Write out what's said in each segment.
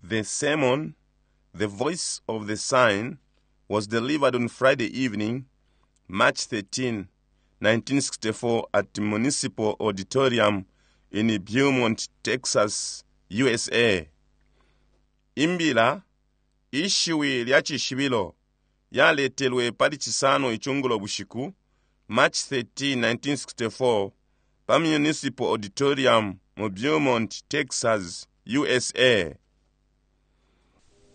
The sermon, The Voice of the Sign, was delivered on Friday evening, March 13, 1964, at the Municipal Auditorium in Beaumont, Texas, USA. Imbila, Ishiwi lya Cishibilo, yaletelwe pali Cisano icungulo bushiku, March 13, 1964, pa Municipal Auditorium mu Beaumont, Texas, USA.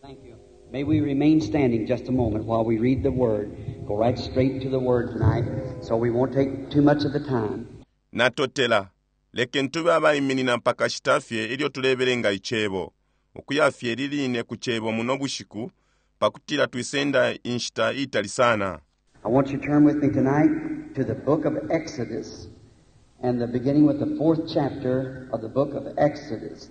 Thank you. May we remain standing just a moment while we read the Word. Go right straight to the Word tonight, so we won't take too much of the time. Natotela. Lekeni tube abaiminina pakashita fye ilyo tulebelenga Icebo, ukuya fye liline ku Cebo muno bushiku, pakutila twisenda inshita itali sana. I want you to turn with me tonight to the book of Exodus, and the beginning with the fourth chapter of the book of Exodus.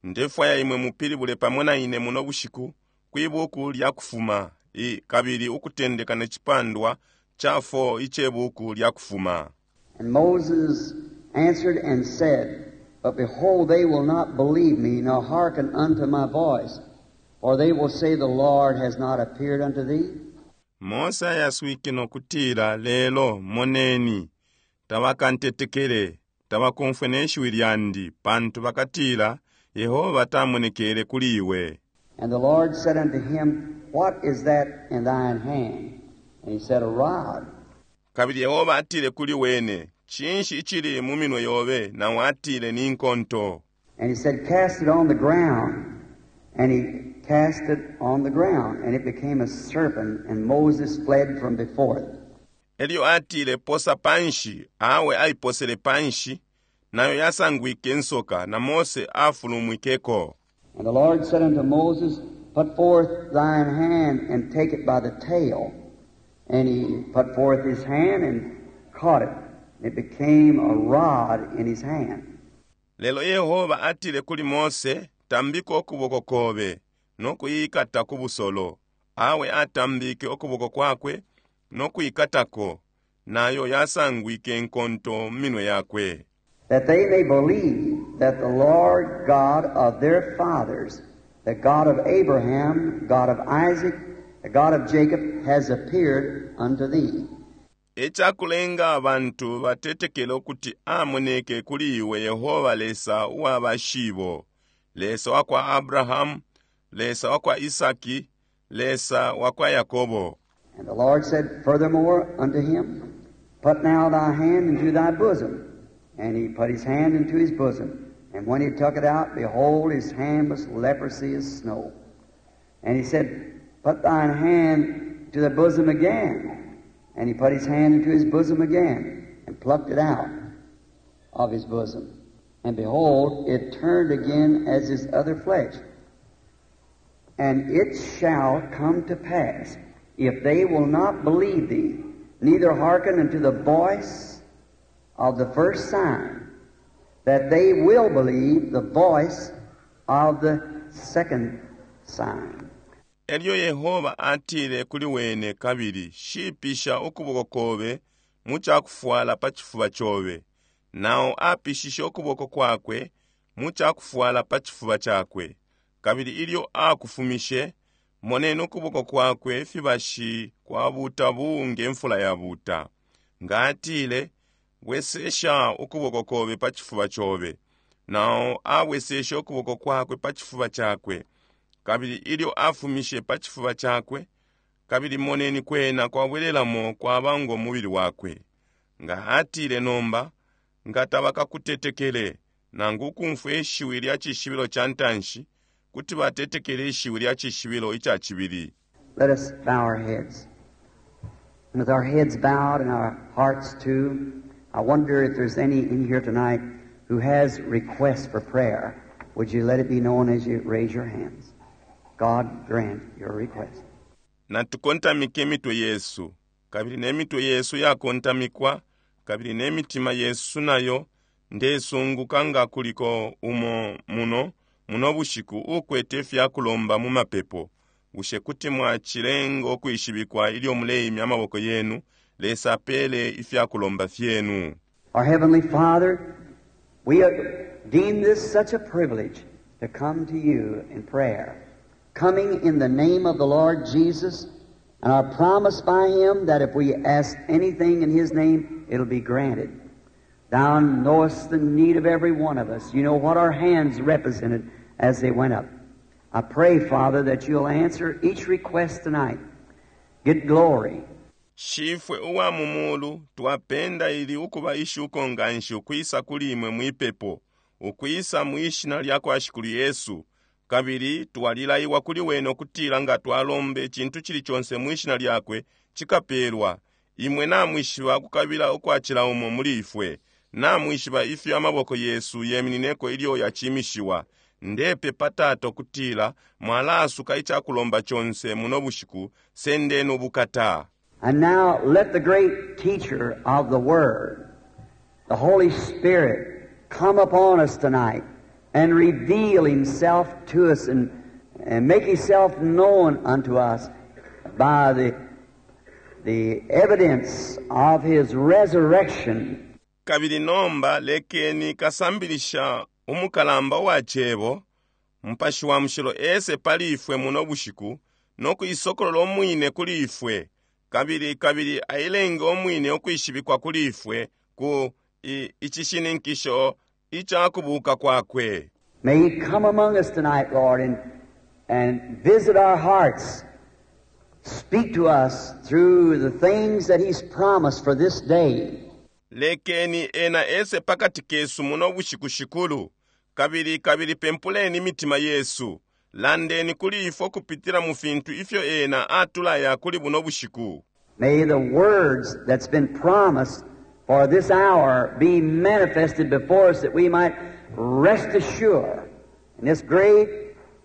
Ndefwaya imwe mupilibule pamo na ine muno bushiku kwi buku lya Kufuma, i, kabili ukutendeka ne cipandwa ca 4 ice buku lya Kufuma. And Moses answered and said, But behold, they will not believe me, nor hearken unto my voice, for they will say, The Lord has not appeared unto thee. Mose ayaswike no kutila, Lelo, moneni, tabakantetekele, tabakomfwe ne shiwi lyandi, pantu bakatila, Yehoba tamonekele kuli iwe. And the Lord said unto him, What is that in thine hand? And he said, A rod. Kabili Yehoba atile kuli wene, Cinshi icili mu minwe yobe? Nao atile, Ni nkonto. And he said, Cast it on the ground. And he cast it on the ground, and it became a serpent, and Moses fled from before it. Elyo atile, Posa panshi. Awe aiposele panshi, nayo yasangwike nsoka, na Mose afulumwikeko. And the Lord said unto Moses, Put forth thine hand, and take it by the tail. And he put forth his hand and caught it. And it became a rod in his hand. Lelo Yehoba atile kuli Mose, Tambika ukuboko kobe, no kuikata ku busolo. Awe atambike ukuboko kwakwe, no kuikatako, nayo yasangwike nkonto mu minwe yakwe. That they may believe that the Lord God of their fathers, the God of Abraham, God of Isaac, the God of Jacob, has appeared unto thee. Ecakulenga abantu batetekele ukuti amoneke kuli iwe Yehoba Lesa uwa bashibo, Lesa wa kwa Abrahamu, Lesa wa kwa Isaki, Lesa wa kwa Yakobo. And the Lord said furthermore unto him, Put now thy hand into thy bosom. And he put his hand into his bosom. And when he took it out, behold, his hand was leprosy as snow. And he said, Put thine hand to the bosom again. And he put his hand into his bosom again, and plucked it out of his bosom. And behold, it turned again as his other flesh. And it shall come to pass, if they will not believe thee, neither hearken unto the voice of the first sign, that they will believe the voice of the second sign. Elyo Yehoba atile kuli wene kabili, Shipisha ukuboko kobe mu cakufwala pa cifuba cobe. Nao apishishe ukuboko kwakwe mu cakufwala pa cifuba cakwe. Kabili ilyo akufumishe, moneni ukuboko kwakwe fibashi kwabuta buu nge mfula yabuta. Nga atile, Bwesesha ukuboko kobe pa cifuba cobe. Nao abweseshe ukuboko kwakwe pa cifuba cakwe. Kabili ilyo afumishe pa cifuba cakwe, kabili moneni kwena kwabwelelamo kwaba ngo mubili wakwe. Nga atile nomba, nga tabakakutetekele, nangu ukumfwa ishiwi lya cishibilo ca ntanshi, kuti batetekele ishiwi lya cishibilo ica cibili. Let us bow our heads. And with our heads bowed and our hearts too, I wonder if there's any in here tonight who has requests for prayer. Would you let it be known as you raise your hands? God grant your request. Natukontamike imitwe yesu, kabili ne mitwe yesu yakontamikwa, kabili ne mitima yesu nayo. Ndesunguka nga kuliko umo muno muno bushiku ukwete ifyakulomba mu mapepo. Bushe kuti mwacilenga ukwishibikwa ilyo muleimya amaboko yenu? Lesa apele ifyakulomba fyenu. Our Heavenly Father, we deem this such a privilege to come to you in prayer. Coming in the name of the Lord Jesus, and are promised by Him that if we ask anything in His name, it'll be granted. Thou knowest the need of every one of us. You know what our hands represented as they went up. I pray, Father, that you'll answer each request tonight. Get glory. Shifwe uwa mu mulu, twapenda ili ukuba ishuko nganshi ukwisa kuli imwe mwipepo, ukwisa mwi Shina lyakwa Shikulu Yesu. Kabili twalilaiwa kuli Wene ukutila nga twalomba icintu cili conse mwi Shina Lyakwe, cikapelwa. Imwe namwishiba ukukabila ukwa cila umo muli ifwe. Namwishiba ifyo amaboko yesu yeminineko ilyo yacimishiwa. Ndepepa, Tata, ukutila mwalaasuka icakulomba conse muno bushiku. Sendeni ubukata. And now let the great teacher of the Word, the Holy Spirit, come upon us tonight and reveal Himself to us and make Himself known unto us by the evidence of His resurrection. Kabili nomba lekeni kasambilisha umukalamba uwa Cebo, Mupashi wa Mushilo, ese pali ifwe muno bushiku no kuisokolola umwine kuli ifwe, kabili, kabili ailenge umwine ukwishibikwa kuli ifwe ku icishininkisho ica kubuka kwakwe. May He come among us tonight, Lord, and visit our hearts. Speak to us through the things that He's promised for this day. Lekeni ena ese pakati kesu muno bushiku, Shikulu, kabili, kabili pempuleni imitima yesu. Landeni kuli ifwe kupitila mu fintu ifyo ena atulaya kuli buno bushiku. May the words that's been promised for this hour be manifested before us that we might rest assured in this great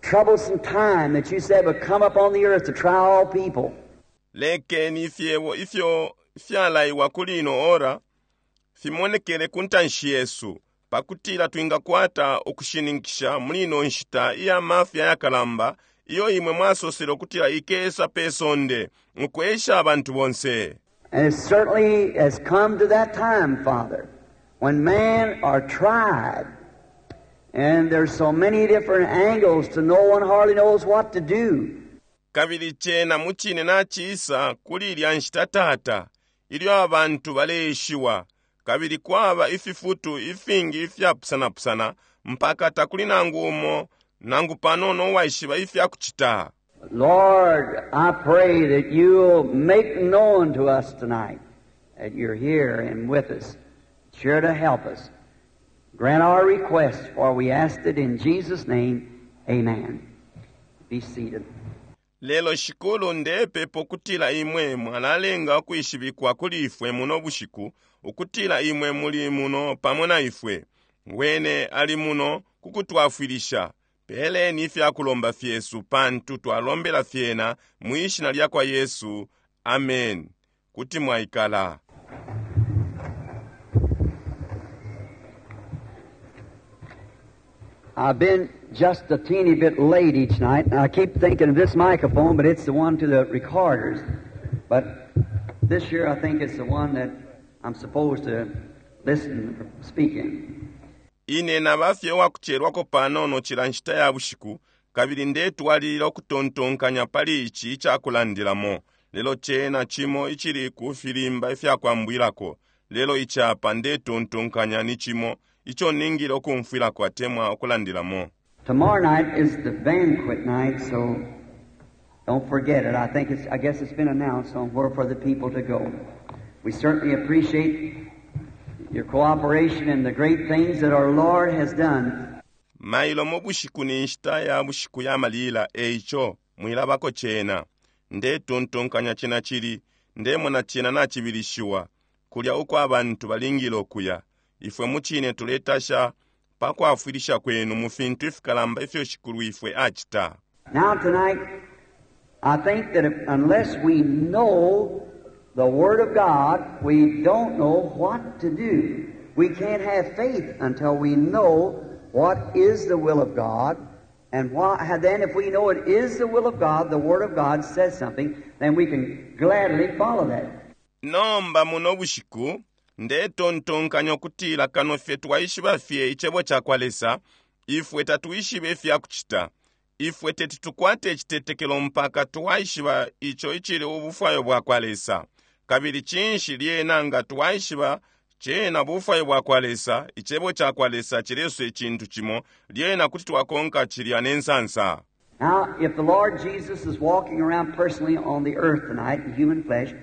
troublesome time that you said would come upon the earth to try all people. Lekeni ifyebo ifyo fyalaiwa kuli ino ora fimonekele ku ntanshi yesu, pakutila twingakwata ukushininkisha muli ino nshita iya mafya yakalamba iyo imwe mwasosele ukutila ikesa pe sonde ukwesha abantu bonse. And it certainly has come to that time, Father, when men are tried, and there's so many different angles to no one hardly knows what to do. Kabili cena mucine nacisa kuli ilya nshita, Tata, ilyo abantu baleeshiwa, kabili kwaba ififutu ifingi ifyapusanapusana mpaka takuli nangu umo nangu panono uwaishiba ifyakucita. Lord, I pray that you'll make known to us tonight that you're here and with us, sure to help us. Grant our request, for we asked it in Jesus' name. Amen. Be seated. Lelo Shikulu, ndepepa ukutila imwe mwalalenga ukwishibikwa kuli ifwe muno bushiku ukutila imwe muli muno pamo na ifwe. Wene ali muno kukutwafwilisha. Peleni ifyakulomba fyesu, pantu twalombela fyena mwi shina lyakwa Yesu. Amen. Kuti mwaikala. I've been just a teeny bit late each night, and I keep thinking of this microphone, but it's the one to the recorders. But this year I think it's the one that I'm supposed to listen or speak in. Ine naba fye uwakucelwako panono cila nshita ya bushiku, kabili ndetwalilila ukutontonkanya pali ici icakulandilamo, lelo cena cimo icili ku filimba ifyakwambwilako. Lelo icapa ndetontonkanya ni cimo ico ningile ukumfwilako atemwa ukulandilamo. Tomorrow night is the banquet night, so don't forget it. I guess it's been announced on where for the people to go. We certainly appreciate your cooperation and the great things that our Lord has done. Mailo mu bushiku ni nshita ya bushiku ya malila, eico mwilabako cena. Ndetontonkanya cena cili, ndemona cena nacibilishiwa kulya uko abantu balingile ukuya. Ifwe mucine tuletasha pa kwafwilisha kwenu mu fintu ifikalamba ifyo Shikulu ifwe acita. Now tonight, I think that unless we know the Word of God, we don't know what to do. We can't have faith until we know what is the will of God. And then if we know it is the will of God, the Word of God says something, then we can gladly follow that. Nomba muno bushiku, ndetontonkanya ukutila kano fye twaishiba fye icebo cakwa Lesa, Ifwe tatwishibe ifyakucita. Ifwe teti tukwate icitetekelo mpaka twaishiba ico icili ubufwayo bwakwa Lesa. Kabili cinshi lyena nga twaishiba cena bufwayo bwakwa Lesa, Icebo cakwa Lesa cilesosa icintu cimo, lyena kuti twakonka cilya ne nsansa. Now, if the Lord Jesus is walking around personally on the earth tonight in human flesh,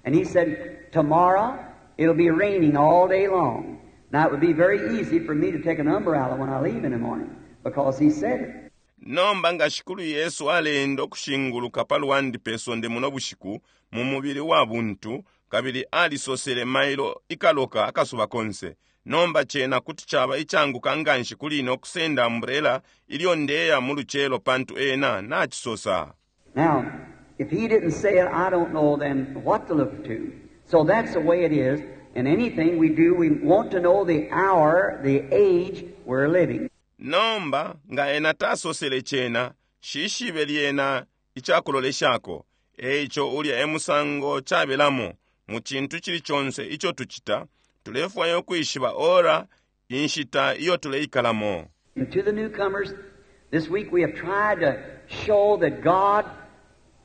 and He said, Tomorrow it'll be raining all day long. Now, it would be very easy for me to take an umbrella when I leave in the morning, because He said it. Nomba nga Shikulu Yesu aleenda ukushinguluka pa lwandi pe sonde muno bushiku, mu mubili wa buntu, kabili alisosele mailo ikaloka akasuba konse, nomba cena kuti caba icanguka nganshi kuli ine ukusenda umbrella ilyo ndeya mu lucelo pantu Ena nacisosa. Now, if He didn't say it, I don't know then what to look to. So that's the way it is. In anything we do, we want to know the hour, the age we're living. Nomba, nga Ena tasosele cena, nshishibe lyena icakuloleshako. Eico ulya e musango cabelamo, mu cintu cili conse ico tucita, tulefwaya ukwishiba ora, inshita iyo tuleikalamo. And to the newcomers, this week we have tried to show that God,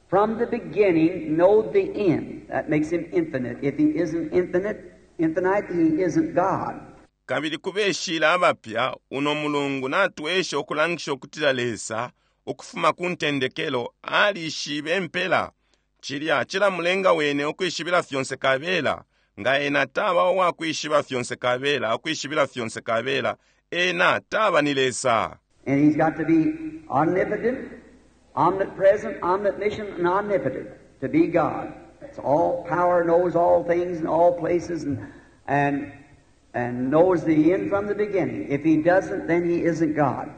from the beginning, knowed the end. That makes him infinite. If he isn't infinite, infinite, he isn't God. Kabili ku beshile abapya, uno mulungu natwesha ukulangisha ukutila Lesa, ukufuma ku ntendekelo, alishibe impela. Cilya cilamulenga wene ukwishibila fyonse kabela. Nga ena taba uwakwishiba fyonse kabela, ukwishibila fyonse kabela, ena taba ni Lesa. And he's got to be omnipotent, omnipresent, omniscient, and omnipotent to be God. It's all power, knows all things and all places, and, and, and knows the end from the beginning. If he doesn't, then he isn't God.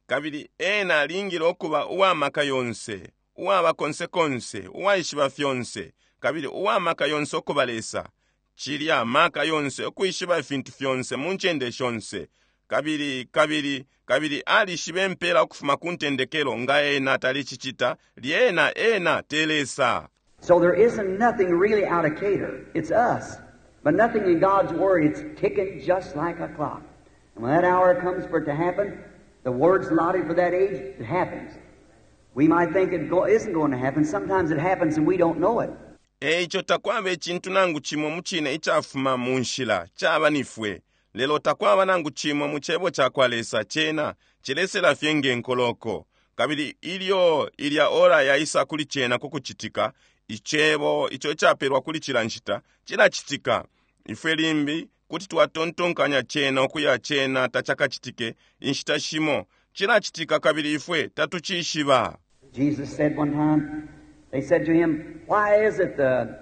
Kabili ena alingile ukuba uwamaka yonse, uwaba konse konse, uwaishiba fyonse, kabili uwamaka yonse ukuba Lesa. Cilya maka yonse ukwishiba ifintu fyonse mu ncende shonse. Kabili, kabili, kabili alishiba impela ukufuma ku ntendekelo, nga ena talicicita, lyena ena te Lesa. So there isn't nothing really out of cater. It's us. But nothing in God's Word. It's ticking just like a clock. And when that hour comes for it to happen, the word's allotted for that age, it happens. We might think it go, isn't going to happen. Sometimes it happens and we don't know it. Eico takwaba icintu nangu cimo mu cine icafuma mu nshila, caba nifwe. Lelo takwaba nangu cimo mu Cebo cakwa Lesa cena cilesela fye nge nkoloko. Kabili ilyo ilya ora yaisa kuli cena ku kucitika, Icebo ico icapelwa kuli cila nshita cilacitika. Ifwe limbi kuti twatontonkanya cena ukuya cena tacakacitike, inshita shimo cilacitika kabili ifwe tatucishiba. Jesus said one time, they said to him, Why is it the,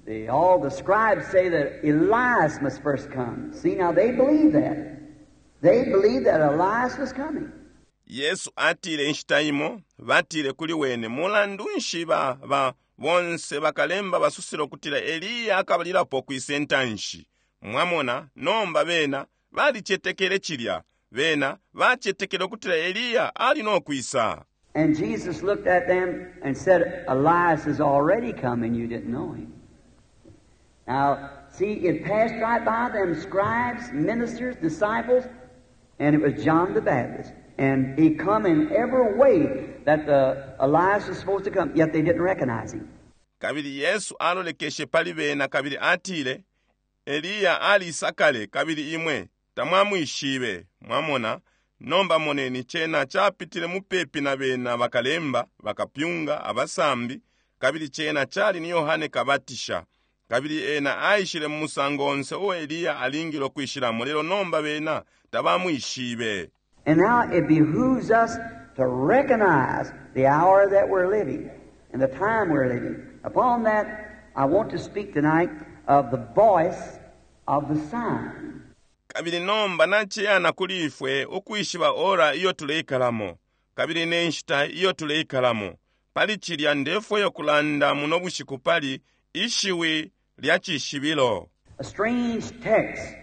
the, all the scribes say that Elias must first come? See, now they believe that. They believed that Elias was coming. Yesu atile inshita imo, batile kuli wene, mulandu nshi ba, ba, bonse bakalemba basosela ukutila Eliya akabalilapo kwisa intanshi. Mwamona, nomba bena balicetekele cilya. Bena bacetekele ukutila Eliya ali no kwisa. And Jesus looked at them and said, Elias has already come and you didn't know him. Now, see, it passed right by them scribes, ministers, disciples, and it was John the Baptist. And he come in every way that the Elias was supposed to come, yet they didn't recognize him. Kabili Yesu alolekeshe pali bena kabili atile, Eliya alisa kale kabili imwe tamwamwishibe. Mwamona? Nomba moneni cena capitile mupepi na bena bakalemba, bakapyunga, abasambi, kabili cena cali ni Yohane Kabatisha. Kabili ena aishile mu musango onse uo Eliya alingile ukwishilamo, lelo nomba bena tabamwishibe. And now it behooves us to recognize the hour that we're living and the time we're living. Upon that, I want to speak tonight of the voice of the sign. Kabili nomba naciyana kuli ifwe ukwishiba ora iyo tuleikalamo, kabili ne nshita iyo tuleikalamo. Pali cilya ndefwaya ukulanda muno bushiku pali ishiwi lya cishibilo. A strange text,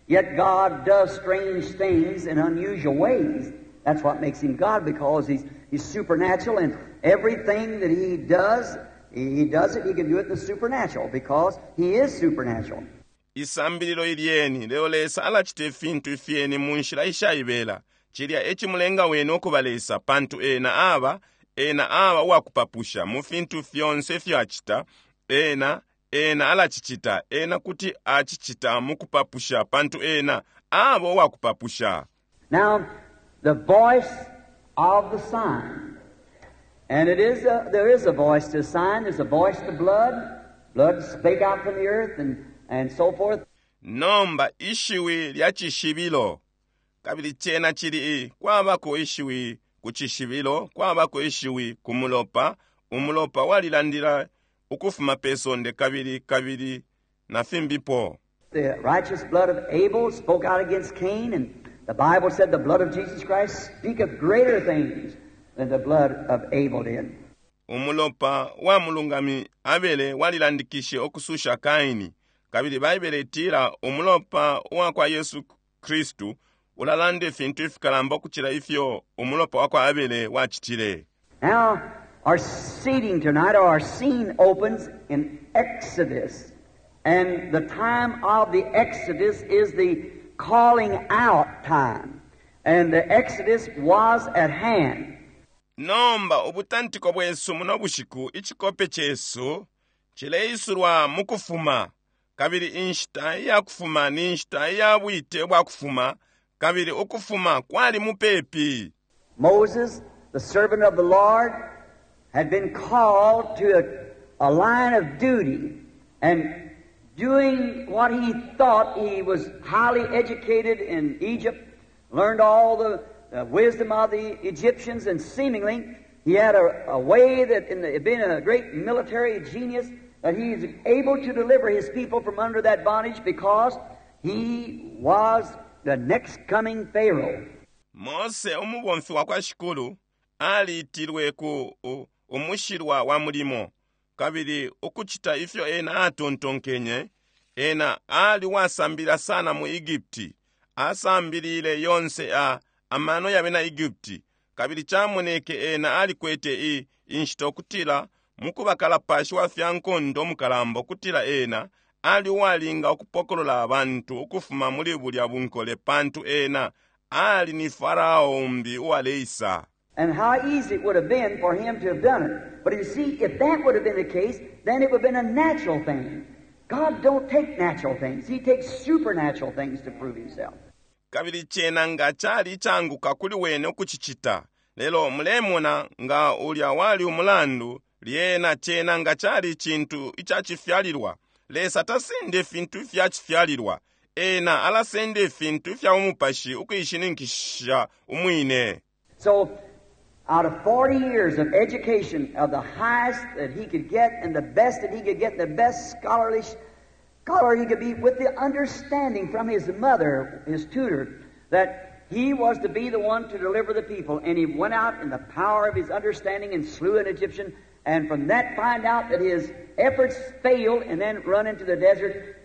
yet God does strange things in unusual ways. That's what makes him God, because he's, he's supernatural, and everything that he does, he does it, he can do it in the supernatural, because he is supernatural. Isambililo ilyeni, lelo Lesa alacita ifintu ifyeni mu nshila ishaibela. Cilya e cimulenga Wene ukuba Lesa, pantu Ena aba, Ena aba uwakupapusha mu fintu fyonse ifyo Acita. Ena, Ena alacicita. Ena kuti acicita mukupapusha, pantu Ena aba uwakupapusha. Now, the voice of the sign. And it is a, there is a voice to sign. There's a voice to blood. Blood spake out from the earth and, and so forth. Nomba ishiwi lya cishibilo. Kabili cena cili, kwabako ishiwi ku cishibilo, kwabako ishiwi ku mulopa. Umulopa walilandila ukufuma pe sonde kabili, kabili na fimbipo. The righteous blood of Abel spoke out against Cain, and the Bible said the blood of Jesus Christ speaketh greater things than the blood of Abel did. Umulopa wa mulungami Abele walilandikishe ukususha Kaini, kabili Baibele itila umulopa wa kwa Yesu Kristu ulalanda ifintu ifikalamba ukucila ifyo umulopa wa kwa Abele wacitile. Now, our seating tonight, or our scene opens in Exodus. And the time of the Exodus is the calling out time. And the Exodus was at hand. Nomba ubutantiko bwesu muno bushiku, icikope cesu, cileisulwa mu Kufuma. Kabili inshita iya kufuma ni nshita iya bwite bwa kufuma, kabili ukufuma kwali mupepi. Moses, the servant of the Lord, had been called to a, a line of duty and doing what he thought he was highly educated in Egypt, learned all the, the wisdom of the Egyptians, and seemingly he had a, a way that, in the, being a great military genius, that he was able to deliver his people from under that bondage because he was the next coming Pharaoh. Mose umubomfi wa kwa Shikulu aliitilwe ku umushilwa wa mulimo, kabili ukucita ifyo ena atontonkenye, ena ali uwasambilila sana mu Egupti, asambilile yonse a, amano ya bena Egupti, kabili camoneke ena alikwete i, inshita ukutila mukuba kalapashi wa fya nkondo umukalamba ukutila ena ali uwalinga ukupokolola abantu ukufuma muli bulya bunkole pantu ena ali ni Farao umbi uwaleisa. And how easy it would have been for him to have done it. But you see, if that would have been the case, then it would have been a natural thing. God don't take natural things. He takes supernatural things to prove himself. Kabili cena nga cali icaanguka kuli wene ukucicita. Lelo mulemona nga ulya wali umulandu, lyena cena nga cali icintu icacifyalilwa. Lesa tasenda ifintu ifya cifyalilwa. Ena alasenda ifintu ifya bumupashi ukuishininkisha umwine. So, out of 40 years of education of the highest that he could get and the best that he could get, the best scholarly scholar he could be, with the understanding from his mother, his tutor, that he was to be the one to deliver the people. And he went out in the power of his understanding and slew an Egyptian. And from that find out that his efforts failed and then run into the desert.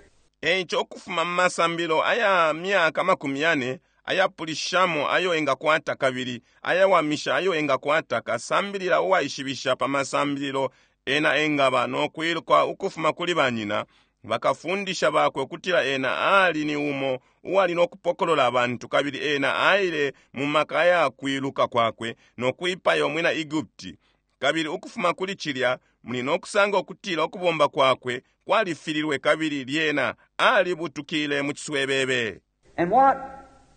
Eico ukufuma mu masambilo aya myaka amakumi yane ayapulishamo ayo engakwata kabili ayawamisha ayo engakwata, kasambilila uwaishibisha pa masambililo ena engaba no kwiluka ukufuma kuli banyina, bakafundisha bakwe ukutila ena aali ni umo uwali no kupokolola abantu, kabili ena aile mu maka aya kwiluka kwakwe no kwipaya umwina Egupti. Kabili ukufuma kuli cilya muli no kusanga ukutila ukubomba kwakwe kwalifililwe kabili lyena alibutukile mu ciswebebe. And what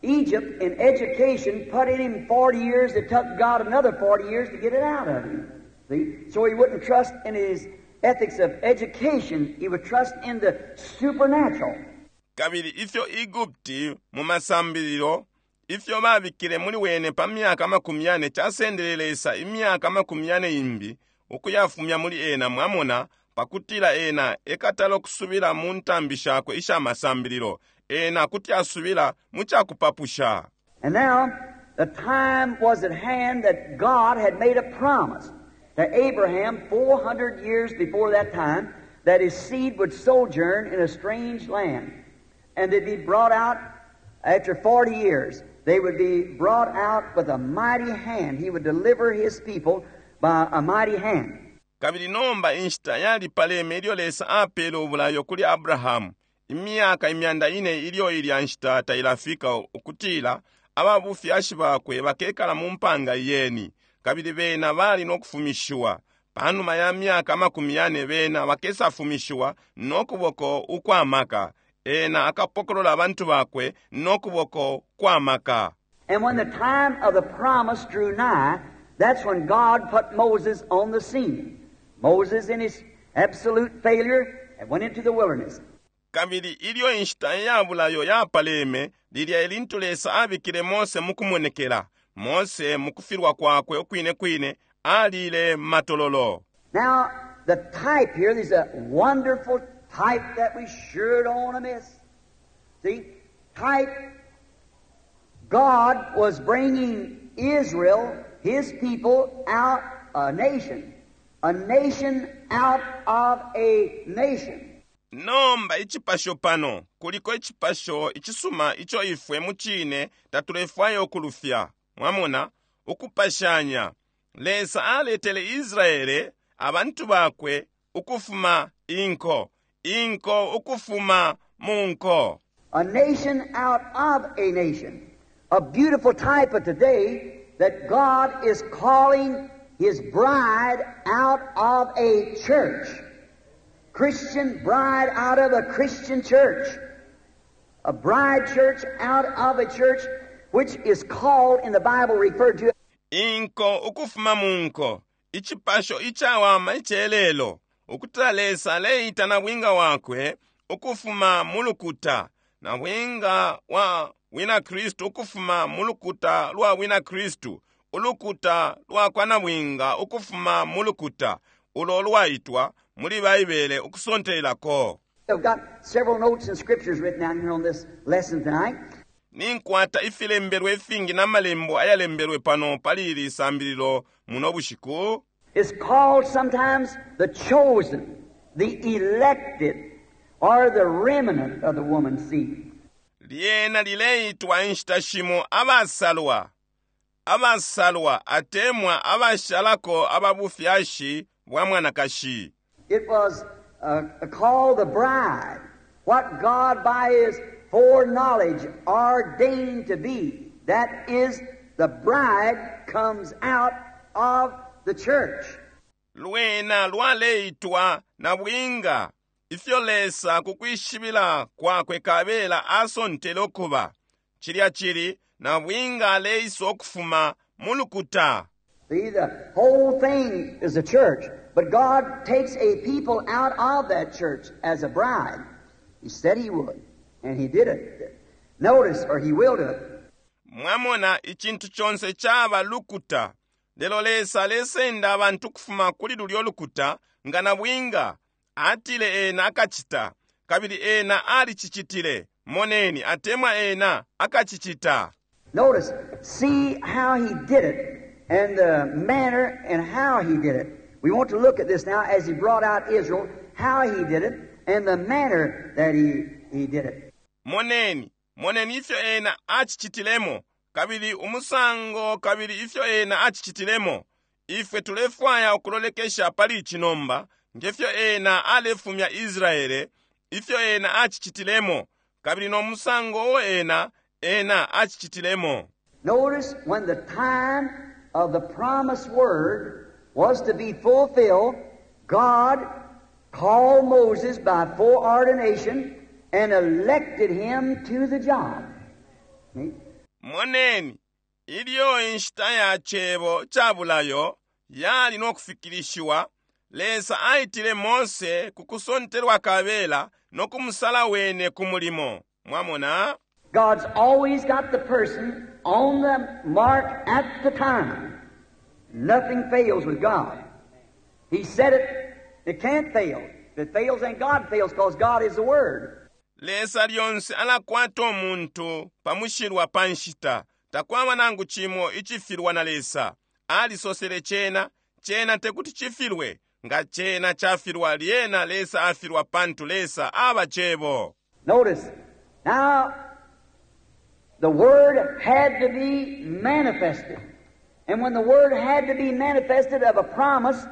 Egypt in education put in him 40 years, it took God another 40 years to get it out of him. See? So he wouldn't trust in his ethics of education, he would trust in the supernatural. Kabili ifyo Egupti mu masambililo, ifyo babikile muli wene pa myaka amakumi yane casendele Lesa imyaka amakumi yane imbi ukuyafumya muli ena, mwamona, pakutila ena ekatala ukusubila mu ntambi shakwe isha masambililo, ena kuti asubila mu cakupapusha. And now, the time was at hand that God had made a promise to Abraham 400 years before that time that his seed would sojourn in a strange land. And they'd be brought out after 40 years. They would be brought out with a mighty hand. He would deliver his people by a mighty hand. Kabili nomba inshita yalipaleme ilyo Lesa apele ubulayo kuli Abrahamu, imyaka imyanda ine ilyo ilya nshita tailafika, ukutila Ababufyashi bakwe bakekala mu mpanga iyeni, kabili bena bali no kufumishiwa. Panuma ya myaka amakumi yane bena bakesafumishiwa no kuboko ukwa maka. Ena akapokolola abantu bakwe no kuboko kwa maka. And when the time of the promise drew nigh, that's when God put Moses on the scene. Moses, in his absolute failure, went into the wilderness. Kabili ilyo inshita iya bulayo yapaleme, lilya elintu Lesa abikile Mose mukumonekela. Mose, mukufilwa kwakwe ukwine kwine, alile matololo. Now, the type here, there's a wonderful type that we sure don't want to miss. See, type, God was bringing Israel, His people, out a nation. A nation out of a nation. Nomba icipasho pano, kuliko icipasho icisuma ico ifwe mucine tatulefwaya ukulufya. Mwamona, ukupashanya. Lesa aletele Israele, abantu bakwe, ukufuma inko, inko ukufuma mu nko. A nation out of a nation. A beautiful type of today that God is calling His bride out of a church. Christian bride out of a Christian church. A bride church out of a church which is called in the Bible referred to Inko ukufuma mu nko, icipasho icawama icelelo, ukutila Lesa aleita nabwinga wakwe ukufuma mu lukuta, nabwinga wa wina Kristu ukufuma mu lukuta lwa wina Kristu, ulukuta lwa kwa nabwinga ukufuma mu lukuta, ulo lwaitwa muli Baibele ukusontelelako. I've got several notes and scriptures written down here on this lesson tonight. Ninkwata ifilembelwe ifingi na malembo ayalembelwe pano pali ili sambililo muno bushiku. It's called sometimes the chosen, the elected, or the remnant of the woman's seed. Lyena lileitwa inshita shimo abasalwa, abasalwa atemwa abashalako ababufyashi bwa mwanakashi. It was called the bride, what God by His foreknowledge ordained to be. That is, the bride comes out of the church. Lwena lwaleitwa nabwinga, ifyo Lesa kukwishibila kwakwe kabela asontele ukuba. Cilya cili nabwinga aleisa ukufuma mu lukuta. See, the whole thing is a church, but God takes a people out of that church as a bride. He said He would, and He did it. Notice, or He will do it. Mwamona, icintu conse caba lukuta. Lelo Lesa alesenda abantu kufuma kuli lulyo lukuta nga nabwinga. Atile ena akacita, kabili ena alicicitile. Moneni, atemwa ena akacicita. Notice, see how He did it, and the manner and how He did it. We want to look at this now as He brought out Israel, how He did it, and the manner that he did it. Moneni, moneni ifyo ena acicitilemo, kabili umusango kabili ifyo ena acicitilemo. Ifwe tulefwaya ukulolekesha pali ici nomba, ngefyo ena alefumya Israele, ifyo ena acicitilemo, kabili no musango uo ena acicitilemo. Notice when the time of the promised word was to be fulfilled, God called Moses by foreordination and elected him to the job. See? Moneni, ilyo inshita ya cebo ca bulayo yali no kufikilishiwa, Lesa aitile Mose ku kusontelwa kabela no kumusala wene ku mulimo. Mwamona? God's always got the person on the mark at the time. Nothing fails with God. He said it, it can't fail. If it fails, then God fails, because God is the Word. Lesa lyonse alakwata umuntu pamushilwa pa nshita. Takwaba nangu cimo icifilwa na Lesa. Alisosele cena, cena tekuti cifilwe. Nga cena cafilwa, lyena Lesa afilwa, pantu Lesa aba cebo. Notice, now, the Word had to be manifested. And when the Word had to be manifested of a promise,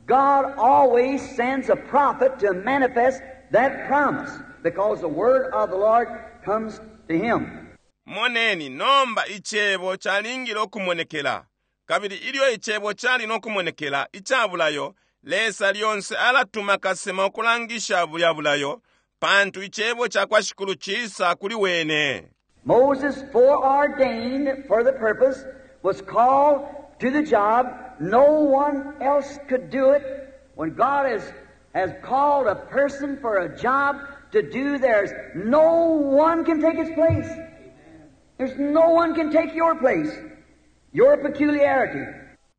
God always sends a prophet to manifest that promise, because the Word of the Lord comes to him. Moneni, nomba Icebo calingile ukumonekela. Kabili ilyo Icebo cali no kumonekela, ica bulayo, Lesa lyonse alatuma kasema ukulangisha bulya bulayo, pantu Icebo cakwa Shikulu cisa kuli wene. Moses, foreordained for the purpose, was called to the job. No one else could do it. When God has called a person for a job to do, there's no one can take his place. There's no one can take your place, your peculiarity.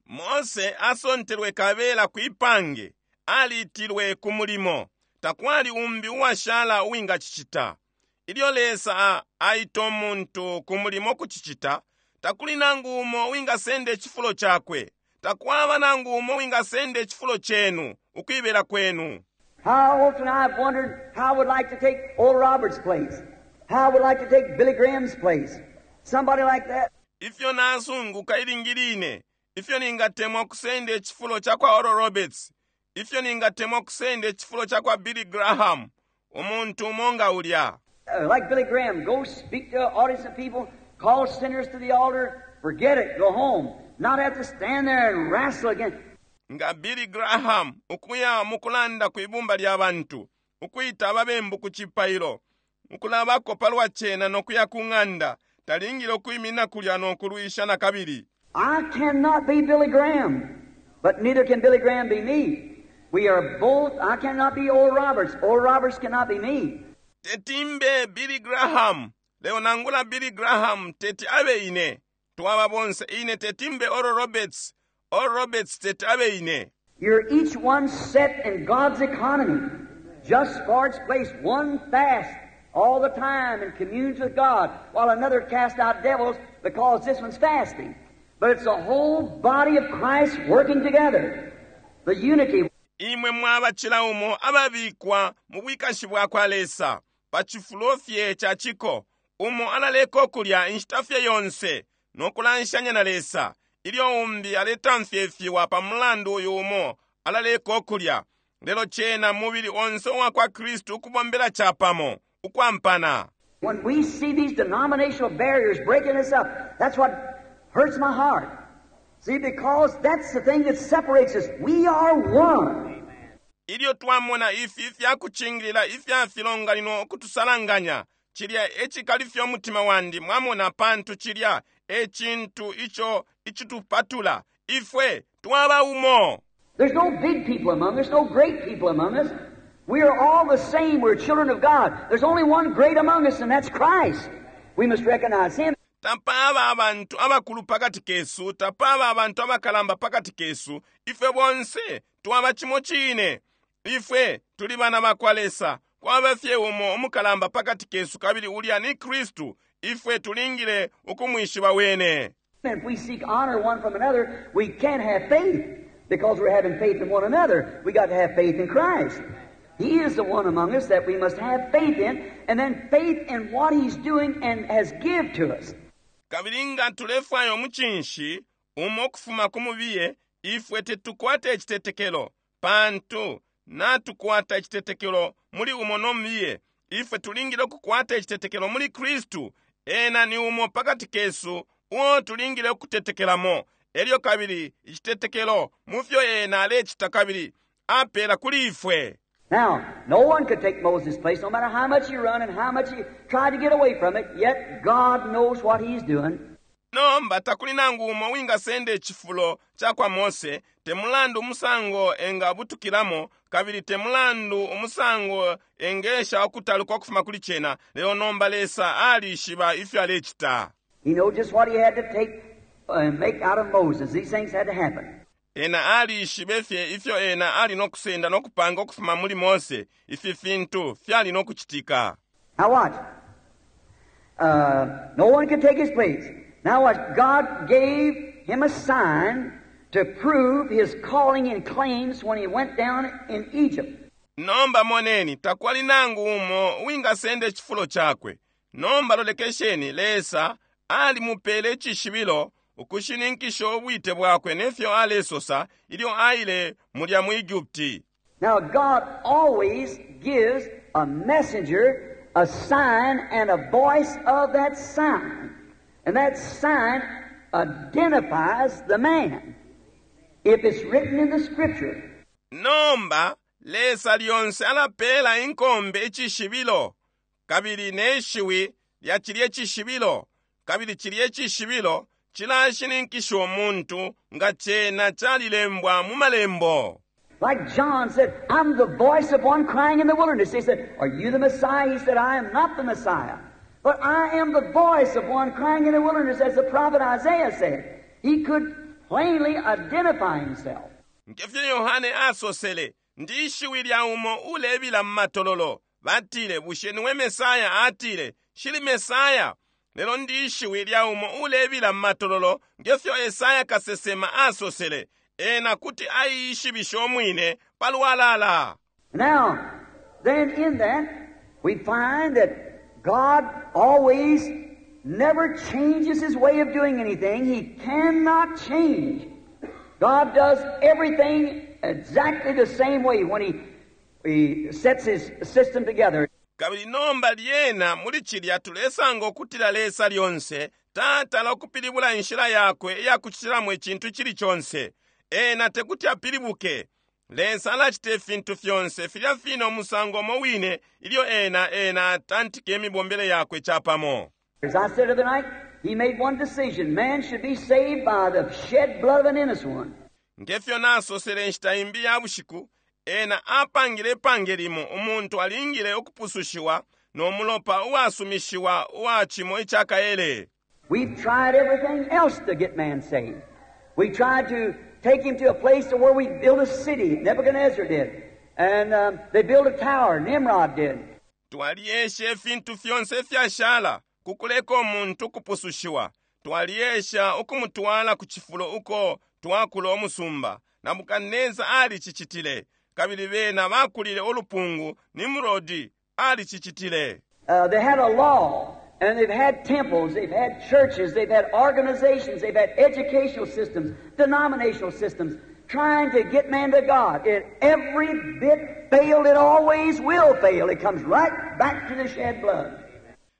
Mose asontelwe kabela kwipange, alitilwe ku mulimo. Takwali umbi uwashala uwingacicita. Ilyo Lesa aita umuntu ku mulimo kucicita, takuli nangu umo uwingasenda icifulo cakwe. Takwaba nangu umo uwingasenda icifulo cenu, ukuibela kwenu. How often I've wondered how I would like to take Oral Roberts' place. How I would like to take Billy Graham's place. Somebody like that. Ifyo nasunguka ilingi line, ifyo ningatemwa kusenda icifulo ca kwa Oral Roberts, ifyo ningatemwa kusenda icifulo ca kwa Billy Graham, umuntu umo nga ulya. Like Billy Graham, go speak to an audience of people, call sinners to the altar, forget it, go home. Not have to stand there and wrestle again. Nga Billy Graham ukuya mukulanda ku ibumba lya bantu, ukwita ababembu ku cipailo, ukulabako palwa cena no kuya ku ng'anda, talingile ukwimina kulya no kulwisha na kabili. I cannot be Billy Graham, but neither can Billy Graham be me. We are both, I cannot be Oral Roberts. Oral Roberts cannot be me. Teti mbe Billy Graham, leo nangula Billy Graham teti abe ine. Twaba bonse ine teti mbe Oral Roberts. Oral Roberts teti abe ine. You're each one set in God's economy, just for its place. One fasts all the time and communes with God, while another casts out devils because this one's fasting. But it's the whole body of Christ working together. The unity. Imwe mwaba cila umo ababikwa mu bwikashi bwa kwa Lesa, pa cifulo fye ca ciko, umo alaleka ukulya inshita fye yonse no kulanshanya na Lesa, ilyo umbi aletamfya ifiwa pa mulandu uyu umo alaleka ukulya. Lelo cena mubili onse uwa kwa Kristu ukubombela capamo, ukwampana. When we see these denominational barriers breaking us up, that's what hurts my heart. See, because that's the thing that separates us. We are one. Ilyo twamona ifi ifya kucingilila ifya filonganino ukutusalanganya, cilya e cikalifya umutima wandi, mwamona, pantu cilya e cintu ico icitupatula. Ifwe twaba umo. There's no big people among us, no great people among us. We are all the same. We're children of God. There's only one great among us, and that's Christ. We must recognize Him. Tapaba abantu abakulu pakati kesu, tapaba abantu abakalamba pakati kesu. Ifwe bonse twaba cimo cine. Ifwe tuli bana ba kwa Lesa. Kwaba fye umo umukalamba pakati kesu, kabili ulya ni Kristu. Ifwe tulingile ukumwishiba wene. And if we seek honor one from another, we can't have faith because we're having faith in one another. We got to have faith in Christ. He is the one among us that we must have faith in, and then faith in what He's doing and has give to us. Kabili nga tulefwaya umucinshi umo kufuma ku mubiye, ifwe tetukwate icitetekelo, pantu natukwata icitetekelo muli umo no mubiye. Ifwe tulingile ukukwata icitetekelo muli Kristu. Ena ni umo pakati kesu uo tulingile ukutetekelamo. Elyo kabili icitetekelo mu fyo ena alecita kabili apela kuli ifwe. Now, no one could take Moses' place, no matter how much he run and how much he tried to get away from it, yet God knows what He's doing. Nomba takuli nangu umo wingasenda icifulo ca kwa Mose, te mulandu umusango engabutukilamo, kabili te mulandu umusango engesha ukutaluka ukufuma kuli cena, lelo nomba Lesa alishiba ifyo alecita. He knows just what he had to take and make out of Moses. These things had to happen. Ena alishibe fye ifyo ena ali no kusenda no kupanga ukufuma muli Mose, ifi fintu fyali no kucitika. Now watch. No one could take his place. Now watch. God gave him a sign to prove his calling and claims when he went down in Egypt. Nomba moneni, takwali nangu umo wingasenda icifulo cakwe. Nomba lolekesheni, Lesa alimupele icishibilo ukushininkisha ubwite bwakwe nefyo alesosa ilyo aile mulya mu Egypti. Now God always gives a messenger a sign and a voice of that sign. And that sign identifies the man. If it's written in the Scripture. Nomba, Lesa lyonse alapela inkombe icishibilo, kabili ne shiwi lya cilye cishibilo, kabili cilye cishibilo cilashininkisha umuntu nga cena calilembwa mu Malembo. Like John said, I'm the voice of one crying in the wilderness. They said, Are you the Messiah? He said, I am not the Messiah. But I am the voice of one crying in the wilderness, as the prophet Isaiah said. He could plainly identify himself. Ngefyo Yohane asosele, Ndi ishiwi lya umo ulebila mu matololo. Batile, Bushe niwe Mesaya? Atile, Nshili Mesaya, lelo ndi ishiwi lya umo ulebila mu matololo, ngefyo Esaya kasesema asosele. Ena kuti aiishibisha umwine palwalala. Now, then in that, we find that God always never changes His way of doing anything. He cannot change. God does everything exactly the same way when He sets His system together. Kabili nomba lyena muli cilya tulesanga ukutila Lesa lyonse tatala ukupilibula inshila Yakwe iyakucitilamo icintu icili conse. Ena tekuti apilibuke. Lesa alacita ifintu fyonse filya fine umusango umo wine ilyo Ena, Ena atantika imibombele Yakwe capamo. As I said the other night, He made one decision. Man should be saved by the shed blood of an innocent one. Nge fyo nasosele inshita imbi iya bushiku, Ena apangile ipange limo, umuntu alingile ukupusushiwa no mulopa uwasumishiwa uwa cimo ica kaele. We've tried everything else to get man saved. We tried to take him to a place to where we built a city, Nebuchadnezzar did. And they built a tower, Nimrod did. Twalyesha ifintu fyonse ifyashala ku kuleka umuntu ukupusushiwa. Twalyesha ukumutwala ku cifulo uko twakula umusumba. Nabukadneza alicicitile. Kabili bena bakulile ulupungu, Nimrodi alicicitile. They had a law, and they've had temples, they've had churches, they've had organizations, they've had educational systems, denominational systems, trying to get man to God. It every bit failed. It always will fail. It comes right back to the shed blood.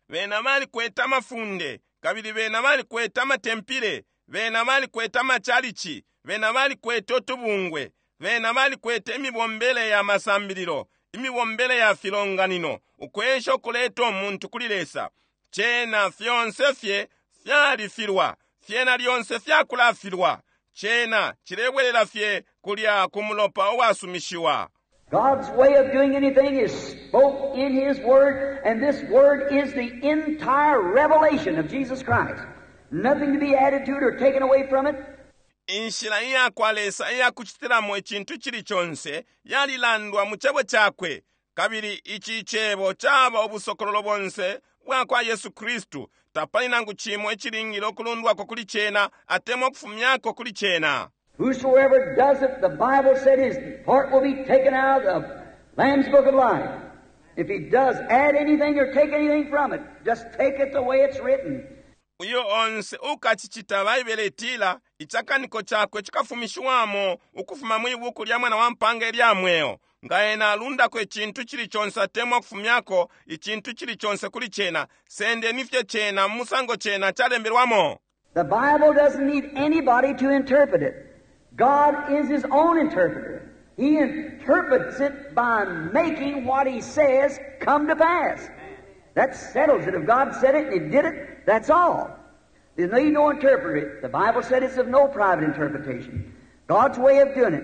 Bena balikwete amafunde, kabili bena balikwete amatempile, bena balikwete amachalichi, bena balikwete utubungwe, bena balikwete imibombele ya masambililo, imibombele ya filonganino, ukwesha ukuleta umuntu kuli Lesa. Cena fyonse fye fyalifilwa, fyena lyonse fyakulafilwa. Cena cilebwelela fye kulya ku mulopa uwasumishiwa. God's way of doing anything is spoke in His Word, and this Word is the entire revelation of Jesus Christ. Nothing to be added to it or taken away from it. Inshila iyakwa Lesa iyakucitilamo icintu icili conse yalilandwa mu Cebo Cakwe, kabili ici Cebo caba ubusokololo bonse bwakwa Yesu Kristu. Tapali nangu cimo icilingile ukulundwako kuli Cena atemwa ukufumyako kuli Cena. Whosoever does it, the Bible said his part will be taken out of the Lamb's Book of Life. If he does add anything or take anything from it, just take it the way it's written. Uyo onse ukacicita, Baibele itila, icakaniko cakwe cikafumishiwamo ukufuma mwi Buku lya Mwana wa Mpanga ilya Mweo. Nga ena alundako icintu icili conse atemwa ukufumyako icintu icili conse kuli cena, sendeni fye cena mu musango cena calembelwamo. The Bible doesn't need anybody to interpret it. God is His own interpreter. He interprets it by making what He says come to pass. That settles it. If God said it and He did it, that's all. There's need no interpreter. The Bible said it's of no private interpretation. God's way of doing it.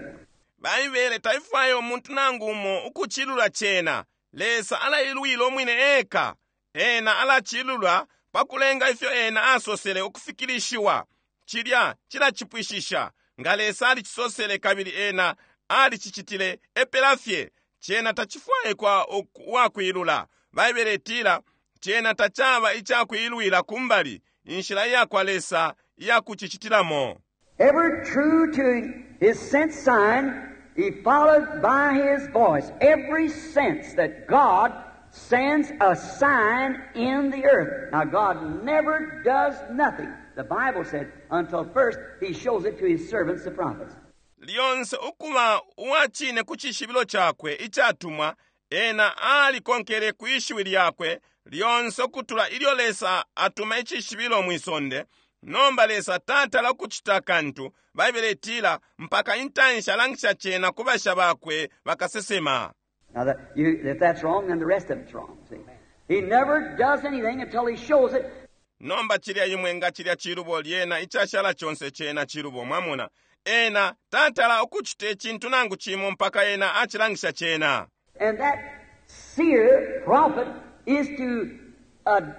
Baibele taifwaya umuntu nangu umo ukucilula cena. Lesa alailwila umwine eka. Ena alacilula pa kulenga ifyo Ena asosele ukufikilishiwa. Cilya cilacipwishisha. Nga Lesa alicisosele kabili Ena alicicitile, epela fye. Cena tacifwaikwa uwakwilula. Baibele itila, cena tacaba icakwilwila kumbali, inshila iyakwa Lesa iyakucicitilamo. Ever true to his sent sign, he followed by his voice. Every sense that God sends a sign in the earth. Now, God never does nothing, the Bible said, until first he shows it to his servants, the prophets. Lyonse ukuba uwa cine ku cishibilo cakwe icatumwa, Ena alikonkele kwi shiwi lyakwe lyonse ukutula ilyo Lesa atuma icishibilo mwi sonde. Nomba Lesa tatala ukucita kantu, Baibele itila, mpaka intanshi alangisha cena ku basha bakwe bakasesema. Now, that, you, if that's wrong, then the rest of it's wrong. See? He never does anything until he shows it. Nomba cilya imwe nga cilya cilubo, lyena icashala conse cena cilubo, mwamona. Ena tatala ukucita icintu nangu cimo mpaka ena acilangisha cena. And that seer prophet is to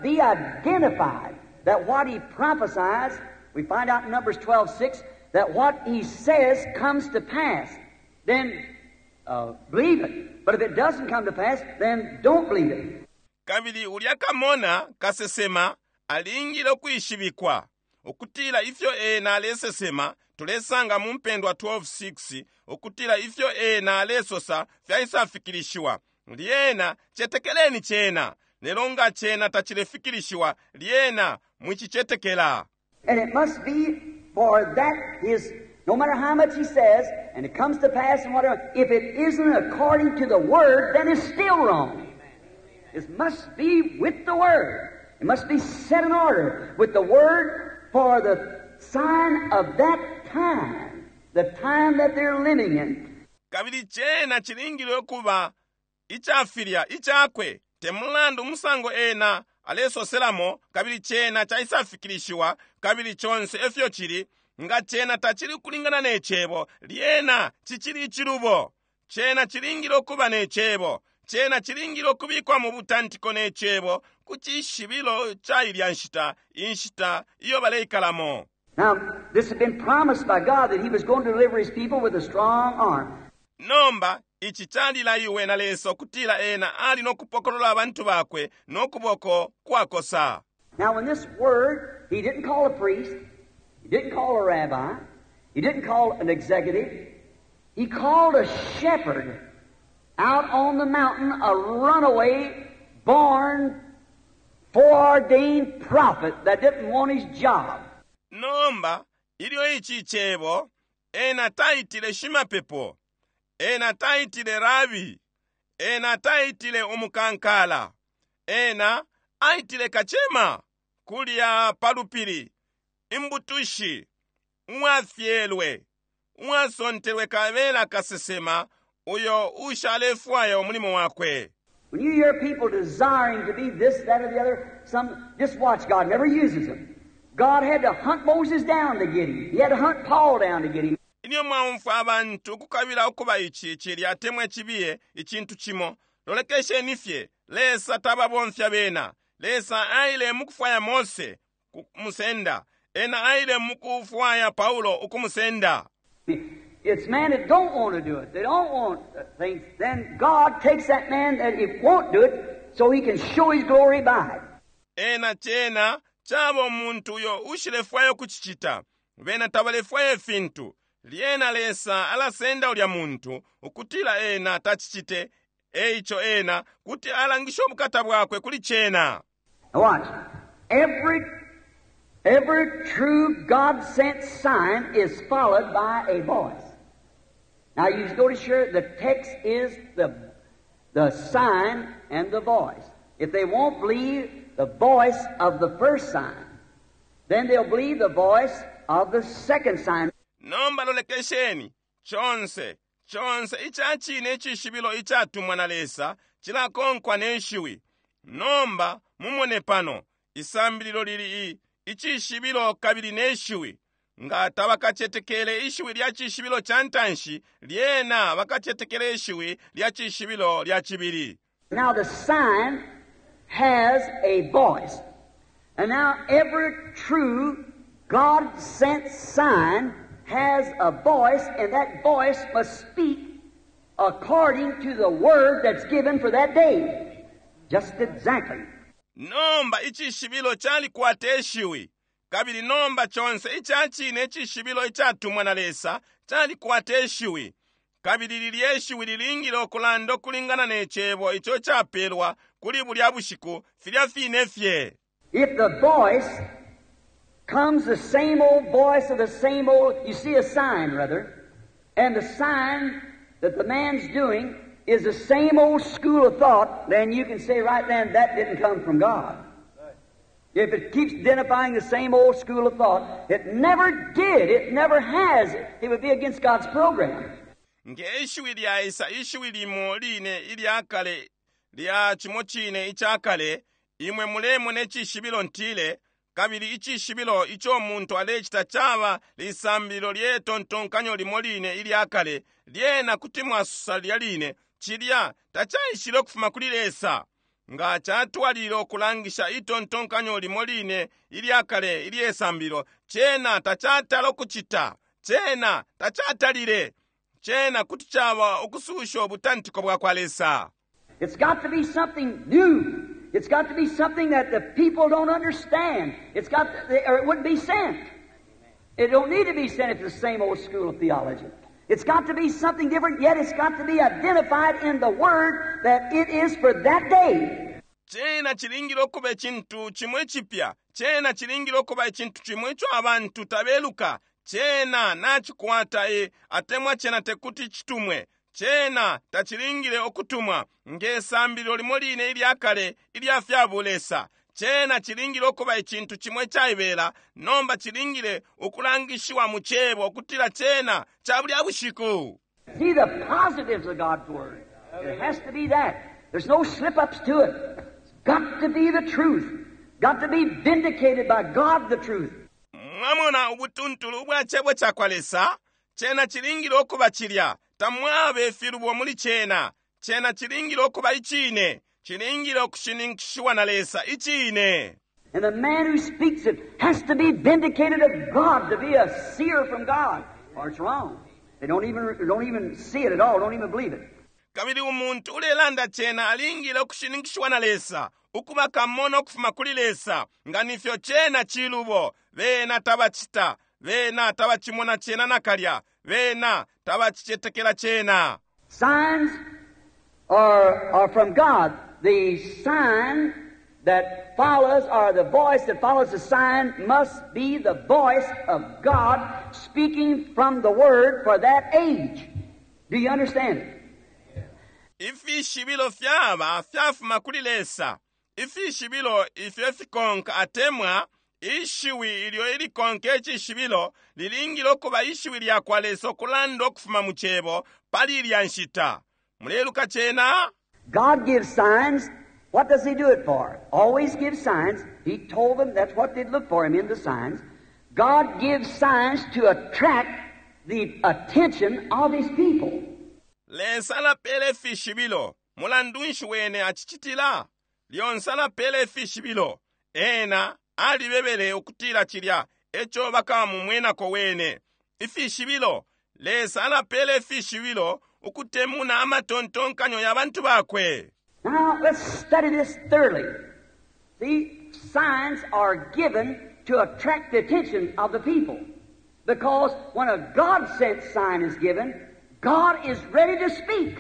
be identified. That what he prophesies, we find out in Numbers 12:6, that what he says comes to pass. Then believe it. But if it doesn't come to pass, then don't believe it. Kabili ulya kamona kasesema alingile ukwishibikwa ukutila ifyo ena alesesema, tulesanga mu Mpendwa 12:6 ukutila ifyo ena alesosa fyaisafikilishiwa, lyena cetekeleni cena. Lelo nga cena tacilefikilishiwa, lyena mwicicetekela. And it must be for that his, no matter how much he says, and it comes to pass and whatever, if it isn't according to the Word, then it's still wrong. It must be with the Word. It must be set in order with the Word for the sign of that time, the time that they're living in. Kabili cena cilingile ukuba icafilya icakwe, te mulandu umusango ena alesoselamo, kabili cena caisafikilishiwa, kabili conse efyo cili, nga cena tacili kulingana ne Cebo, lyena cicili icilubo. Cena cilingile ukuba ne Cebo. Cena cilingile ukubikwa mu butantiko ne Cebo ku cishibilo ca ilya nshita, inshita iyo baleikalamo. Now, this had been promised by God that He was going to deliver His people with a strong arm. Nomba ici calilaiwe na Lesa ukutila ena ali no kupokolola abantu bakwe no kuboko kwakosa. Now, in this word, He didn't call a priest, He didn't call a rabbi, He didn't call an executive. He called a shepherd out on the mountain, a runaway, born, foreordained prophet that didn't want his job. Nomba ilyo ici cebo, ena taitile shimapepo, ena taitile rabi, ena taitile umukankala, ena aitile kacema kulya palupili, imbutushi, uwafyelwe, uwasontelwe kabela kasesema uyo ushalefwaya umulimo wakwe. When you hear people desiring to be this, that, or the other, some just watch. God never uses them. God had to hunt Moses down to get him. He had to hunt Paul down to get him. Ilyo mwaumfwa abantu ukukabila ukuba ici, cilya, atemwa icibiye, icintu cimo, lolekesheni fye, Lesa tababomfya bena. Lesa aile mukufwaya Mose kumusenda, ena aile mukufwaya Paulo ukumusenda. It's men that don't want to do it. They don't want things. Then God takes that man that it won't do it so he can show his glory by it. Ena cena caba umuntu uyo ushilefwaya ukucicita, bena tabalefwaya ifintu. Lyena Lesa alasenda ulya muntu ukutila ena tacicite, eico ena kuti alangisha ubukata bwakwe kuli cena. Now watch. Every true God-sent sign is followed by a voice. Now you notice here the text is the sign and the voice. If they won't believe the voice of the first sign, then they'll believe the voice of the second sign. Nomba lolekesheni, conse, conse ica cine icishibilo icatumwa na Lesa cilakonkwa ne shiwi. Nomba mumone pano, isambililo lili i, icishibilo kabili ne shiwi. Nga tabakacetekele ishiwi lya cishibilo ca ntanshi, lyena bakacetekele ishiwi lya cishibilo lya cibili. Now the sign has a voice. And now every true God-sent sign has a voice, and that voice must speak according to the word that's given for that day. Just exactly. Nomba icishibilo calikwata ishiwi, kabili nomba conse ica cine icishibilo icatumwa na Lesa calikwata ishiwi, kabili lilye ishiwi lilingile ukulanda ukulingana ne cebo ico capelwa kuli bulya bushiku, filya fine fye. If the voice comes the same old voice of the same old, you see a sign rather, and the sign that the man's doing is the same old school of thought, then you can say right then that didn't come from God. If it keeps identifying the same old school of thought, it never did, it never has. It would be against God's program. Nge ishiwi lyaisa ishiwi limo line ilya kale lya cimo cine ica kale, imwe mulemona icishibilo ntile, kabili icishibilo ico muntu alecita caba lisambililo lye tontonkanyo limo line ilya kale, lyena kuti mwasosa lilya line, cilya tacaishile ukufuma kuli Lesa. Nga catwalilila ukulangisha itontonkanyo limo line ilya kale ilye sambililo, cena tacatala ukucita, cena tacatalile. Cena kuti caba ukususha ubutantiko bwakwa Lesa. It's got to be something new. It's got to be something that the people don't understand. It's got to, or it wouldn't be sent. It don't need to be sent if it's the same old school of theology. It's got to be something different, yet it's got to be identified in the Word that it is for that day. Cena cilingile ukuba icintu cimo icipya. Cena cilingile ukuba icintu cimo ico abantu tabeluka. Cena nacikwata e, atemwa cena tekuti citumwe. Cena tacilingile ukutumwa nge sambililo limo line ilya kale ilya fya bulesa. Cena cilingile ukuba icintu cimo icaibela, nomba cilingile ukulangishiwa mu Cebo ukutila cena ca bulya bushiku. See the positives of God's Word. It has to be that. There's no slip-ups to it. It's got to be the truth. Got to be vindicated by God, the truth. Mwamona ubutuntulu ubwa Cebo cakwa Lesa? Cena cilingile ukuba cilya. Tamwaba ifilubo muli cena. Cena cilingile ukuba Icine. Cilingile ukushininkishiwa na Lesa, Icine. And the man who speaks it has to be vindicated of God, to be a seer from God, or it's wrong. They don't even see it at all, don't even believe it. Kabili umuntu ulelanda cena alingile ukushininkishiwa na Lesa, ukuba kamona ukufuma kuli Lesa, nga nifyo cena cilubo. Bena tabacita, bena tabacimona cena nakalya, bena tabacicetekela cena. Signs are from God. The sign that follows, or the voice that follows the sign, must be the voice of God speaking from the Word for that age. Do you understand it? Ifishibilo fyaba fyafuma kuli Lesa. Ifishibilo ifyo fikonka atemwa ishiwi ilyo ilikonka icishibilo lilingile ukuba ishiwi lya kwa Lesa ukulanda ukufuma mu Cebo pali ilya nshita. Muleluka cena? God gives signs. What does He do it for? Always gives signs. He told them that's what they'd look for Him in the signs. God gives signs to attract the attention of His people. Lesa alapela ifishibilo. Mulandu nshi wene acicitila? Lyonse alapela ifishibilo. Ena alibebele ukutila cilya eco bakamumwenako wene. Ifishibilo. Lesa alapela ifishibilo ukutemuna amatontonkanyo ya bantu bakwe. Now, let's study this thoroughly. See, signs are given to attract the attention of the people. Because when a God-sent sign is given, God is ready to speak.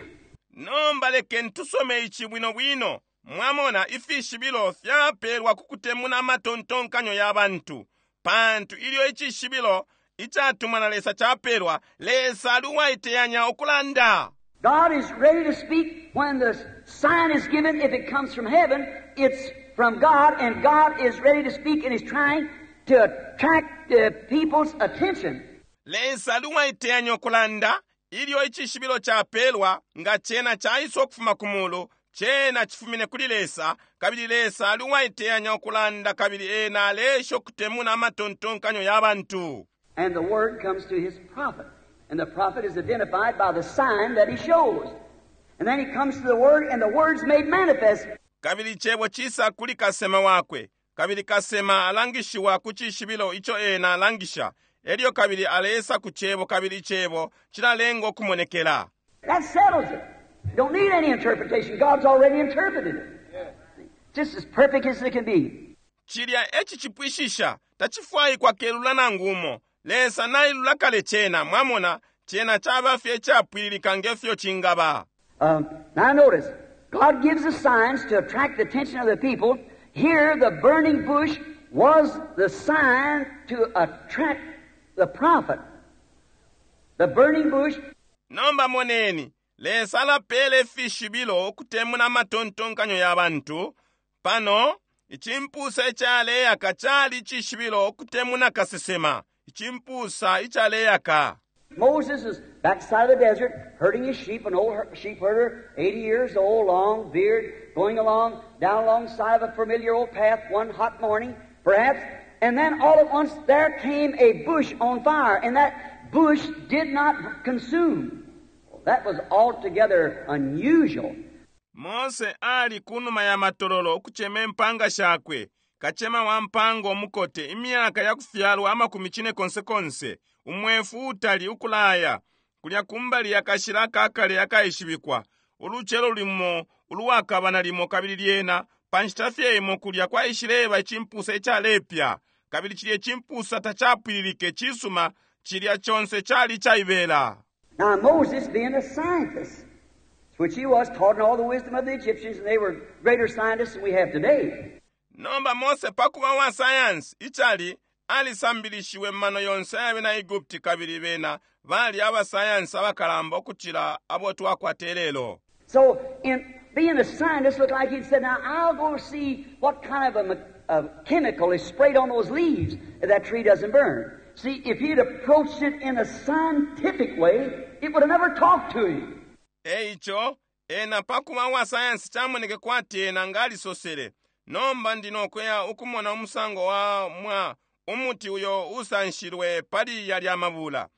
Nomba lekeni tusome ici bwino bwino. Mwamona, ifishibilo fyapelwa ku kutemuna amatontonkanyo ya bantu. Pantu ilyo icishibilo icatumwa na Lesa capelwa, Lesa ali uwaiteyanya ukulanda. God is ready to speak when the sign is given. If it comes from heaven, it's from God, and God is ready to speak and is trying to attract the people's attention. Lesa ali uwaiteyanya ukulanda ilyo icishibilo capelwa, nga cena caisa ukufuma ku mulu, cena cifumine kuli Lesa, kabili Lesa ali uwaiteyanya ukulanda, kabili ena aleesha ukutemuna amatontonkanyo ya bantu. And the word comes to his prophet. And the prophet is identified by the sign that he shows. And then he comes to the word, and the word's made manifest. Kabili icebo cisa kuli kasema wakwe, kabili kasema alangishiwa ku cishibilo ico ena alangisha. Elyo kabili alesa ku cebo, kabili icebo cilalenga ukumonekela. That settles it. You don't need any interpretation. God's already interpreted it. Just as perfect as it can be. Cilya eci cipwishisha, tacifwaikwa kelula nangu umo. Lesa nailula kale cena, mwamona, cena caba fye icapwililika nge fyo cingaba. Now notice, God gives the signs to attract the attention of the people. Here, the burning bush was the sign to attract the prophet. The burning bush. Nomba moneni, Lesa alapela ifishibilo ukutemuna amatontonkanyo ya bantu. Pano, icimpusa icaleyaka cali icishibilo ukutemuna kasesema, icimpusa icaleyaka. Moses is backside of the desert, herding his sheep, an old sheep herder, 80 years old, long beard, going along down alongside of a familiar old path one hot morning, perhaps, and then all at once there came a bush on fire, and that bush did not consume. That was altogether unusual. Mose ali kunuma ya matololo ukucema impanga shakwe, kacema wa mpanga umukote, imyaka yakufyalwa amakumi cine konse konse, umwefu utali ukulaya, kulya kumbali yakashila akakale akaishibikwa, ulucelo limo uluwakaba nalimo kabili lyena, pa nshita fye imo kulya kwaishileba icimpusa icalepya, kabili cilya icimpusa tacapwililike cisuma, cilya conse cali icaibela. Now Moses, being a scientist, which he was, taught in all the wisdom of the Egyptians, and they were greater scientists than we have today. Nomba Mose pakuba wa sayansi icali alisambilishiwe mano yonse ayabena Egupti kabili bena bali abasayansi abakalamba ukucila abo twakwata lelo. So, in being a scientist, looked like he'd said, now I'll go see what kind of a chemical is sprayed on those leaves if that tree doesn't burn. See, if he'd approached it in a scientific way, it would have never talked to him. Eico, ena pakuba wa sayansi camoneke kwati ena ngalisosele, nomba ndinokuya ukumona umusango wa mwa umuti uyo usanshilwe pali yalya mabula.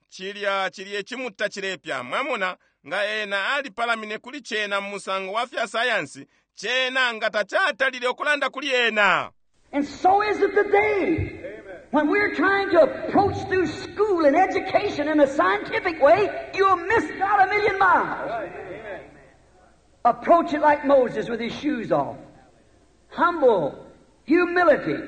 Cilya cilye cimuta cilepya, mwamona nga ena alipalamine kuli cena mu musango wa fya sayansi, cena nga tacatalile ukulanda kuli ena. And so is it today. When we're trying to approach through school and education in a scientific way, you'll miss God a million miles. Approach it like Moses with his shoes off. Humble, humility.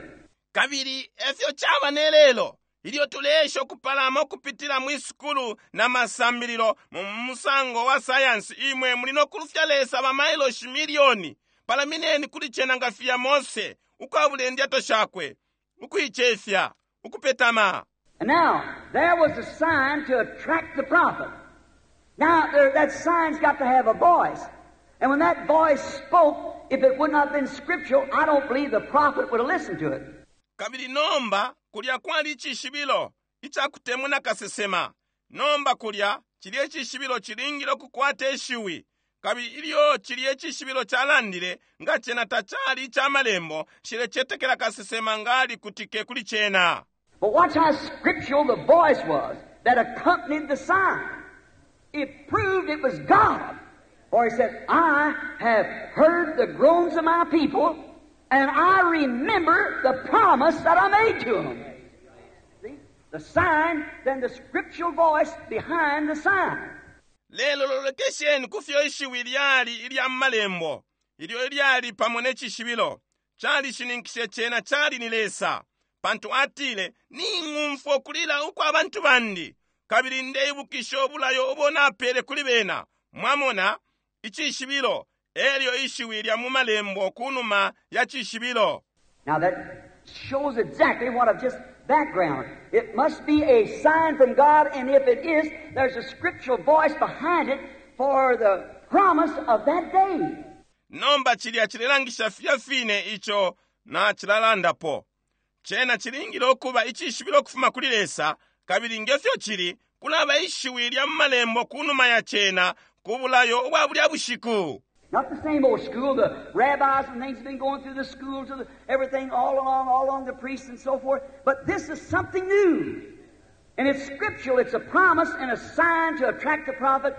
Kabili efyo caba ne lelo, ilyo tuleesha ukupalama ukupitila mwi sukulu na masambililo mu musango wa sayansi, imwe muli no kulufya Lesa ba mailoshi milioni. Palamineni kuli cena nga filya Mose, ukwabula indyato shakwe, ukuicefya, ukupetama. And now, there was a sign to attract the prophet. Now, there, that sign's got to have a voice. And when that voice spoke, if it would not have been scriptural, I don't believe the prophet would have listened to it. Kabili nomba, kulya kwali icishibilo icakutemuna kasesema. Nomba kulya, cilye cishibilo cilingile ukukwata ishiwi. Kabili ilyo cilye cishibilo calandile, nga cena tacali ica malembo, nshilecetekela kasesema nga alikutike kuli cena. But watch how scriptural the voice was that accompanied the sign. It proved it was God. For he said, I have heard the groans of my people, and I remember the promise that I made to them. See? The sign, then the scriptural voice behind the sign. Lelo lolekesheni kufyo ishiwi lyali ilya malembo, ilyo ilyali pamo ne cishibilo, calishininkishe cena cali ni Lesa. Pantu atile, ning'umfwa ukulila ukwa bantu bandi, kabili ndeibukisha ubulayo ubo napele kuli bena. Mwamona, icishibilo, elyo ishiwi lya mu malembo kunuma ya cishibilo. Now that shows exactly what I've just background. It must be a sign from God, and if it is, there's a scriptural voice behind it for the promise of that day. Nomba cilya cilelangisha filya fine ico na cilalandapo. Cena cilingile ukuba icishibilo ukufuma kuli Lesa, kabili ngefyo cili, kulaba ishiwi lya mu malembo kunuma ya cena ku bulayo ubwa bulya bushiku. Not the same old school, the rabbis and things have been going through the schools, of the, everything all along, all along the priests and so forth. But this is something new. And it's scriptural, it's a promise and a sign to attract the prophet.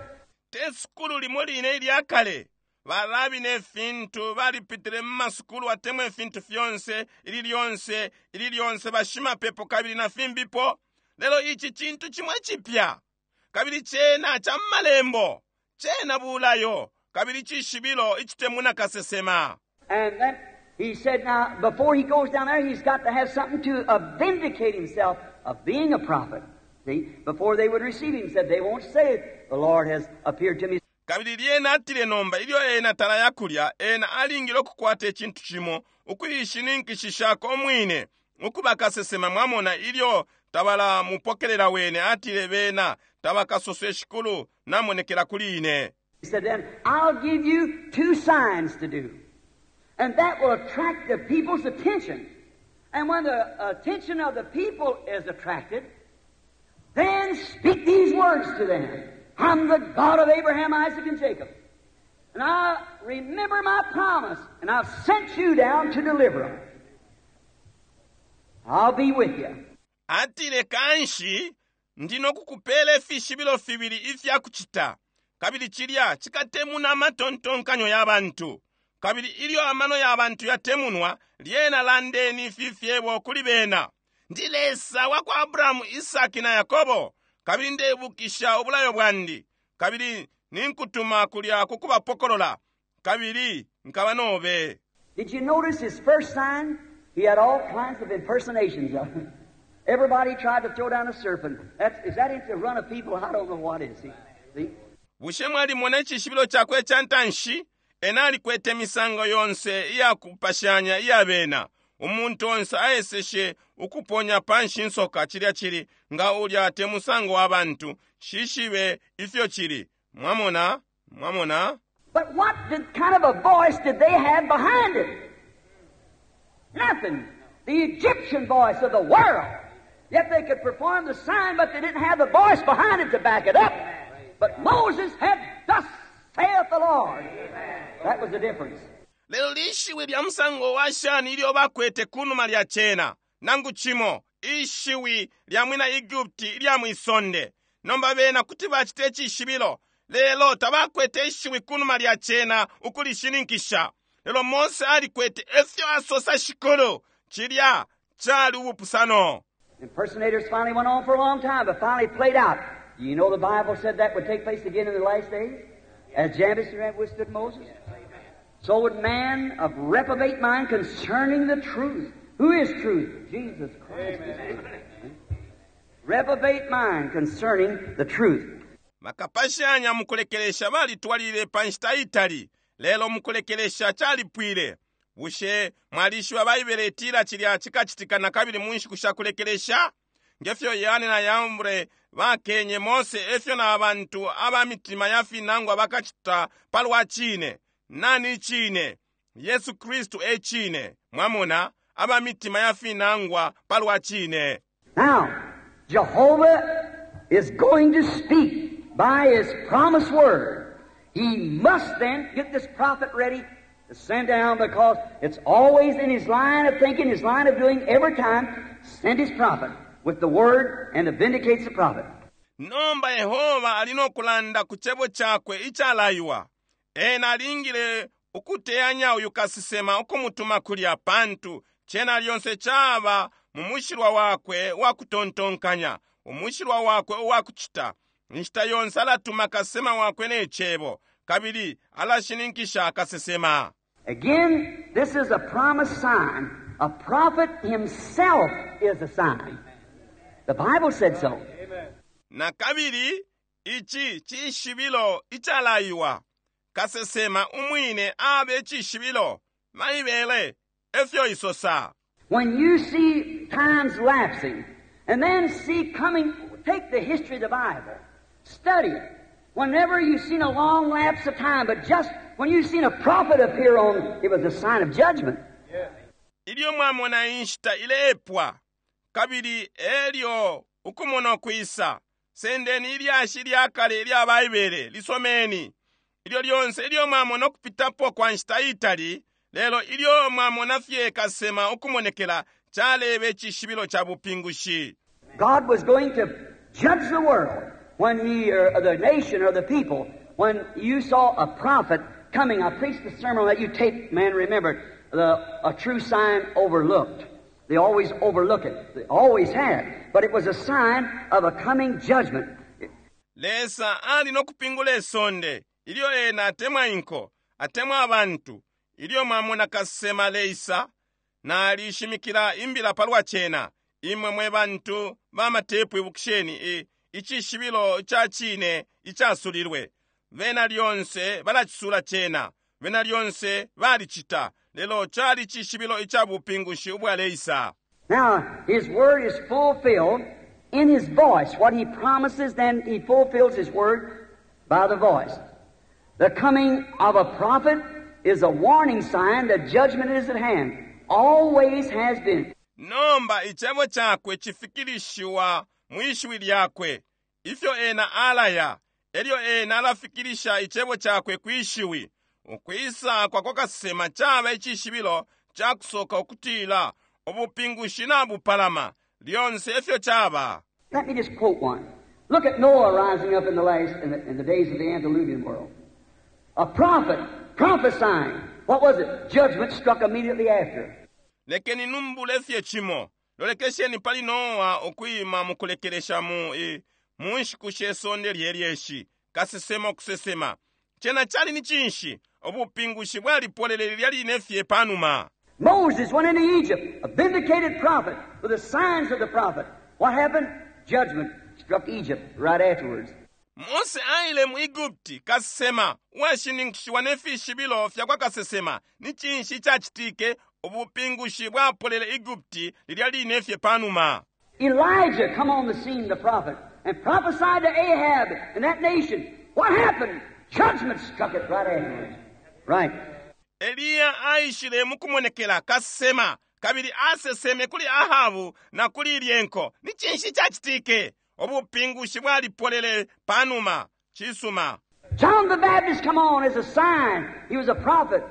Te sukulu limo line ilya kale. Barabi ne fintu balipitile mu masukulu atemwa ifintu fyonse, ili lyonse, ili lyonse bashimapepo kabili na fimbipo. Lelo ici cintu cimwe cipya. Kabili cena ca mu malembo. Cena bulayo. Kabili cishibilo icitemuna kasesema. And then he said, now, before he goes down there, he's got to have something to vindicate himself of being a prophet. See, before they would receive him, said, they won't say, the Lord has appeared to me. Kabili lyena atile nomba ilyo ena talaya kulya, ena alingile ukukwata icintu cimo, ukuishininkishishako umwine, ukuba kasesema, mwamona, ilyo tabala mupokelela wene, atile bena tabakasose, Shikulu namonekela kuli ine. He said, Then I'll give you two signs to do. And that will attract the people's attention. And when the attention of the people is attracted, then speak these words to them. I'm the God of Abraham, Isaac, and Jacob. And I remember my promise, and I've sent you down to deliver them. I'll be with you. Atile kanshi ndi nokukupela ifishibilo fibili ifya kucita, kabili cilya cikatemuna amatontonkanyo ya bantu. Kabili ilyo amano ya bantu yatemunwa, lyena landeni ifi fyebo kuli bena. Ndi Lesa wa kwa Abrahamu, Isaki na Yakobo, kabili ndeibukisha ubulayo bwandi, kabili ninkutuma kulya ku kubapokolola, kabili nkaba nobe. Did you notice his first sign? He had all kinds of impersonations of it. Everybody tried to throw down a serpent. Is that into the run of people? I don't know what is. See? See? Bushe mwalimona icishibilo cakwe ca ntanshi? Ena alikwete imisango yonse iyakupashanya iya bena. Umuntu onse aeseshe ukuponya panshi insoka, cilya cili nga ulya te musango wa bantu. Shishibe ifyo cili. Mwamona? Mwamona? But what kind of a voice did they have behind it? Nothing. The Egyptian voice of the world. Yet they could perform the sign, but they didn't have the voice behind it to back it up. But Moses had, Thus saith the Lord. That was the difference. Lelo lishiwi lya musango wa shani ilyo bakwete kunuma lya cena? Nangu cimo, ishiwi lya mwina Egupti ilya mwisonde. Nomba bena kuti bacita icishibilo, lelo tabakwete ishiwi kunuma lya cena ukulishininkisha. Lelo Mose alikwete efyo asosa Shikulu. Cilya cali ubupusano. Impersonators finally went on for a long time, but finally played out. Do you know the Bible said that would take place again in the last days? As Jannes withstood Moses? So would man of reprobate mind concerning the truth. Who is truth? Jesus Christ is truth. Reprobate mind concerning the truth. Bakapashanya mukulekelesha balitwalile pa nshita itali, lelo mukulekelesha calipwile. Bushe mwalishiba Baibele itila cilya cikacitika na kabili mu nshiku sha kulekelesha? Ngefyo Yane na Yambre bakenye Mose, efyo na bantu aba mitima ya finangwa bakacita palwa cine. Nani cine? Yesu Kristu e cine. Mwamona, aba mitima ya finangwa palwa cine. Now, Jehovah is going to speak by His promised word. He must then get this prophet ready to send down, because it's always in his line of thinking, his line of doing, every time, send his prophet with the word and to vindicates the prophet. Nomba Yehova ali no kulanda ku cebo cakwe icalaiwa. Ena alingile ukuteyanya uyu kasesema ukumutuma kulya, pantu cena lyonse caba mu mushilwa wakwe wa kutontonkanya, umushilwa wakwe uwa kucita. Inshita yonse alatuma kasesema wakwe ne cebo, kabili alashininkisha kasesema. Again, this is a promised sign. A prophet himself is a sign. The Bible said so. Na kabili ici cishibilo icalaiwa. Kasesema umwine abe cishibilo. Baibele efyo isosa. When you see times lapsing, and then see coming, take the history of the Bible, study it. Whenever you've seen a long lapse of time, but just when you've seen a prophet appear on, it was a sign of judgment. Ilyo mwamona inshita ilepwa, kabili elyo ukumona kwisa, sendeni ilyashi lya kale ilya Baibele, lisomeni. Ilyo lyonse ilyo mwamona ukupitapo kwa nshita itali, lelo ilyo mwamona fye kasema ukumonekela, calebe icishibilo ca bupingushi. God was going to judge the world when he, or the nation or the people, when you saw a prophet coming. I preached the sermon on that. You tape, man, remember, a true sign overlooked. They always overlook it. They always have. But it was a sign of a coming judgment. Lesa ali no kupingula isonde ilyo ena atemwa inko, atemwa abantu. Ilyo mwamona kasema leisa, nalishimikila imbila palwa cena. Imwe mwe bantu ba matepu ibukisheni icishibilo ca cine icasulilwe. Bena lyonse balacisula cena, bena lyonse balicita, lelo cali cishibilo ica bupingushi ubwaleisa. Now, His word is fulfilled. in His voice. What He promises, then He fulfills His word by the voice. The coming of a prophet is a warning sign that judgment is at hand. Always has been. Nomba icebo cakwe cifikilishiwa mwishiwi lyakwe. Ifyo ena alaya, elyo ena alafikilisha icebo cakwe kwishiwi. Ukwisa kwa kwa kasesema caba icishibilo cakusoka ukutila ubupingushi nabupalama. Lyonse efyo caba. Let me just quote one. Look at Noah rising up in the last in the days of the antediluvian world. A prophet prophesying. What was it? Judgment struck immediately after. Lekeni numbule fye cimo. Lolekesheni pali Noa ukwima mukulekelesha mu e, mu nshiku she sonde lyelyeshi. Kasesema ukusesema. Cena cali ni cinshi? Ubupingushi bwalipolele lilya line fye panuma. Moses went into Egypt, a vindicated prophet, with the signs of the prophet. What happened? Judgment struck Egypt right afterwards. Mose aile mu Egupti kasesema uwashininkishiwa ne fishibilo fya kwa kasesema. Ni cinshi icacitike? Ubupingushi bwapolele Egupti lilya line fye panuma. Elijah come on the scene, the prophet, and prophesied to Ahab and that nation. What happened? Judgment struck it right afterwards. Right. Eliya aishile mukumonekela kasesema kabili aseseme kuli Ahabu na kuli ilye nko. Ni cinshi icacitike? Ubupingushi bwalipolele panuma. Cisuma. John the Baptist come on as a sign. He was a prophet.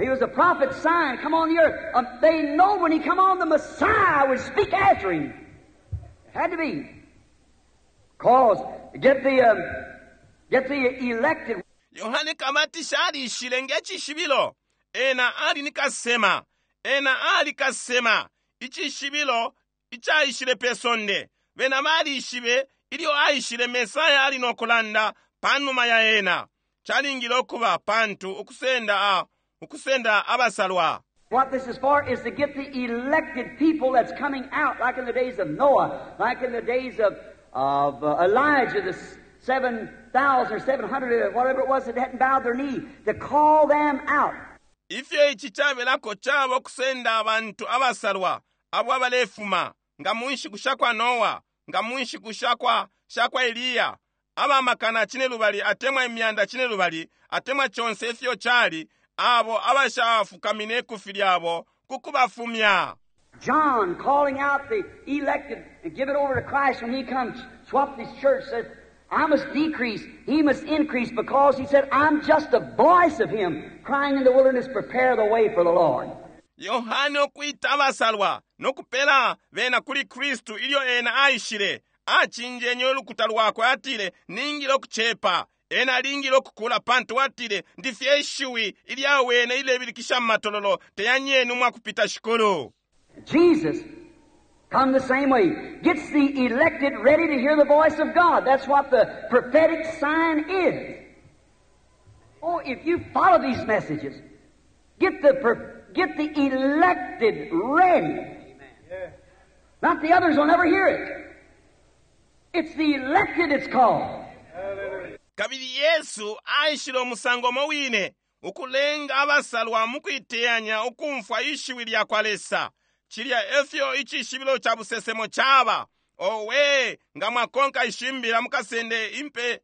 He was a prophet's sign come on the earth. They know when he come on, the Messiah would speak after him. It had to be. Cause get the elected. Yohane Kabatisha alishile nge cishibilo. Ena ali ni kasesema. Ena ali kasesema. Icishibilo icaishile pe sonde. Bena balishibe ilyo aishile Mesaya ali no kulanda panuma ya ena. Calingile ukuba pantu ukusenda a, ukusenda abasalwa. What this is for is to get the elected people that's coming out, like in the days of Noah, like in the days of Elijah, the 7,000 or 700 or whatever it was that hadn't bowed their knee, to call them out. Ifyo ici cabelako caba ukusenda abantu abasalwa abo abalefuma nga mu nshiku sha kwa Noa, nga mu nshiku sha kwa Eliya, abamakana 500 atemwa 500,000 atemwa conse ifyo cali, abo abashafukamine ikufi lyabo kukubafumya. John calling out the elected and give it over to Christ when he comes, swapped his church, said, "I must decrease, he must increase," because he said, "I'm just a voice of him crying in the wilderness, prepare the way for the Lord." Yohane ukwita abasalwa nokupela bena kuli Kristu ilyo ena aishile, acinjenye ulukuta lwakwe, atile, "Ningile ukucepa, ena alingile ukukula," pantu atile, "Ndifye ishiwi ilyawene ilebilikisha mu matololo, teyanyeni umwakupita Shikulu." Jesus come the same way. Gets the elected ready to hear the voice of God. That's what the prophetic sign is. Oh, if you follow these messages, get the elected ready. Not the others will never hear it. It's the elected it's called. Kabili Yesu aishile umusango umo wine, ukulenga abasalwa mu kuiteyanya ukumfwa ishiwi lya kwa Lesa. Cilya efyo icishibilo ca busesemo caba. Owe, nga mwakonka ishimbila mukasende impe.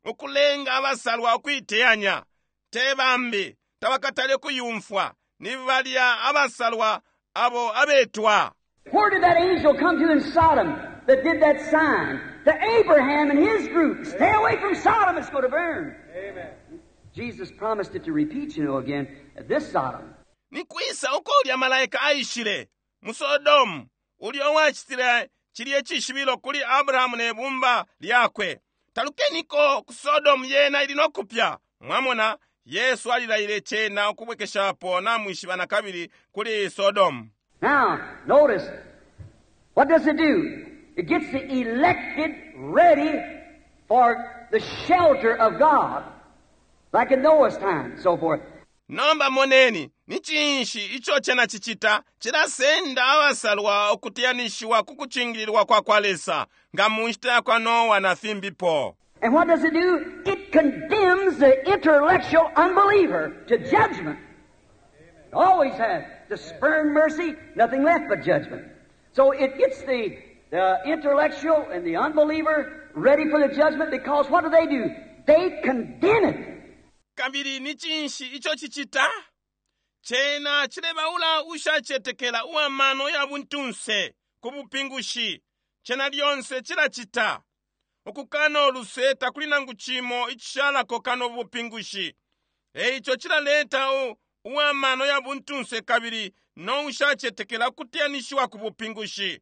Ukulenga abasalwa ukuiteyanya. Te bambi tabakatale kuyumfwa, ni balya abasalwa abo abetwa. Where did that angel come to in Sodom that did that sign? To Abraham and his group. "Stay away from Sodom, it's going to burn." Amen. Jesus promised it to repeat again at this Sodom. Ni kwisa uko ulya malaika aishile mu Sodomu ulya wacitile cilye cishibilo kuli Abrahamu ne bumba lyakwe? "Talukeniko ku Sodomu, yena ili nokupya." Mwamona, Yesu alilaile cena ukubwekeshapo, namwishiba, na kabili kuli Sodomu. Now, notice, what does it do? It gets the elected ready for the shelter of God, like in Noah's time, so forth. Nomba moneni, ni cinshi ico cena cicita? Cilasenda abasalwa ukuteyanishiwa ku kucingililwa kwa kwa Lesa, nga mu nshita ya kwa Nowa na fimbipo. And what does it do? It condemns the intellectual unbeliever to judgment. It always has. To spurn mercy, nothing left but judgment. So it gets the the intellectual and the unbeliever ready for the judgment because what do they do? They condemn it. Kabili ni cinshi ico cicita? Cena cilebaula ushacetekela uwa mano ya buntunse ku bupingushi. Cena lyonse cilacita. Ukukana uluse takuli nangu cimo icishalako kano bupingushi. Eico cilaleta uwa mano ya buntunse kabili no ushacetekela ukuteyanishiwa ku bupingushi.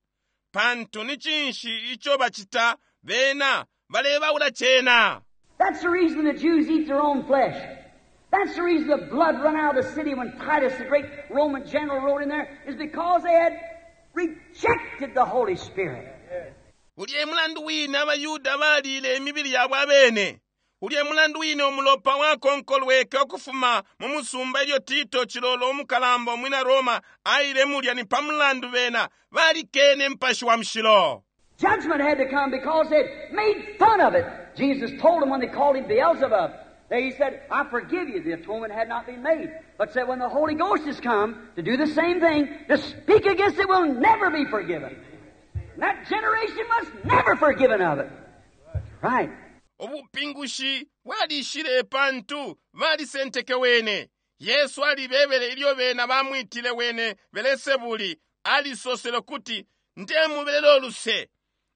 Pantu ni cinshi ico bacita? Bena balebaula cena. That's the reason the Jews eat their own flesh. That's the reason the blood run out of the city when Titus, the great Roman general, rode in there, is because they had rejected the Holy Spirit. Ulya e mulandu wine abaYuda baliile imibili yabo abene. Ulya e mulandu wine umulopa wakonkolweke ukufuma mu musumba ilyo Tito, cilolo umukalamba umwina Roma, aile mulya, ni pa mulandu bena balikene Mupashi wa Mushilo. Judgment had to come because they'd made fun of it. Jesus told them when they called him Beelzebub, he said, I forgive you. The atonement had not been made. But said when the Holy Ghost has come to do the same thing, to speak against it will never be forgiven. And that generation was never forgiven of it. Right. Ubupingushi bwalishile pantu balisenteke wene. Yesu alibebele ilyo bena bamwitile wene Belesebuli, alisosele kuti ndemubelelo luse.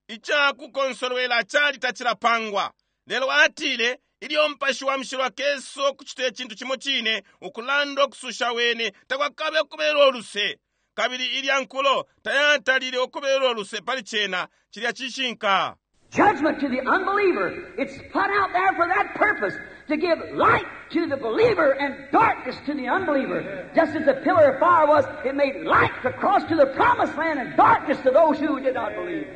Icakukonsolwela cali tacilapangwa. Lelo atile ilyo Mupashi wa Mushilo akesa ukucita icintu cimo cine, ukulanda ukususha wene takwakabe ukubelelwa uluse. Kabili ilya nkulo tayatalile ukubelelwa uluse pali cena. Cilya cishinka. Judgment to the unbeliever. It's put out there for that purpose, to give light to the believer and darkness to the unbeliever. Just as the pillar of fire was, it made light to cross to the promised land and darkness to those who did not believe.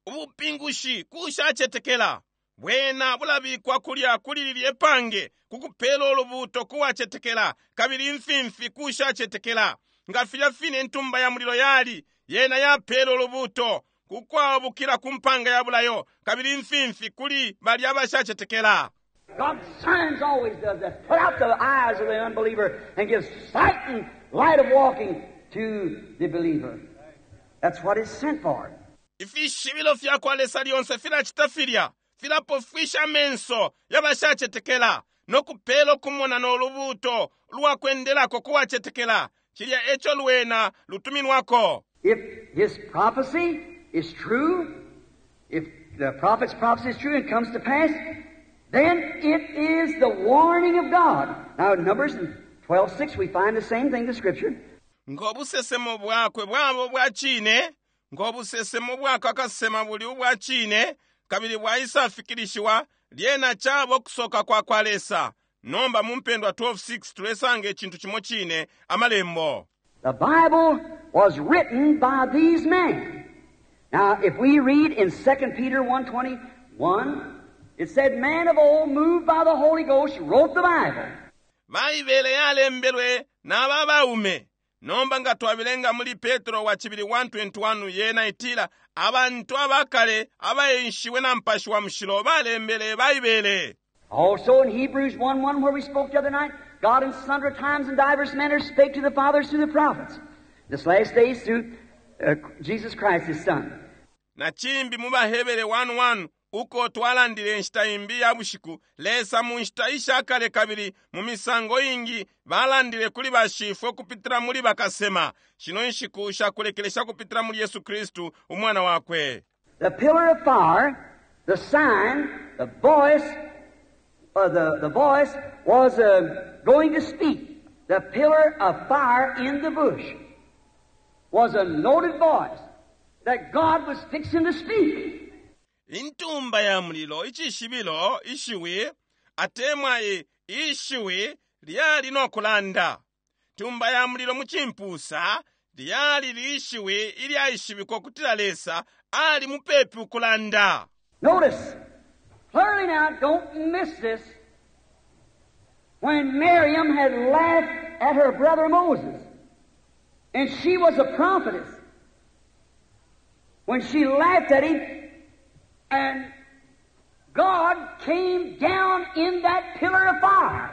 Ubupingushi kushacetekela bwena bulabikwa kulya kuli lilye pange kukupela ulubuuto kuwacetekela, kabili imfimfi kushacetekela. Nga filya fine intumba ya mulilo yali, yena yapela ulubuuto kukwabukila ku mpanga ya bulayo, kabili imfimfi kuli balya abashacetekela. God's signs always does that. Put out the eyes of the unbeliever and give sight and light of walking to the believer. That's what it's sent for. Ifishibilo fya kwa Lesa lyonse filacita filya, filapofwisha amenso y'abashacetekela no kupela ukumona no lubuuto lwa kwendelako kuwacetekela. Cilya eco lwena lutuminwako. If his prophecy is true, if the prophet's prophecy is true and comes to pass, then it is the warning of God. Now in Numbers 12:6 we find the same thing in the Scripture. Ng'obusesemo bwakwe bwabo bwa cine, ng'obusesemo bwakwe akasema buli ubwa cine, kabili bwaisafikilishiwa, lyena cabo okusoka kwa kwa Lesa. Nomba mu mpendwa 12:6 tulesanga icintu cimo cine, amalembo. The Bible was written by these men. Now, if we read in 2 Peter 1:21, it said, man of old, moved by the Holy Ghost, wrote the Bible. Baibele yalembelwe n'aba baume. Nomba nga twabilenga muli Petro wa cibili 1:21, yena itila abantu abakale abaenshiwe na Mupashi wa Mushilo balembele Baibele. Also in Hebrews 1:1, where we spoke the other night, God in sundry times and divers manners spake to the fathers through the prophets. This last days through Jesus Christ, His Son. Na cimbi mu baHebere 1:1, uko twalandile inshita imbi ya bushiku, Lesa mu nshita ishakale kabili mu misango ingi balandile kuli bashifwe kupitila muli bakasema, shino nshiku shakulekelesha kupitila muli Yesu Kristu umwana wakwe. The pillar of fire, the sign, the voice, the voice was going to speak. The pillar of fire in the bush was a noted voice that God was fixing to speak. Intumba ya mulilo, icishibilo, ishiwi, atemwa ishiwi lyali no kulanda. Tumba ya mulilo mu cimpusa lyali lishiwi ilyaishibikwa kutila Lesa ali mupepi ukulanda. Notice, clearly now, don't miss this. When Miriam had laughed at her brother Moses, and she was a prophetess, when she laughed at him, and God came down in that pillar of fire,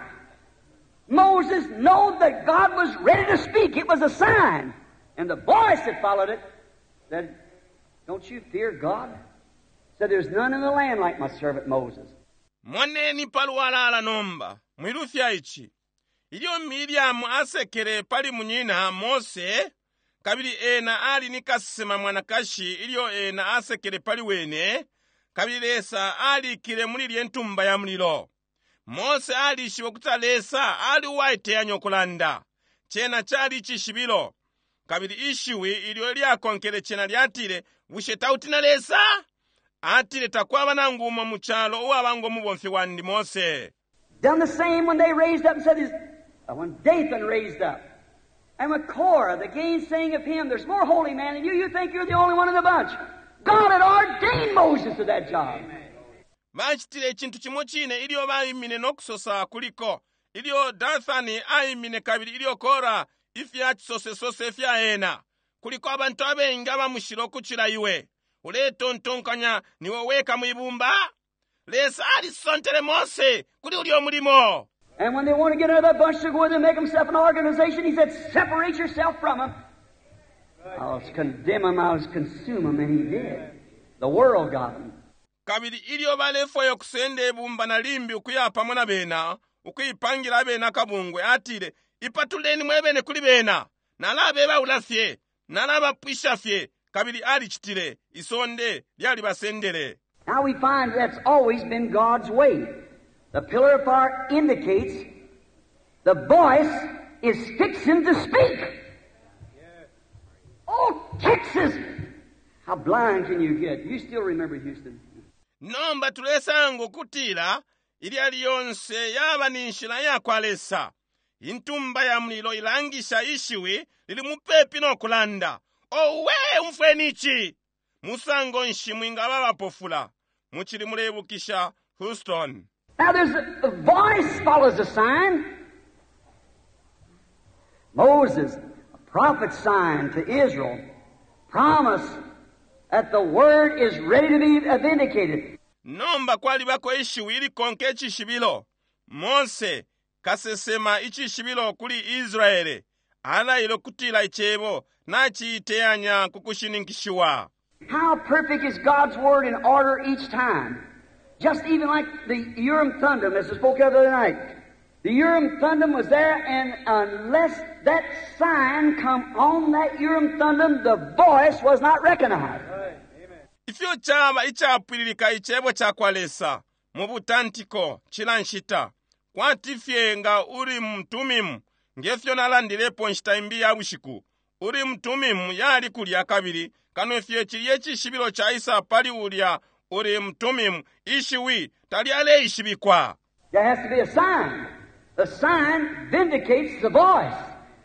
Moses knew that God was ready to speak. It was a sign. And the voice that followed it, that Don't you fear God? Said, There's none in the land like my servant Moses. Moneni palwalala nomba mwilufya ici. Ilyo Miriamu asekele pali munyina Mose, kabili ena ali ni kasesema mwanakashi ilyo ena asekele pali wene, kabili Lesa alikile muli ilye ntumba ya mulilo. Mose alishibe ukuti Lesa ali uwaiteyanya ukulanda. Cena cali icishibilo. Kabili ishiwi ilyo lyakonkele cena lyatile, Bushe tautina Lesa? Atile takwaba nangu umo mu calo uwaba ngo mubomfi wandi Mose. Done the same when they raised up and said, when Dathan raised up. And with Korah, the gainsaying of him, there's more holy man than you. You think you're the only one in the bunch. God had ordained Moses to that job. Bacitile icintu cimo cine ilyo baimine no kusosa kuliko. Ilyo Dathani aimine kabili ilyo Kora ifya cisosesose fya ena. Kuliko abantu abengi abamushilo ukucila iwe. Uletontonkanya niwe weka mwibumba? Lesa alisontele Mose kuli ulyo mulimo. And when they want to get another bunch to go with and make themselves an organization, he said, separate yourself from them. I'll condemn them, I'll consume them, and he did. The world got them. Kabili ilyo balefwaya ukusenda ibumba na limbi ukuya pamo na bena, ukuipangila abena kabungwe, atile, ipatuleni mwebene kuli bena. Nalabebaula fye, nalabapwisha fye. Kabili alicitile, isonde lyalibasendele. Now we find that's always been God's way. The pillar of fire indicates the voice is fixing to speak. Oh, Texas! How blind can you get? You still remember Houston. Nomba tulesanga ukutila ilya lyonse yaba ni nshila yakwa Lesa. Intumba ya mulilo ilangisha ishiwi lili mupepi no kulanda. Owe, umfweni ici! Musango nshi mwingaba abapofula? Mucili mulebukisha Houston. Now there's a voice follows a sign. Moses, a prophet sign to Israel, promise that the word is ready to be vindicated. Nomba kwalibako ishiwi ilikonka icishibilo. Mose kasesema icishibilo kuli Israele. Alaile ukutila icebo naciiteyanya ku kushininkishiwa. How perfect is God's word in order each time. Just even like the Urim Thummim, as I spoke of the other night. The Urim Thummim was there, and unless that sign come on that Urim Thummim, the voice was not recognized. Ifyo caba icapwililika icebo cakwa Lesa mu butantiko cila nshita. Kwati fye nga Urim Thummim, ngefyo nalandilepo nshita imbi ya bushiku. Urim Thummim yali kulya kabili kano fye cilye icishibilo caisa pali ulya Urim Thummim, ishiwi talyaleishibikwa. There has to be a sign. The sign vindicates the voice,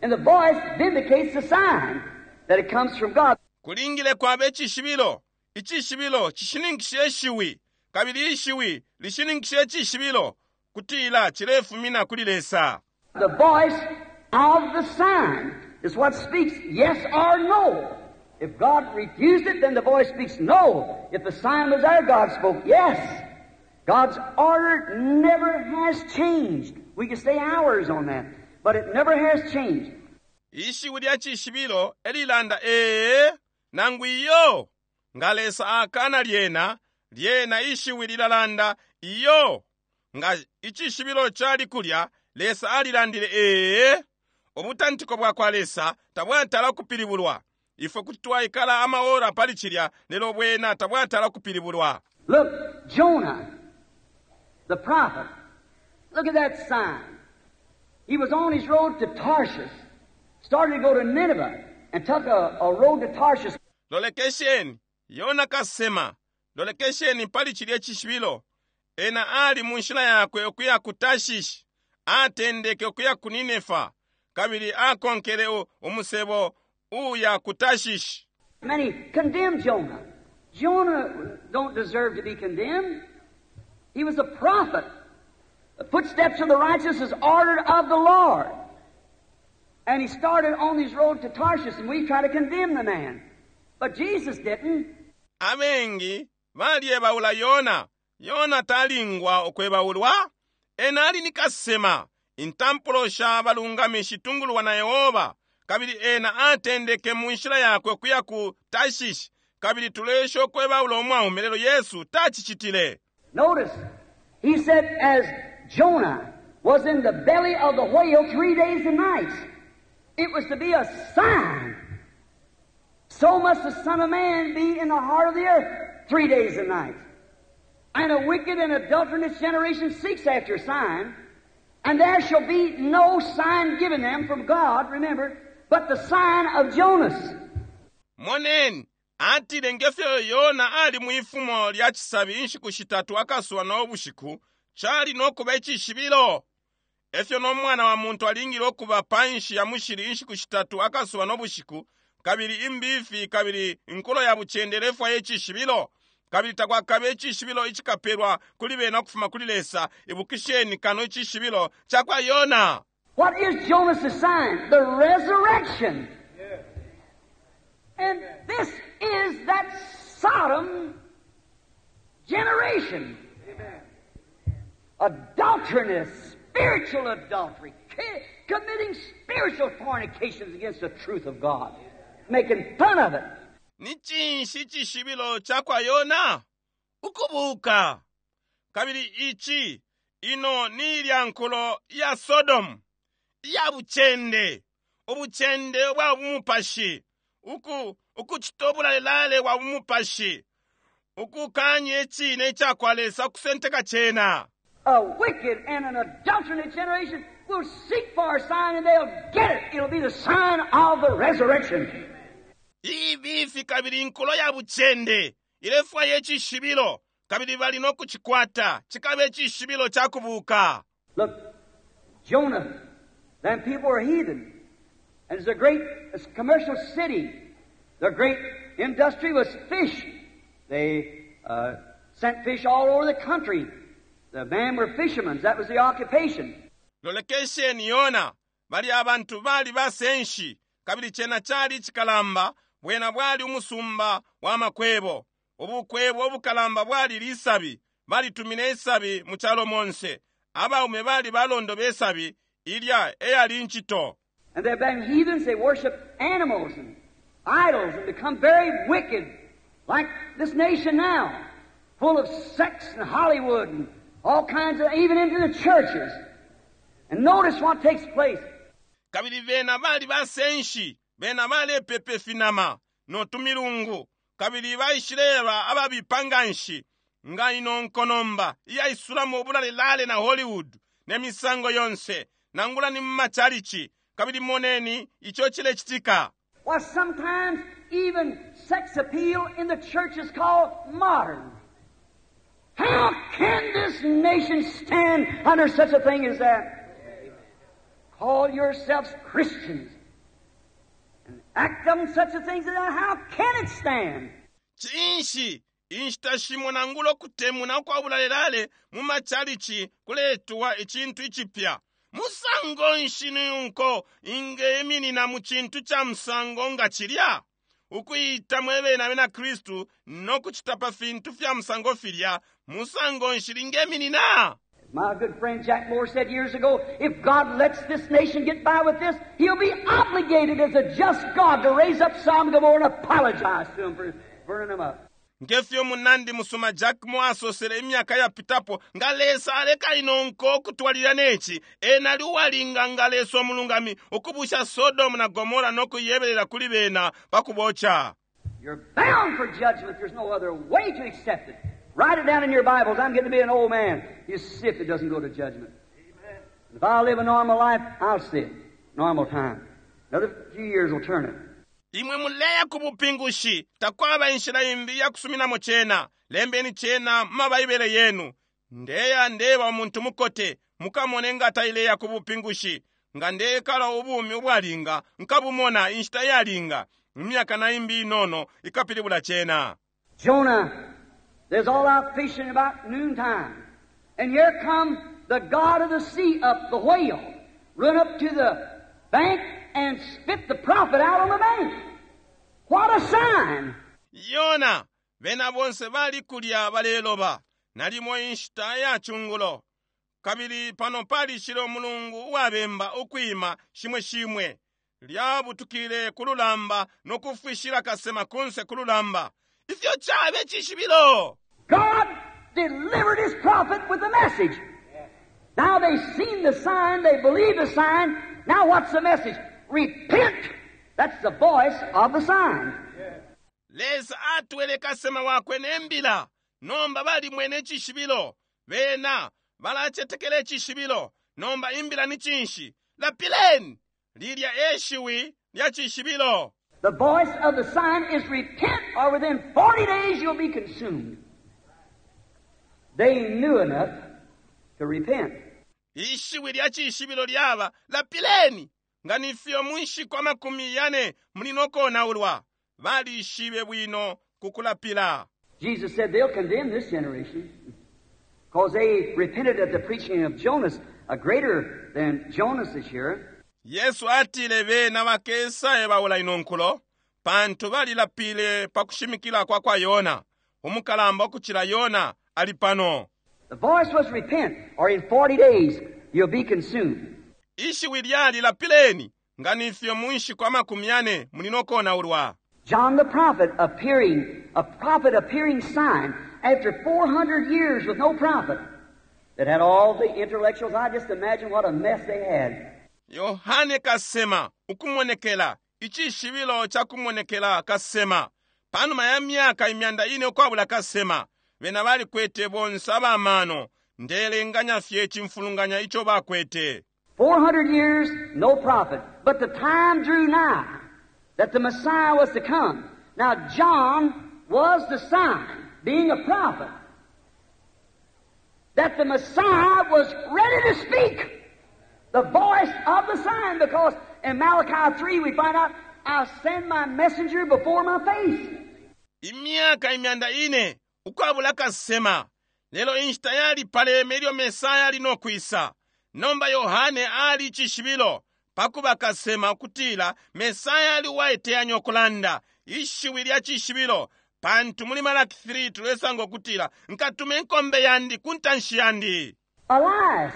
and the voice vindicates the sign that it comes from God. Kulingile kwaba icishibilo. Icishibilo cishininkisha ishiwi, kabili ishiwi lishininkisha icishibilo kutila cilefumina kuli Lesa. The voice of the sign is what speaks yes or no. If God refused it, then the voice speaks no. If the sign was there, God spoke yes. God's order never has changed. We can stay hours on that, but it never has changed. Ishiwi lya cishibilo elilanda ee nangu iyo. Nga Lesa akana lyena, lyena ishiwi lilalanda iyo. Nga icishibilo cali kulya, Lesa alilandile ee. Ubutantiko bwakwa Lesa tabwatala kupilibulwa. Ifwe kuti twaikala amaora pali cilya, lelo bwena tabwatala kupilibulwa. Look, Jonah, the prophet, look at that sign. He was on his road to Tarshish, started to go to Nineveh, and took a road to Tarshish. Lolekesheni, Yona kasema, lolekesheni pali cilya cishibilo. Ena ali mu nshila yakwe ukuya ku Tarshish, atendeke ukuya ku Ninefa, kabili akonkele umusebo uya ku Tarshish. Many condemned Jonah. Jonah don't deserve to be condemned. He was a prophet. The footsteps of the righteous is ordered of the Lord. And he started on his road to Tarshish, and we try to condemn the man. But Jesus didn't. Abengi balyebaula Yona. Yona talingwa ukwebaulwa. Ena ali ni kasema. Intampulo sha balungami shitungulwa na Yehova. Kabili ena atendeke mu nshila yakwe ukuya ku Tarshish. Kabili tuleesha ukwebaula umwaume, lelo Yesu tacicitile. Notice, he said, as Jonah was in the belly of the whale 3 days and nights, it was to be a sign. So must the Son of Man be in the heart of the earth 3 days and nights. And a wicked and adulterous generation seeks after a sign, and there shall be no sign given them from God, remember, but the sign of Jonas. Moneni, atile ngefyo Yona ali mwifumo lya cisabi inshiku shitatu akasuba no bushiku, cali no kuba icishibilo, efyo no Mwana wa Muntu alingile ukuba panshi ya mushili inshiku shitatu akasuba no bushiku. Kabili imbifi kabili inkulo ya bucende ilefwaya icishibilo, kabili takwakabe icishibilo icikapelwa kuli bena ukufuma kuli Lesa, ibukisheni, kano icishibilo cakwa Yona. What is Jonas' sign? The resurrection. And this is that Sodom generation. Adulteriness, spiritual adultery, committing spiritual fornications against the truth of God, making fun of it. Ni cinshi icishibilo cakwa Yona? Ukubuka. Kabili ici ino ni ilya nkulo ya Sodomu iya bucende, ubucende bwa bumupashi, uku ukucita ubulalelale bwa bumupashi, ukukanya icine icakwa Lesa, ukusenteka cena. A wicked and an adulterous generation will seek for a sign and they'll get it. It'll be the sign of the resurrection. Ibifi kabili inkulo ya bucende ilefwaya icishibilo, kabili bali no kucikwata. Cikaba icishibilo ca kubuka. Look, Jonah, them people were heathen. And it's a great it's a commercial city. Their great industry was fish. They sent fish all over the country. The men were fishermen. That was the occupation. Lolekesheni Yona, bali abantu bali basenshi, kabili cena cali icikalamba. Bwena bwali umusumba wa makwebo. Ubukwebo obukalamba bwali lisabi. Balitumine isabi mu calo monse. Abaume bali balondo besabi. Ilya eyali ncito. And they've been heathens. They worship animals and idols and become very wicked, like this nation now, full of sex and Hollywood and all kinds of, even into the churches. And notice what takes place. Kabili bena bali basenshi. Bena balepepa ifinama no tumilungu, kabili baishileba ababipa nga nshi nga ino nkonomba iyaisulamo ubulalelale na Hollywood ne misango yonse, nangula ni mu macalici. Kabili moneni ico cilecitika. Why, sometimes even sex appeal in the church is called modern. How can this nation stand under such a thing as that? Call yourselves Christians and act on such a thing as that. How can it stand? Cinshi, inshita shimo nangula ukutemuna ukwa bulalelale mu macalici kuletwa icintu icipya. Musango nshi nunko ingeminina mu cintu ca musango nga cilya, ukuyita mwebene abena Kristu no kucita pa fintu fya musango filya? Musango nshi lingeminina? My good friend Jack Moore said years ago, if God lets this nation get by with this, He'll be obligated as a just God to raise up Sodom and Gomorrah and apologize to them for burning them up. Ngefyo munandi musuma Jack Moore asosele imyaka yapitapo, nga Lesa aleka ino nko okutwalira neci, ena ali uwalinga nga Lesa omulungami ukubusha Sodomu na Gomora n'okuyeberera kuli bena pakuboca. You're bound for judgment. There's no other way to accept it. Write it down in your Bibles. I'm getting to be an old man. You see if it doesn't go to judgment. If I live a normal life, I'll see it. Normal time. Another few years will turn it. Imwe muleya ku bupingushi. Takwaba inshila imbi yakusuminamo cena. Lembeni cena mu mabaibele yenu. Ndeya ndeba umuntu mukote, mukamone nga taileya ku bupingushi. Nga ndekala ubumi ubwalinga, nkabumona inshita yalinga. Imyaka na imbi inono ikapilibula cena. Jonah, there's all out fishing about noontime. And here come the god of the sea up, the whale, run up to the bank and spit the prophet out on the bank. What a sign! Yona, bena bonse bali kulya baleloba, nalimo inshita ya chungulo, kabili pano palishile umulungu uwabemba ukwima shimwe shimwe. Lyabutukile ku lulamba no kufwishila kasema kunse ku lulamba. Ifyo cabe cishibilo! God delivered his prophet with the message. Now they've seen the sign, they believe the sign. Now what's the message? Repent! That's the voice of the sign. Lesa atwele kasema wakwe ne mbila. Nomba balimwene icishibilo. Bena balacetekela icishibilo. Nomba imbila ni cinshi? Lapileni! Lilya e shiwi lya cishibilo. The voice of the sign is repent, or within 40 days you'll be consumed. They knew enough to repent. Ishiwi lya cishibilo lyaba lapileni! Nga ni fyo mu nshiku 40 muli no konaulwa. Balishibe bwino ku kulapila. Jesus said they'll condemn this generation because they repented at the preaching of Jonas, a greater than Jonas is here. Yesu atile bena bakesa ebaula ino nkulo pantu balilapile pa kushimikila kwa kwa Yona. Umukalamba ukucila Yona ali pano. The voice was repent, or in 40 days you'll be consumed. Ishiwi lyali lapileni nga ni fyo mu nshiku 40 muli no konaulwa. John the prophet appearing, a prophet appearing sign after 400 years with no prophet that had all the intellectuals. I just imagine what a mess they had. Yohane kasema ukumonekela icishibilo ca kumonekela kasema panuma ya myaka 400 ukwabula kasema bena balikwete bonse abamano ndelenganya fye icimfulunganya ico bakwete. 400 years, no prophet. But the time drew nigh that the Messiah was to come. Now John was the sign, being a prophet, that the Messiah was ready to speak. The voice of the sign, because in Malachi 3 we find out, I'll send my messenger before my face. Imyaka 400 ukwabula kasema. Lelo inshita yali paleme ilyo Mesaya ali no kwisa. Nomba Yohane ali icishibilo pakuba kasema ukutila Mesaya ali uwaiteyanya ukulanda ishiwi lya cishibilo, pantu muli Malaki 3 tulesanga ukutila nkatuma inkombe yandi ku ntanshi yandi. Elias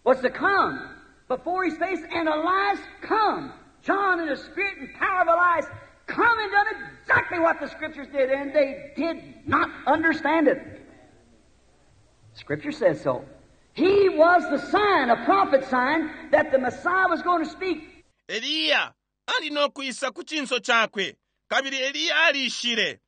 was to come before his face, and Elias come. John in the spirit and power of Elias come and done exactly what the Scriptures did, and they did not understand it. Scripture says so. He was the sign, a prophet sign, that the Messiah was going to speak. Eliya ali no kwisa ku cinso cakwe, kabili Eliya alishile.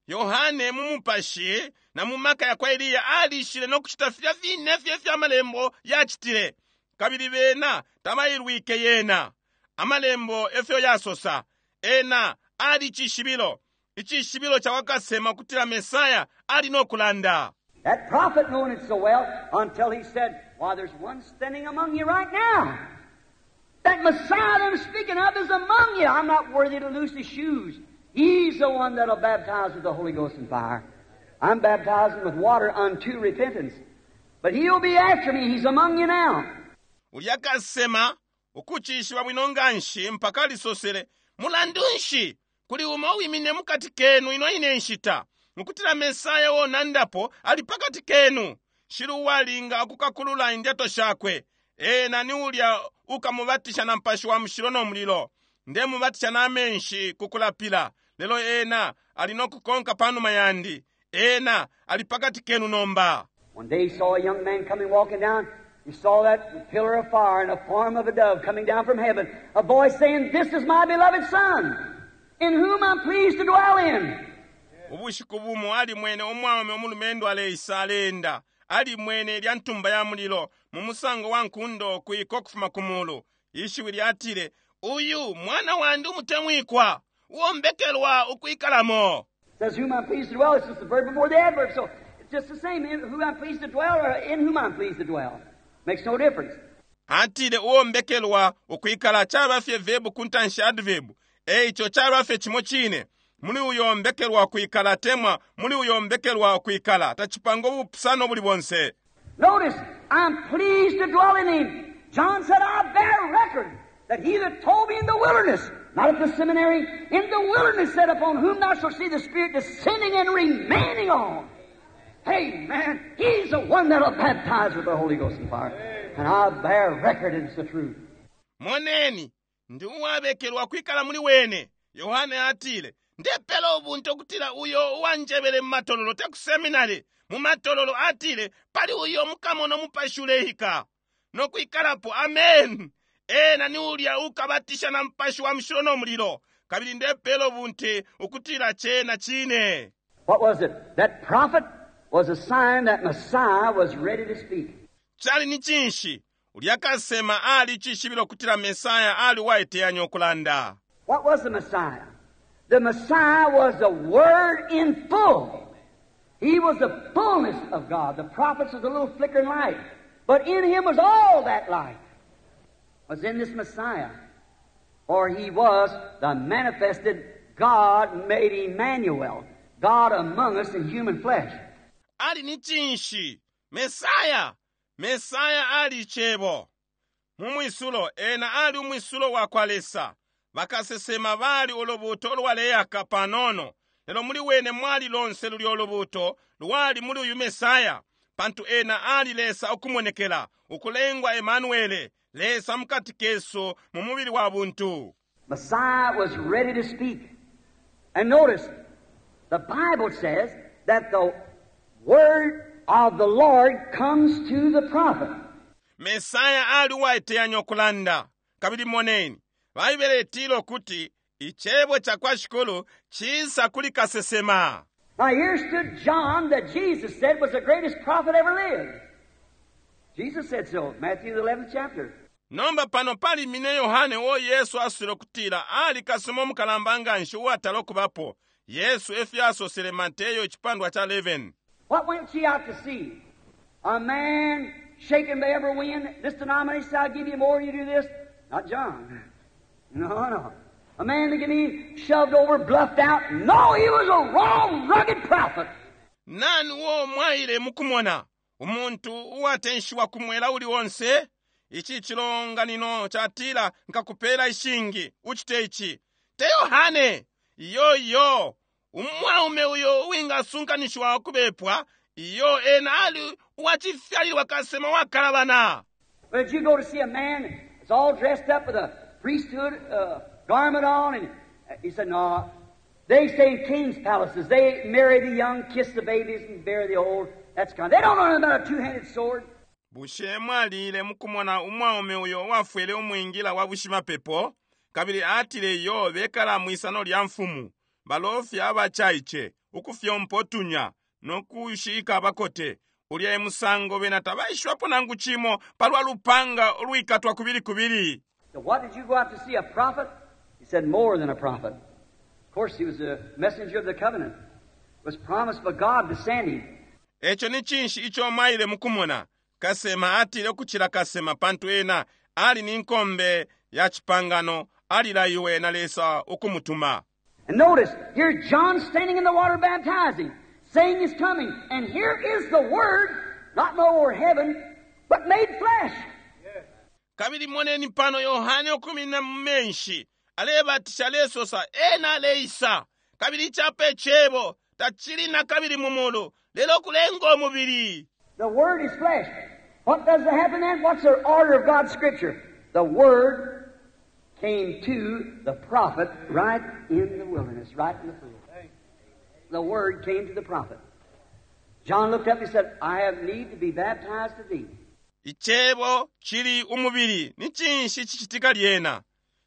Yohane mu mupashi na mu maka ya kwa Eliya alishile no kucita filya fine fye fya malembo yacitile, kabili bena tabailwike yena. Amalembo efyo yasosa, ena ali cishibilo, icishibilo ca kwa kasema ukutila Mesaya ali no kulanda. That prophet knowing it so well until he said, why, there's one standing among you right now. That Messiah I'm speaking of is among you. I'm not worthy to loose his shoes. He's the one that'll baptize with the Holy Ghost and fire. I'm baptizing with water unto repentance. But he'll be after me. He's among you now. Ulya kasema ukucishiba bwino nganshi mpaka alisosele, mulandu nshi kuli umo wimine mukati kenu ino ine nshita, ukutila Mesaya wonandapo ali pakati kenu. Shili uwalinga ukukakulula indyato shakwe. Ena ni ulya ukamubatisha na mpashi wa mushilo no mulilo. Ndemubatisha na menshi kukulapila. Lelo ena ali no kukonka panuma yandi. Ena ali pakati kenu nomba. One day he saw a young man coming walking down. He saw that pillar of fire in the form of a dove coming down from heaven. A voice saying, This is my beloved Son, in whom I'm pleased to dwell in. Ubushiku bumo alimwene umwaume umulumendo aleisa aleenda. Alimwene lya ntumba ya mulilo mu musango wa nkundo kuiko kufuma ku mulu. Ishiwi lyatile, Uyu mwana wandi umutemwikwa, uwombekelwa ukwikalamo. Says whom I'm pleased to dwell. It's just the verb before the adverb. So it's just the same. In whom I'm pleased to dwell or in whom I'm pleased to dwell. Makes no difference. Atile uwombekelwa ukwikala caba fye verb ku ntanshi adverb. Eico caba fye cimo cine. Muli uyo mbekelwa ukwikala temwa, muli uyo mbekelwa ukwikala. Tacipanga ubupusano buli bonse. Notice, I'm pleased to dwell in him. John said, I bear record that he that told me in the wilderness, not at the seminary, in the wilderness said, upon whom thou shalt see the Spirit descending and remaining on. Hey, man, he's the one that'll baptize with the Holy Ghost and fire. And I bear record it's the truth. Moneni, ndi uwabekelwa kwikala muli wene. Yohane atile, Ndepela ubunte ukutila uyo uwanjebele mu matololo, te ku seminary, mu matololo atile, pali uyo mukamona umupashi uleika no kwikalapo. Amen. Ena ni ulya ukabatisha na Mupashi wa Mushilo no mulilo. Kabili ndepela ubunte ukutila cena cine. What was it? That prophet was a sign that Messiah was ready to speak. Cali ni cinshi? Ulya kasema ali cishibilo kutila Mesaya ali uwaiteyanya ukulanda. What was the Messiah? The Messiah was the Word in full. He was the fullness of God. The prophets was a little flickering light. But in him was all that light. Was in this Messiah. For he was the manifested God made Emmanuel, God among us in human flesh. Ali ni cinshi? Mesaya. Mesaya ali Cebo. Mu mwisulo, ena ali umwisulo wa kwa Lesa. Bakasesema bali ulubuuto ulwaleyaka panono, lelo muli wene mwali lonse lulyo lubuuto lwali muli uyu Mesaya, pantu ena ali Lesa ukumonekela, ukulengwa Emanuele, Lesa mukati kesu mu mubili wa buntu. Messiah was ready to speak. And notice, the Bible says that the word of the Lord comes to the prophet. Mesaya ali uwaiteyanya ukulanda. Kabili moneni, Baibele itila ukuti Icebo cakwa Shikulu cisa kuli kasesema. Now here stood John that Jesus said was the greatest prophet ever lived. Jesus said so, Matthew the 11th chapter. Nomba pano palimine Yohane uo Yesu asosele ukutila ali kasesema umukalamba nganshi uwatala ukubapo. Yesu efyo asosele, Mateyo icipandwa ca 11. What went ye out to see? A man shaken by every wind? This denomination said, I'll give you more, you do this. Not John. No, no. A man that can be shoved over, bluffed out. No, he was a raw, rugged prophet. Nani uo mwaile mukumona? Umuntu uwatenshiwa ku mwela uli onse? Ici cilonganino catila, Nkakupela ishingi, ucite ici. Te Yohane! Iyo, iyo. Umwaume uyo uwingasunkanishiwa ukubepwa, iyo, ena ali uwacifyalilwa kasesema wakalabana. But did you go to see a man that's all dressed up with a priesthood garment on? And he said, no. They stay in king's palaces. They marry the young, kiss the babies, and bury the old. That's kind. They don't know nothing about a two-handed sword. Bushe mwalile mukumona umwaume uyo uwafwele umwingila wa bushimapepo? Kabili atile, Iyo, bekala mwisano lya mfumu. Balofya abacaice, ukufyompa utunya, no kushika abakote. Ulya e musango bena tabaishibapo nangu cimo palwa lupanga ulwikatwa kubili kubili. So what did you go out to see, a prophet? He said, more than a prophet. Of course, he was a messenger of the covenant. It was promised by God to send him. Eco ni cinshi ico mwaile mukumona? Kasema? Atile, ukucila kasema, pantu ena ali ni nkombe ya cipangano, alilaiwe na Lesa ukumutuma. And notice, here John standing in the water baptizing, saying he's coming. And here is the Word, not no more heaven, but made flesh. Kabili moneni pano Yohane ukuminina mu menshi, alebatisha, alesosa, Ena aleisa. Kabili ici apa Icebo, tacili nakabili mu mulu, lelo kulenga umubili. The Word is flesh. What does happen then? What's the order of God's Scripture? The Word came to the prophet right in the wilderness, right in the field. The Word came to the prophet. John looked up and he said, I have need to be baptized of thee. Icebo cili umubili. Ni cinshi cicitika lyena?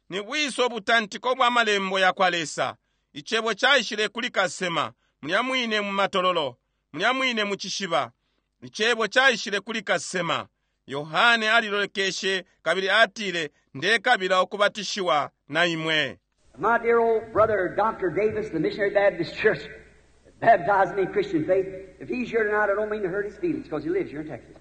Ni bwisa ubutantiko bwa Malembo yakwa Lesa? Icebo caishile kuli kasema, mulya mwine mu matololo, mulya mwine mu cishiba. Icebo caishile kuli kasema. Yohane alilolekeshe kabili atile, Ndekabila ukubatishiwa na imwe. My dear old brother, Dr. Davis, the Missionary Baptist Church, baptized me in Christian faith. If he's here tonight, I don't mean to hurt his feelings because he lives here in Texas.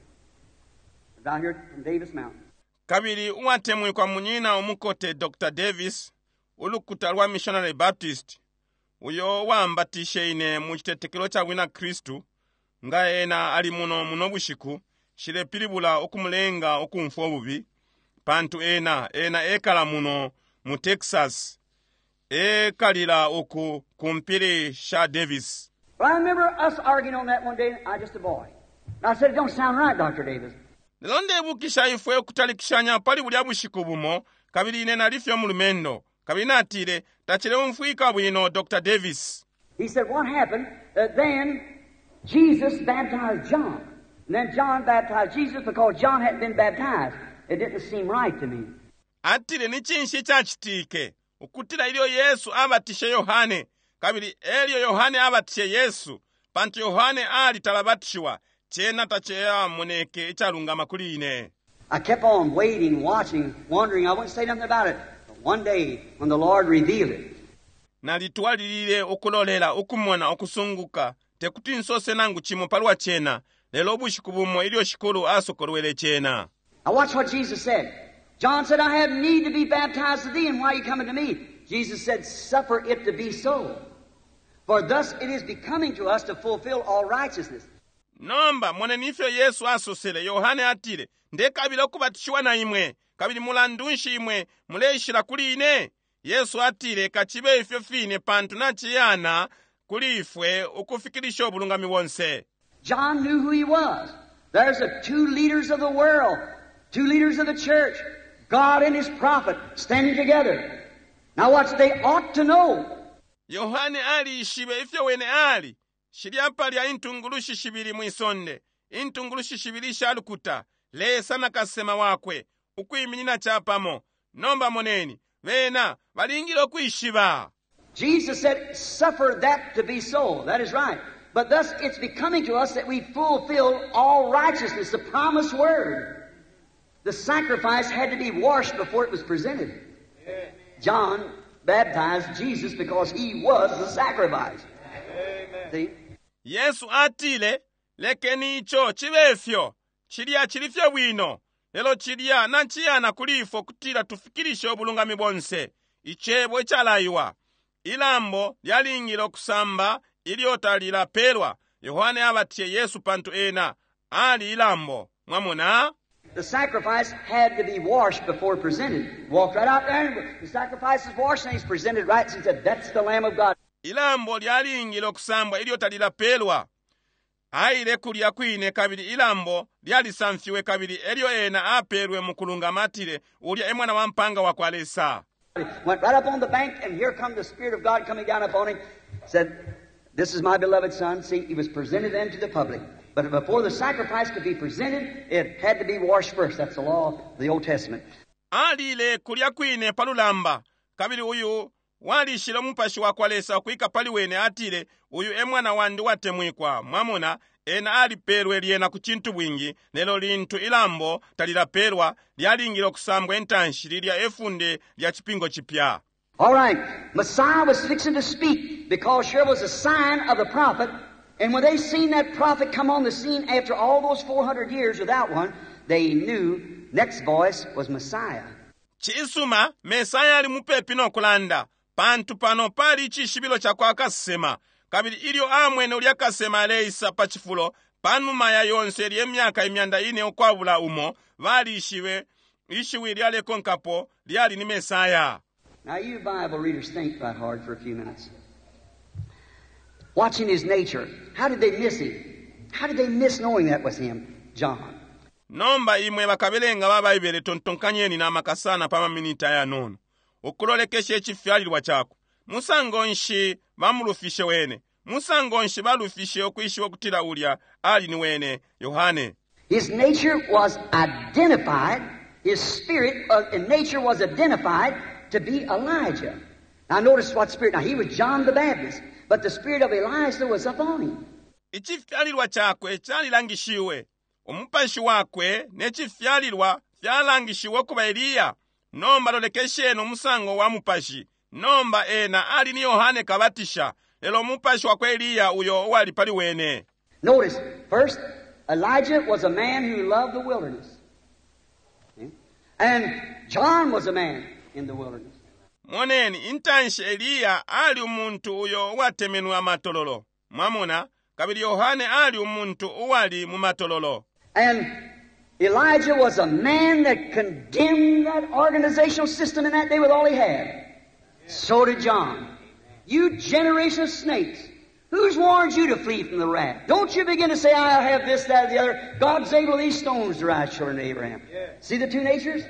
Down here from Davis Mountain. Kabili uwatemwikwa munyina umukote Dr. Davis, ulukuta lwa Missionary Baptist, uyo uwambatishe ine mu citetekelo ca bwina Kristu, nga ena ali muno muno bushiku, nshilepilibula ukumulenga ukumfwa ububi, pantu ena, ena ekala muno mu Texas, ekalila uku ku mpili sha Davis. But I remember us arguing on that one day, I just a boy. And I said, it don't sound right, Dr. Davis. Lelo ndebukisha ifwe ukutalikishanya pali bulya bushiku bumo, kabili ine nali fye umulumendo. Kabili natile, Tacileumfwika bwino, Dr. Davis. He said, What happened? Then Jesus baptized John. And then John baptized Jesus because John hadn't been baptized. It didn't seem right to me. Atile, Ni cinshi icacitike? Ukutila ilyo Yesu abatishe Yohane, kabili elyo Yohane abatishe Yesu, pantu Yohane ali talabatishiwa, cena tacamoneke icalungama kuli ine. I kept on waiting, watching, wondering. I wouldn't say nothing about it. But one day, when the Lord revealed it, Nalitwalilile ukulolela, ukumona, ukusunguka, tekuti nsose nangu cimo palwa cena, lelo ubushiku bumo ilyo Shikulu asokolwele cena. Now watch what Jesus said. John said, I have need to be baptized of thee, and why are you coming to me? Jesus said, Suffer it to be so. For thus it is becoming to us to fulfill all righteousness. Nomba moneni ifyo Yesu asosele. Yohane atile, Ndekabila ukubatishiwa na imwe, kabili mulandu nshi imwe muleishila kuli ine? Yesu atile, Kacibe ifyo fine, pantu naciyana kuli ifwe ukufikilisha ubulungami bonse. John knew who he was. There's the two leaders of the world, two leaders of the church, God and his prophet, standing together. Now watch, they ought to know. Yohane alishibe ifyo wene ali. Shilya palya intungulushi shibili mwi sonde, intungulushi shibili isha lukuta, Lesa na kasesema wakwe, ukwiminina capamo. Nomba moneni, bena balingile ukwishiba. Jesus said, Suffer that to be so. That is right. But thus it's becoming to us that we fulfill all righteousness, the promised word. The sacrifice had to be washed before it was presented. John baptized Jesus because he was the sacrifice. See? Yesu atile, Lekeni ico cibe fyo. Cilya cili fye bwino. Lelo cilya naciyana kuli ifwe ukutila tufikilishe ubulungami bonse. Icebo icalaiwa. Ilambo lyalingile ukusamba ilyo talilapelwa. Yohane abatishe Yesu pantu ena ali ilambo. Mwamona? The sacrifice had to be washed before presented. Walked right out there, and the sacrifice is washed, and he's presented right. And he said, That's the Lamb of God. Ilambo lyalingile ukusambwa ilyo talilapelwa. Aile kulya kwine kabili ilambo lyalisamfiwe kabili elyo ena apelwe mu kulungama atile, Ulya e mwana wa mpanga wa kwa Lesa. Went right up on the bank, and here come the Spirit of God coming down upon him. Said, This is my beloved Son. See, he was presented then to the public. But before the sacrifice could be presented, it had to be washed first. That's the law of the Old Testament. Alile kulya kwine pa lulamba, kabili uyu walishile umupashi wa kwa Lesa ukwika pali wene atile, Uyu e mwana wandi watemwikwa. Mwamona, ena alipelwe lyena ku cintu bwingi, lelo lintu ilambo talilapelwa, lyalingile ukusambwa intanshi lilya efunde lya cipingo cipya. All right, Messiah was fixing to speak because here was a sign of the prophet. And when they seen that prophet come on the scene after all those 400 years without one, they knew next voice was Messiah. Cisuma, Mesaya ali mupepi no kulanda, pantu pano pali icishibilo ca kwa kasesema. Kabili ilyo amwene ulya kasesema aleisa pa cifulo, panuma ya yonse ilye myaka 400 ukwabula umo, balishibe ishiwi lyalekonkapo lyali ni Mesaya. Now you Bible readers think right hard for a few minutes. Watching his nature, how did they miss him? How did they miss knowing that was him? John. Nomba imwe bakabelenga ba Baibele tontonkanyeni na maka sana pa maminiti ayanono. Ukulolekesha icifyalilwa cakwe. Musango nshi bamulufishe wene? Musango nshi balufishe ukwishiba ukutila ulya ali ni wene? Yohane. His nature was identified, his spirit and nature was identified to be Elijah. Now notice what spirit. Now he was John the Baptist, but the spirit of Elijah was upon him. Icifyalilwa cakwe calilangishiwe. Umupashi wakwe ne cifyalilwa fyalangishiwe ukuba Eliya. Nomba lolekesheni umusango wa mupashi. Nomba ena ali ni Yohane Kabatisha, lelo umupashi wakwa Eliya uyo uwali pali wene. Notice, first, Elijah was a man who loved the wilderness. And John was a man in the wilderness. Moneni, intanshi Eliya ali umuntu uyo uwatemenwe amatololo. Mwamona, kabili Yohane ali umuntu uwali mu matololo. And Elijah was a man that condemned that organizational system in that day with all he had. So did John. You generation of snakes, who's warned you to flee from the wrath? Don't you begin to say, I'll have this, that, or the other. God's able these stones to rise children of Abraham. See the two natures?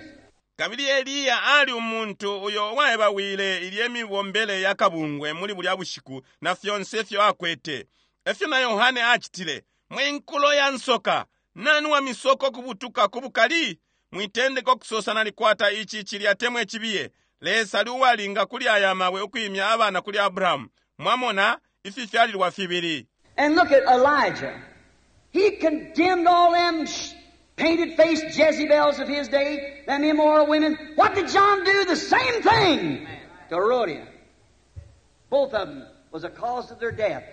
Kabili Eliya ali umuntu uyo uwaebawile ilye mibombele ya kabungwe muli bulya bushiku na fyonse ifyo akwete. Efyo na Yohane acitile. Mwe nkulo ya nsoka, nani wa misoko kubutuka ku bukali? Mwitendeka ukusosa nalikwata ici cilya temwe cibiye. Lesa ali uwalinga kuli aya mabwe ukwimya abana kuli Abrahamu. Mwamona ififyalilwa fibili. And look at Elijah. He condemned all them painted faced Jezebels of his day, them immoral women. What did John do? The same thing to Herodian. Both of them was a cause of their death.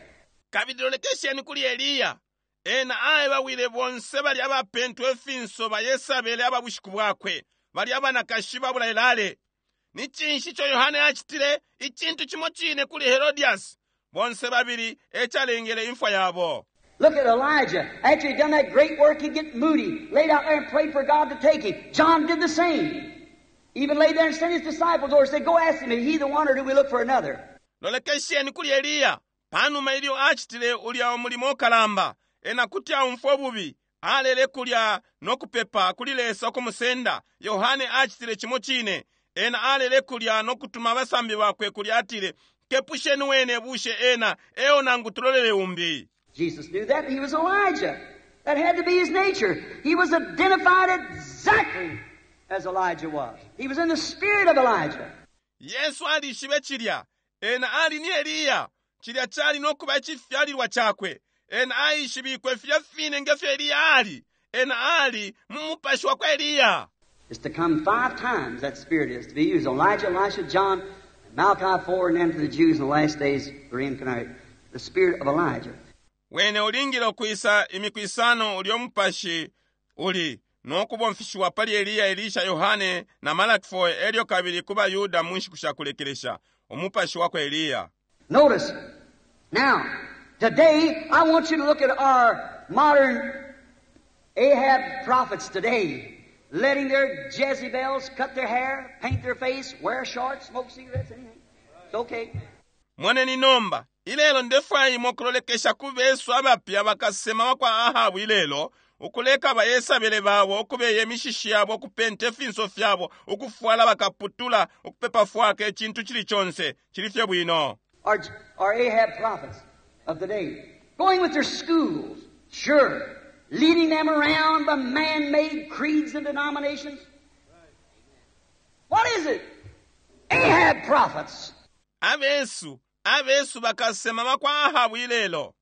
Kabili lolekesheni kuli Eliya. Ena aebawile bonse bali abapentwa ifinso ba Yesabele aba bushiku bwakwe, bali abanakashi babulalelale. Ni cinshi ico Yohane acitile? Icintu cimo cine kuli Herodias. Bonse babili e calengele imfwa yabo. Look at Elijah. After he'd done that great work, he'd get moody, laid out there and prayed for God to take him. John did the same. Even laid there and sent his disciples over and said, Go ask him, is he the one or do we look for another? Lolekesheni kuli Eliya. Panuma ilyo acitile ulya umulimo ukalamba, ena kuti aumfwa ububi, alele kulya no kupepa kuli Lesa ukumusenda. Yohane acitile cimo cine. Ena alele kulya no kutuma abasambi bakwe kulya atile, Kepusheni wene bushe ena eo nangu tulolele umbi. Jesus knew that. He was Elijah. That had to be his nature. He was identified exactly as Elijah was. He was in the spirit of Elijah. Yesu alishibe cilya. Ena ali ni Eliya. Cilya cali no kuba icifyalilwa cakwe. Ena aishibikwe filya fine nge fyo Eliya ali. Ena ali mu mupashi wa kwa Eliya. It's to come five times, that spirit is to be used. Elijah, Elisha, John, Malachi 4, and then to the Jews in the last days, reincarnate. The spirit of Elijah. Wene ulingile ukwisa imiku isano ulyo mupashi uli no kubomfishiwa pali Eliya, Elisha, Yohane na Malaki 4 elyo kabili ku baYuda mu nshiku sha kulekelesha, umupashi wa kwa Eliya. Notice, now, today, I want you to look at our modern Ahab prophets today, letting their Jezebels cut their hair, paint their face, wear shorts, smoke cigarettes, anything. It's okay. Moneni nomba, ilelo ndefwaya imwe ukulolekesha ku besu abapya bakasesema bakwa Ahabu ilelo, ukuleka ba Yesabele babo ukubeya imishishi yabo, ukupenta ifinso fyabo, ukufwala bakaputula, ukupepa fwaka, icintu cili conse, cili fye bwino. Our Ahab prophets of the day, going with their schools, sure, leading them around by man-made creeds and denominations. What is it? Ahab prophets. Abesu, abesu bakasesema bakwa Ahabu ilelo,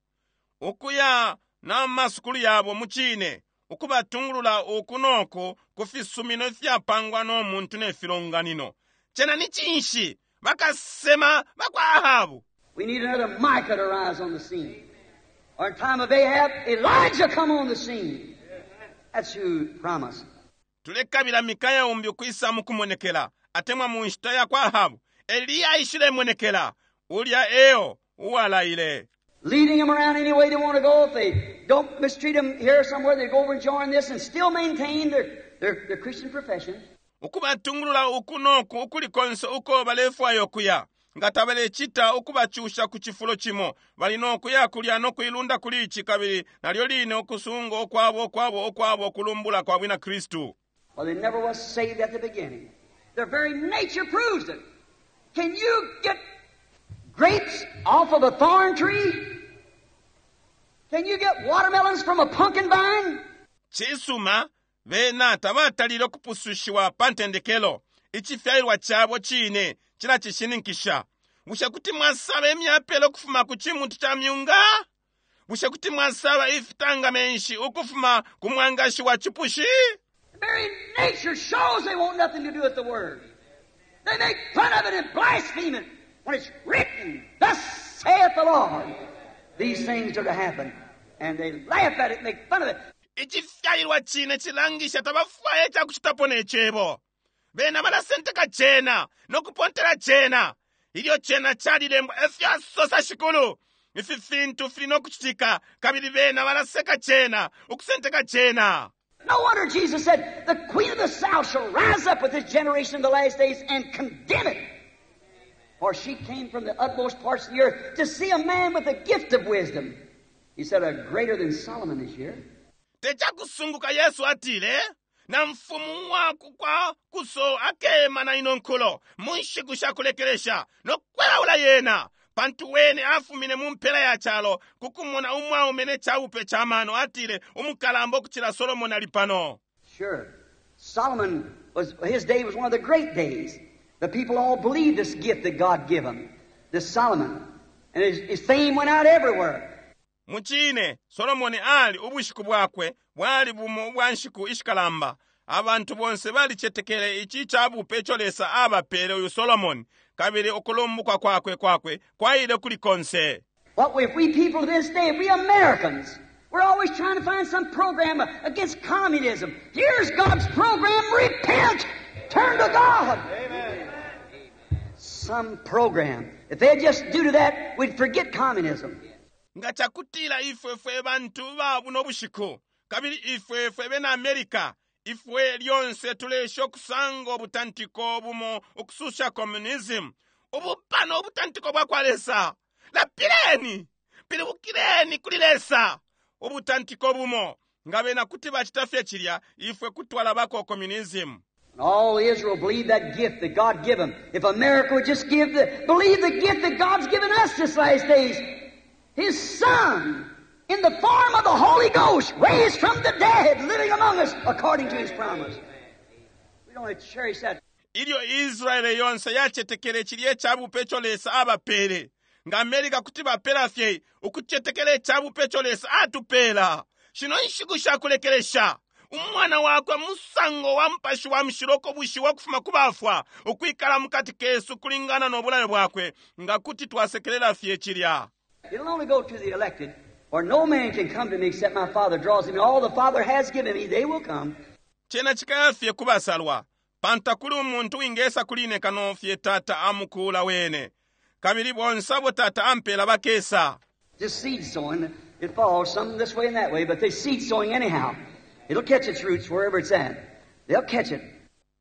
ukuya na masukulu yabo mucine, ukubatungulula uku no ku ku fisumino ifyapangwa no muntu ne filonganino. Cena ni cinshi? Bakasesema bakwa Ahabu. We need another Micah to rise on the scene. Or in time of Ahab, Elijah come on the scene. That's who promised. Tulekabila Mikaya umbi ukwisa mukumonekela, atemwa mu nshita ya kwa Ahabu, Eliya aishilemonekela. Ulya eo uwalaile. Leading them around any way they want to go. If they don't mistreat them here somewhere, they go over and join this and still maintain their Christian profession. Ukubatungulula uku no ku ukuli konse uko balefwaya ukuya. Nga tabalecita ukubacusha ku cifulo cimo, bali no kuya kulya no kuilunda kuli ici kabili nalyo line ukusunga ukwabo, ukwabo, ukwabo ukulumbula kwa bwina Kristu. Well, they never was saved at the beginning. Their very nature proves it. Can you get grapes off of a thorn tree? Can you get watermelons from a pumpkin vine? Cisuma, bena tabatalile ukupusushiwa pa ntendekelo. Icifyalilwa cabo cine cilacishininkisha. Bushe kuti mwasaba imyapele ukufuma ku cimuti ca myunga? Bushe kuti mwasaba ifitanga menshi ukufuma ku mwangashi wa cipushi? The very nature shows they want nothing to do with the Word. They make fun of it and blaspheme it when it's written, Thus saith the Lord. These things are to happen. And they laugh at it and make fun of it. Icifyalilwa cine cilangisha tabafwaya icakucitapo ne Cebo. Bena balasenteka cena no kupontela cena. Ilyo cena calilembwa, efyo asosa Shikulu. Ifi fintu fili no kucitika, kabili bena balaseka cena, ukusenteka cena. No wonder Jesus said, The queen of the south shall rise up with this generation in the last days and condemn it. For she came from the utmost parts of the earth to see a man with the gift of wisdom. He said, A greater than Solomon is here. Te cakusunguka Yesu atile, Na mfumu wa kwa kuso akema na ino nkulo mu nshiku sha kulekelesha no kwelaula yena, pantu wene afumine mu mpela ya calo ku kumona umwaume ne cabupe ca mano. Atile, Umukalamba ukucila Solomoni ali pano. Sure. Solomon was, his day was one of the great days. The people all believed this gift that God gave him, this Solomon. And his fame went out everywhere. Mucine, Solomoni ali ubushiku bwakwe bwali bumo ubwa nshiku ishikalamba. Abantu bonse balicetekele ici cabupe ico Lesa abapele uyu Solomoni, kabili ukulumbukwa kwakwe kwakwe kwaile kuli konse. What if we people to this day, we Americans, we're always trying to find some program against communism. Here's God's program. Repent! Turn to God! Amen. Some program. If they'd just do to that, we'd forget communism. Nga cakutila ifwe fwe bantu ba buno bushiku, kabili ifwe fwe bena America, ifwe lyonse tulesha ukusanga ubutantiko bumo ukususha communism. Ubu pano ubutantiko bwa kwa Lesa. Lapileni! Pilibukileni kuli Lesa! Ubutantiko bumo. Nga bena kuti bacita fye cilya, ifwe kutwalabako communism. And all Israel believed that gift that God gave them. If America would just believe the gift that God's given us this last days, His Son, in the form of the Holy Ghost, raised from the dead, living among us according to His promise. We don't cherish that. Ilyo Israele yonse yacetekele cilya icabupe ico Lesa abapele, nga America kuti bapela fye ukucetekela icabupe ico Lesa atupela shino nshiku sha kulekelesha, umwana wakwe musango wa Mupashi wa Mushilo ukobushiwa ukufuma ku bafwa, ukwikala mukati kesu kulingana no bulayo bwakwe, nga kuti twasekelela fye cilya. It'll only go to the elected, for no man can come to me except my Father draws him. All the Father has given me, they will come. Cena cikaya fye kubasalwa, pantu takuli umuntu wingesa kuli ine kano fye Tata amukula wene, kabili bonse abo Tata ampela bakesa. Just seed sowing, it falls some this way and that way, but they seed sowing anyhow. It'll catch its roots wherever it's at. They'll catch it.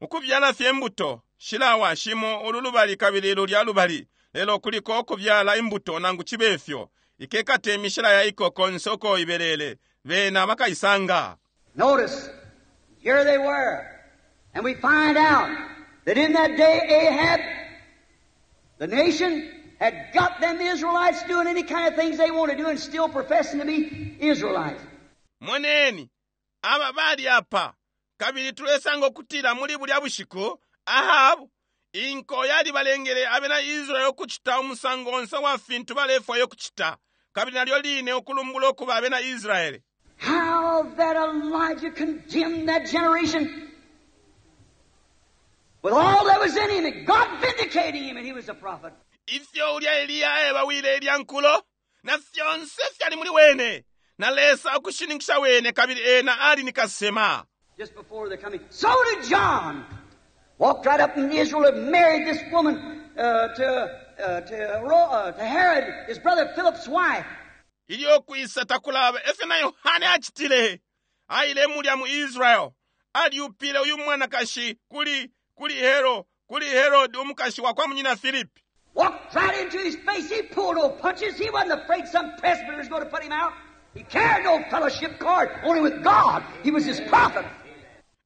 Ukubyala fye imbuto, shilawa shimo ulu lubali kabili lulya lubali, lelo kuliko ukubyala imbuto nangu cibe fyo, ikekate imishila ya iko konse uko ibelele, bena bakaisanga. Notice, here they were. And we find out that in that day Ahab, the nation, had got them Israelites doing any kind of things they want to do and still professing to be Israelites. Moneni, aba bali apa, kabili tulesanga ukutila muli bulya bushiku Ahabu, inko yalibalengele abena Israeli ukucita umusango onse wa fintu balefwaya ukucita, kabili nalyo line ukulumbula ukuba abena Israeli. How that Elijah condemned that generation with all that was in him, and God vindicating him, and he was a prophet. Ifyo ulya Eliya ebawile ilya nkulo na fyonse fyali muli wene, na Lesa ukushininkisha wene, kabili ena ali ni kasema. Just before the coming. So did John. Walked right up in Israel and married this woman to Herod, his brother Philip's wife. Ilyo kwisa takulaba, efyo na Yohane acitile. Aile mulya mu Israel, aliupile uyu mwanakashi kuli Herod, umukashi wa kwa munyina Philip. Walked right into his face. He pulled no punches. He wasn't afraid some presbyter was going to put him out. He carried no fellowship card, only with God. He was his prophet.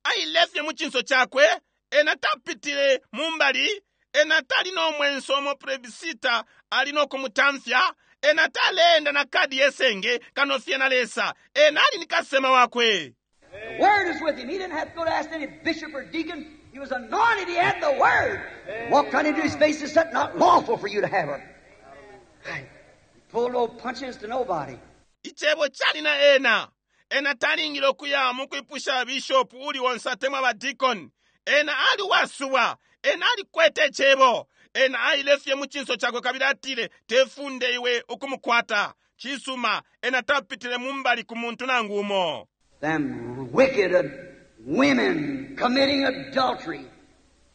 Aile fye mu cinso cakwe, ena tapitile mu mbali, ena tali no mwenso omo plebisita ali no kumutamfya, ena taleenda na kadi yesenge kano fye na Lesa, ena ali ni kasema wakwe. The word is with him. He didn't have to go to ask any bishop or deacon. He was anointed. He had the word. Walked right into his face and said, Not lawful for you to have her. He pulled no punches to nobody. Icebo cali na ena. Ena talingile ukuya mu kwipusha bishop uli onse atemwa ba deacon. Ena ali wasubwa. Ena alikwete icebo. Ena aile fye mu cinso cakwe kabili atile, Tefunde iwe ukumukwata. Cisuma, ena tapitile mu mbali ku muntu nangu umo. Them wicked women committing adultery,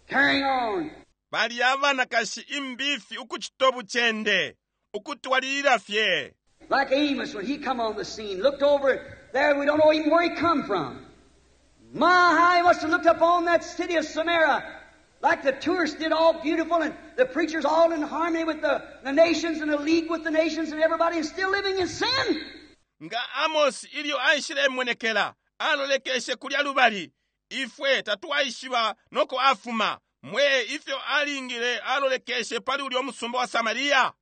carrying on. Bali abanakashi imbifi ukucita ubucende, ukutwalilila fye. Like Amos, when he come on the scene, looked over there, we don't know even where he come from. My, how he must have looked up on that city of Samaria, like the tourists did, all beautiful, and the preachers all in harmony with the nations and the league with the nations and everybody is still living in sin. Nga Amos ilyo aishilemonekela, alolekeshe kulya lubali. Ifwe tatwaishiba noko afuma. Mwe ifyo alingile alolekeshe pali ulyo musumba wa Samaria.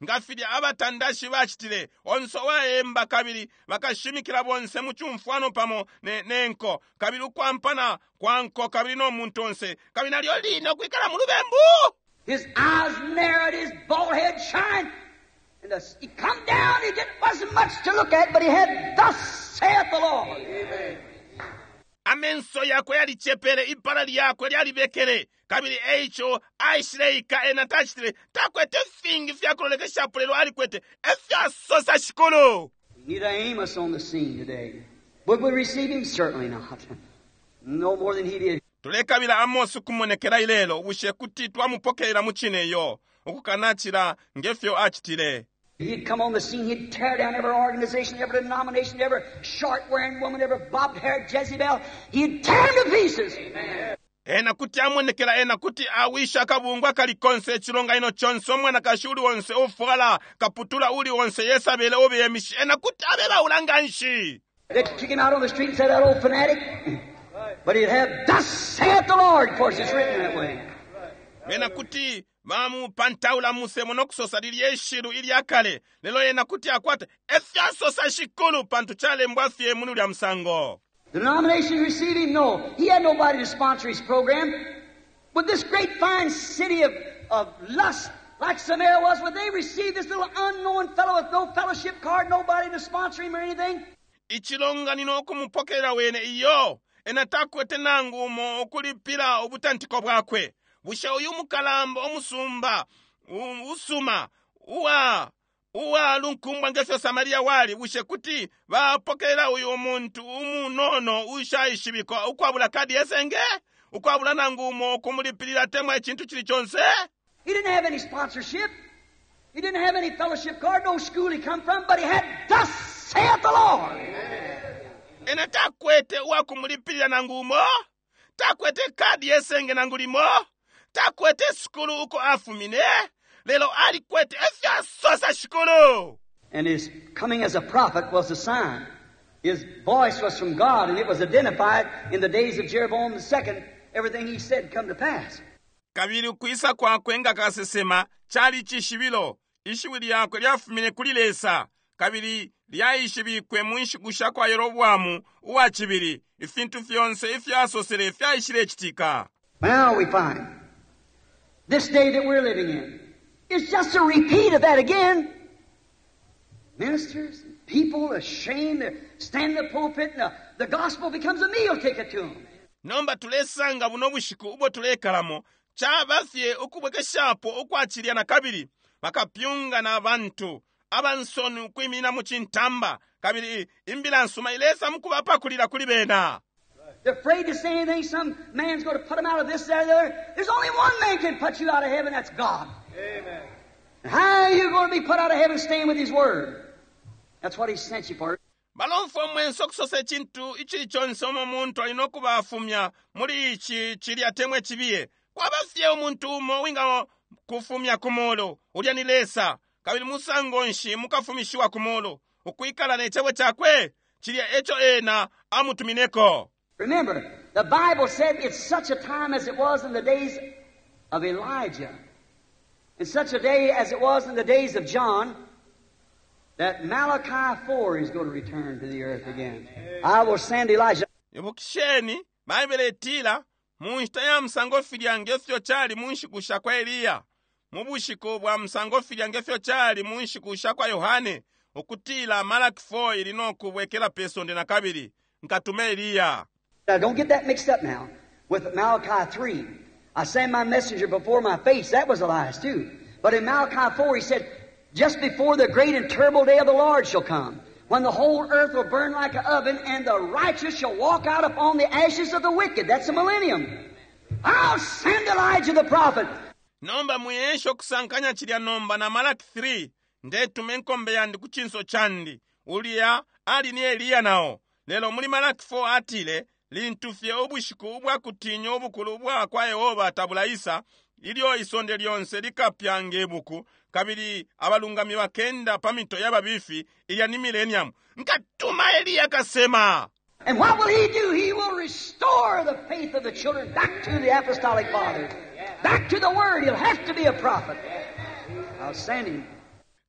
Nga filya abatandashi bacitile, onse uwaemba kabili bakashimikila bonse mu cumfwano pamo ne nko, kabili ukwampana kwa nko kabili no muntu onse, kabili nalyo line ukwikala mu lubembu. His eyes narrowed, his bald head shined. And he come down, he didn't, wasn't much to look at, but he had, Thus saith the Lord. Amen. Amenso yakwe yalicepele, ipala lyakwe lyalibekele, kabili eico aishileika. Ena tacitile, takwete fingi fyakulolekeshapo, lelo alikwete efyasosa shikulu. We need an Amos on the scene today. Would we receive him? Certainly not. No more than he did. Tulekabila Amos ukumonekela ilelo. Bushe kuti twamupokelela mu cine? Iyo, ukukanacila ngefyo acitile. He'd come on the scene, he'd tear down every organization, every denomination, every short-wearing woman, every bobbed-haired Jezebel. He'd tear them to pieces. Amen. Ena kuti amonekela, ena kuti awisha akabungwe kali konse, echilonganino chonse, omwanakashi uli onse ufwala kaputula uli onse, Yesabele obeyemishi, ena kuti abebaula nganshi. They'd kick him out on the street and say, that old fanatic. But he'd have, Thus saith the Lord. Of course, it's written that way. Ena kuti bamupantaula musemo nokusosa lilye ishilu ilyakale, lelo ena kuti akwate efyasosa shikulu, pantu chalembwa fye muli ulya musango. The denomination received him? No. He had nobody to sponsor his program. Would this great fine city of lust, like Samaria was, would they receive this little unknown fellow with no fellowship card, nobody to sponsor him or anything? Ichilonganino okumupokera wene iyo, ena takwete nangu umo okulipira ubutantiko bwakwe. Bushe uyu mukalamba omusumba usuma uwa lunkumbwa ngefyo Samaria wali, bushe kuti bapokera uyu muntu umunono ushaishibikwa ukwabula kadi yesenge, ukwabula nangu umo okumulipirira temwa echintu chili chonse? He didn't have any sponsorship. He didn't have any fellowship card, no school he come from, but he had, Thus saith the Lord. Ena takwete uwakumulipirira nangu umo, takwete kadi yesenge nangu limo, takwete sukulu uko afumine, lelo alikwete efyasosa shikulu. And his coming as a prophet was a sign. His voice was from God, and it was identified in the days of Jeroboam the second. Everything he said come to pass. Kabili ukwisa kwakwe nga kasesema chali chishibilo. Ishiwi lyakwe lyafumine kuli Lesa, kabili lyaishibikwe mu nshiku sha kwa Yeroboamu uwa chibili. Ifintu fyonse ifyasosele fyaishile chitika. Now we find this day that we're living in is just a repeat of that again. Ministers, people ashamed to stand in the pulpit, and the gospel becomes a meal ticket to them. Nomba tulesanga buno bushiku ubo tulekalamo chaba fye ukubwekeshapo ukwachilya na kabili bakapyunga na bantu abansoni ukwimina mu chintamba, kabili imbila nsuma ilesa mukubapakulira kuli bena. They're afraid to say anything. Some man's going to put them out of this, that, or the other. There's only one man can put you out of heaven, that's God. Amen. And how are you going to be put out of heaven staying with His Word? That's what He sent you for. Balomfwa mwenso okusosa echintu ichili chonse omo muntu alina okubafumya muli ichi chilya temwe chibiye. Kwaba fye omuntu umo winga kufumya ku mulu, ulya ni Lesa. Kabili musango nshi mukafumishiwa ku mulu, ukwikala n'echebo chakwe chilya echo ena amutumineko. Remember, the Bible said it's such a time as it was in the days of Elijah, and such a day as it was in the days of John, that Malachi 4 is going to return to the earth again. I will send Elijah. Ibukisheni, Bible etila, mu nshita ya musango filya ngefyo chali mu nshiku sha kwa Eliya, mu bushiku bwa musango filya ngefyo chali mu nshiku sha kwa Yohane, ukutila Malaki 4 ili nokubwekela pe sonde na kabili, nkatume Eliya. Now, don't get that mixed up now with Malachi 3. I send my messenger before my face. That was Elias too. But in Malachi 4, he said, just before the great and terrible day of the Lord shall come, when the whole earth will burn like an oven, and the righteous shall walk out upon the ashes of the wicked. That's the millennium. I'll send Elijah the prophet. Nomba muyesho kusankanya chilya nomba na Malaki 3, ndetume nkombe yandi ku chinso chandi, ulya ali ni Eliya nao. Lelo muli Malaki 4 atile, lintu fye ubushiku ubwakutinya ubukulu bwa kwa Yehova tabulaisa, ilyo isonde lyonse likapya ngebuku, kabili abalungami bakenda pa mito y'ababifi, ilya ni millennium. Nkatuma Eliya kasema. And what will he do? He will restore the faith of the children back to the apostolic fathers, back to the Word. He'll have to be a prophet. I'll send him.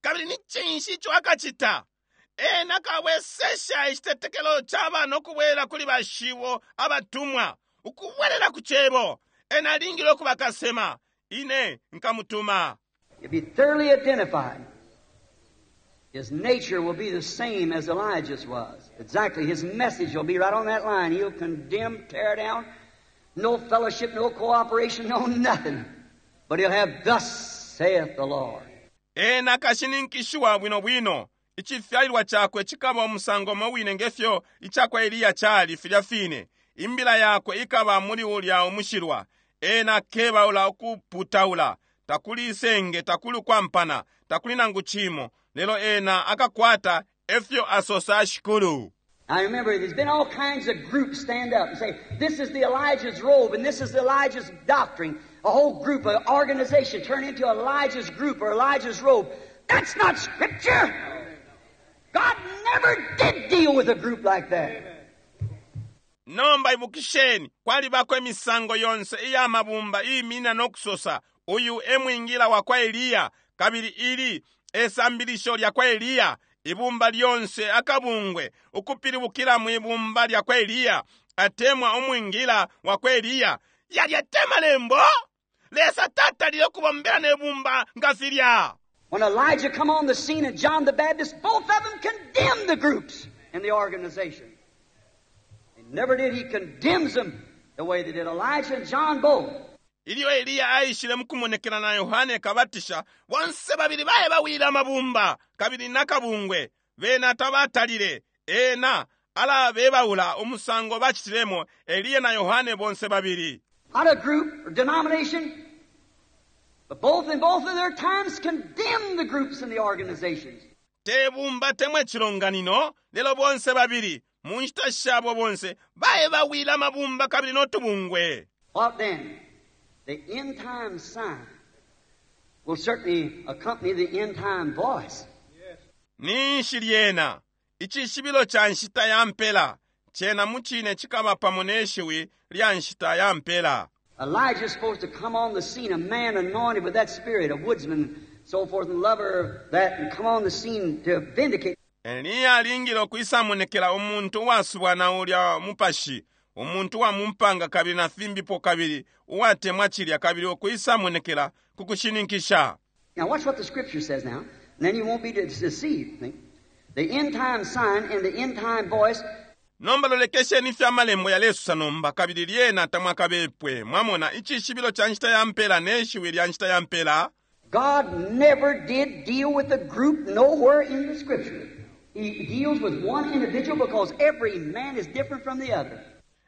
Kabili ni cinshi ico akacita? Ena akabwesesha icitetekelo ca bana ukubwela kuli bashibo abatumwa, ukubwelela ku Cebo. Ena alingile ukuba kasema. Ine nkamutuma. He'll be thoroughly identified. His nature will be the same as Elijah's was. Exactly. His message will be right on that line. He'll condemn, tear down, no fellowship, no cooperation, no nothing. But he'll have, thus saith the Lord. Ena akashininkishiwa bwino bwino. Icifyalilwa cakwe cikaba umusango umo wine ngefyo icakwa Eliya cali filya fine. Imbila yakwe ikaba muli ulya umushilwa. Ena akebaula ukuputaula. Takuli isenge, takuli ukwampana, takuli nangu cimo. Lelo ena akakwata efyo asosa shikulu. Now remember, there's been all kinds of groups stand up and say, this is the Elijah's robe and this is Elijah's doctrine. A whole group, an organization turn into Elijah's group or Elijah's robe. That's not Scripture! God never did deal with a group like that. Nomba ibukisheni, kwalibako imisango yonse iya mabumba iimina no kusosa, uyu e mwingila wa kwa Eliya, kabili ili e sambilisho lya kwa Eliya. Ibumba lyonse akabungwe ukupilibukila mwi bumba lya kwa Eliya, atemwa umwingila wa kwa Eliya. Yalya te malembo! Lesa tatalile ukubombela ne bumba nga filya. When Elijah come on the scene and John the Baptist, both of them condemned the groups and the organization. They never did. He condemns them the way they did Elijah and John both. Ilyo Eliya aishile mukumonekela na Yohane Kabatisha, bonse babili baye bawila amabumba kabili nakabungwe. Bena tabatalile. Ena alabebaula umusango bacitilemo Eliya na Yohane bonse babili. Not a group or denomination, but both in both of their times condemned the groups and the organizations. Te bumba temwe cilonganino, lelo bonse babili mu nshita shabo bonse baye bawila amabumba kabili notubungwe. What then? The end time sign will certainly accompany the end time voice. Ninshi lyena icishibilo ca nshita ya mpela cena mucine cikaba pamo ne shiwi lya nshita ya mpela. Elijah is supposed to come on the scene, a man anointed with that spirit, a woodsman, so forth, and lover of that, and come on the scene to vindicate. Eliya alingile ukwisamonekela umuntu uwasubwa na ulya mupashi, umuntu wa mumpanga kabili na fimbipo kabili uwatemwa cilya kabili ukwisamonekela ku kushininkisha. Now watch what the Scripture says now, and then you won't be deceived. See? The end time sign and the end time voice. Nomba lolekesheni ifyo amalembo yalesosa nomba, kabili lyena tamwakabepwe. Mwamona icishibilo ca nshita ya mpela ne shiwi lya nshita ya mpela. God never did deal with a group nowhere in the Scripture. He deals with one individual because every man is different from the other.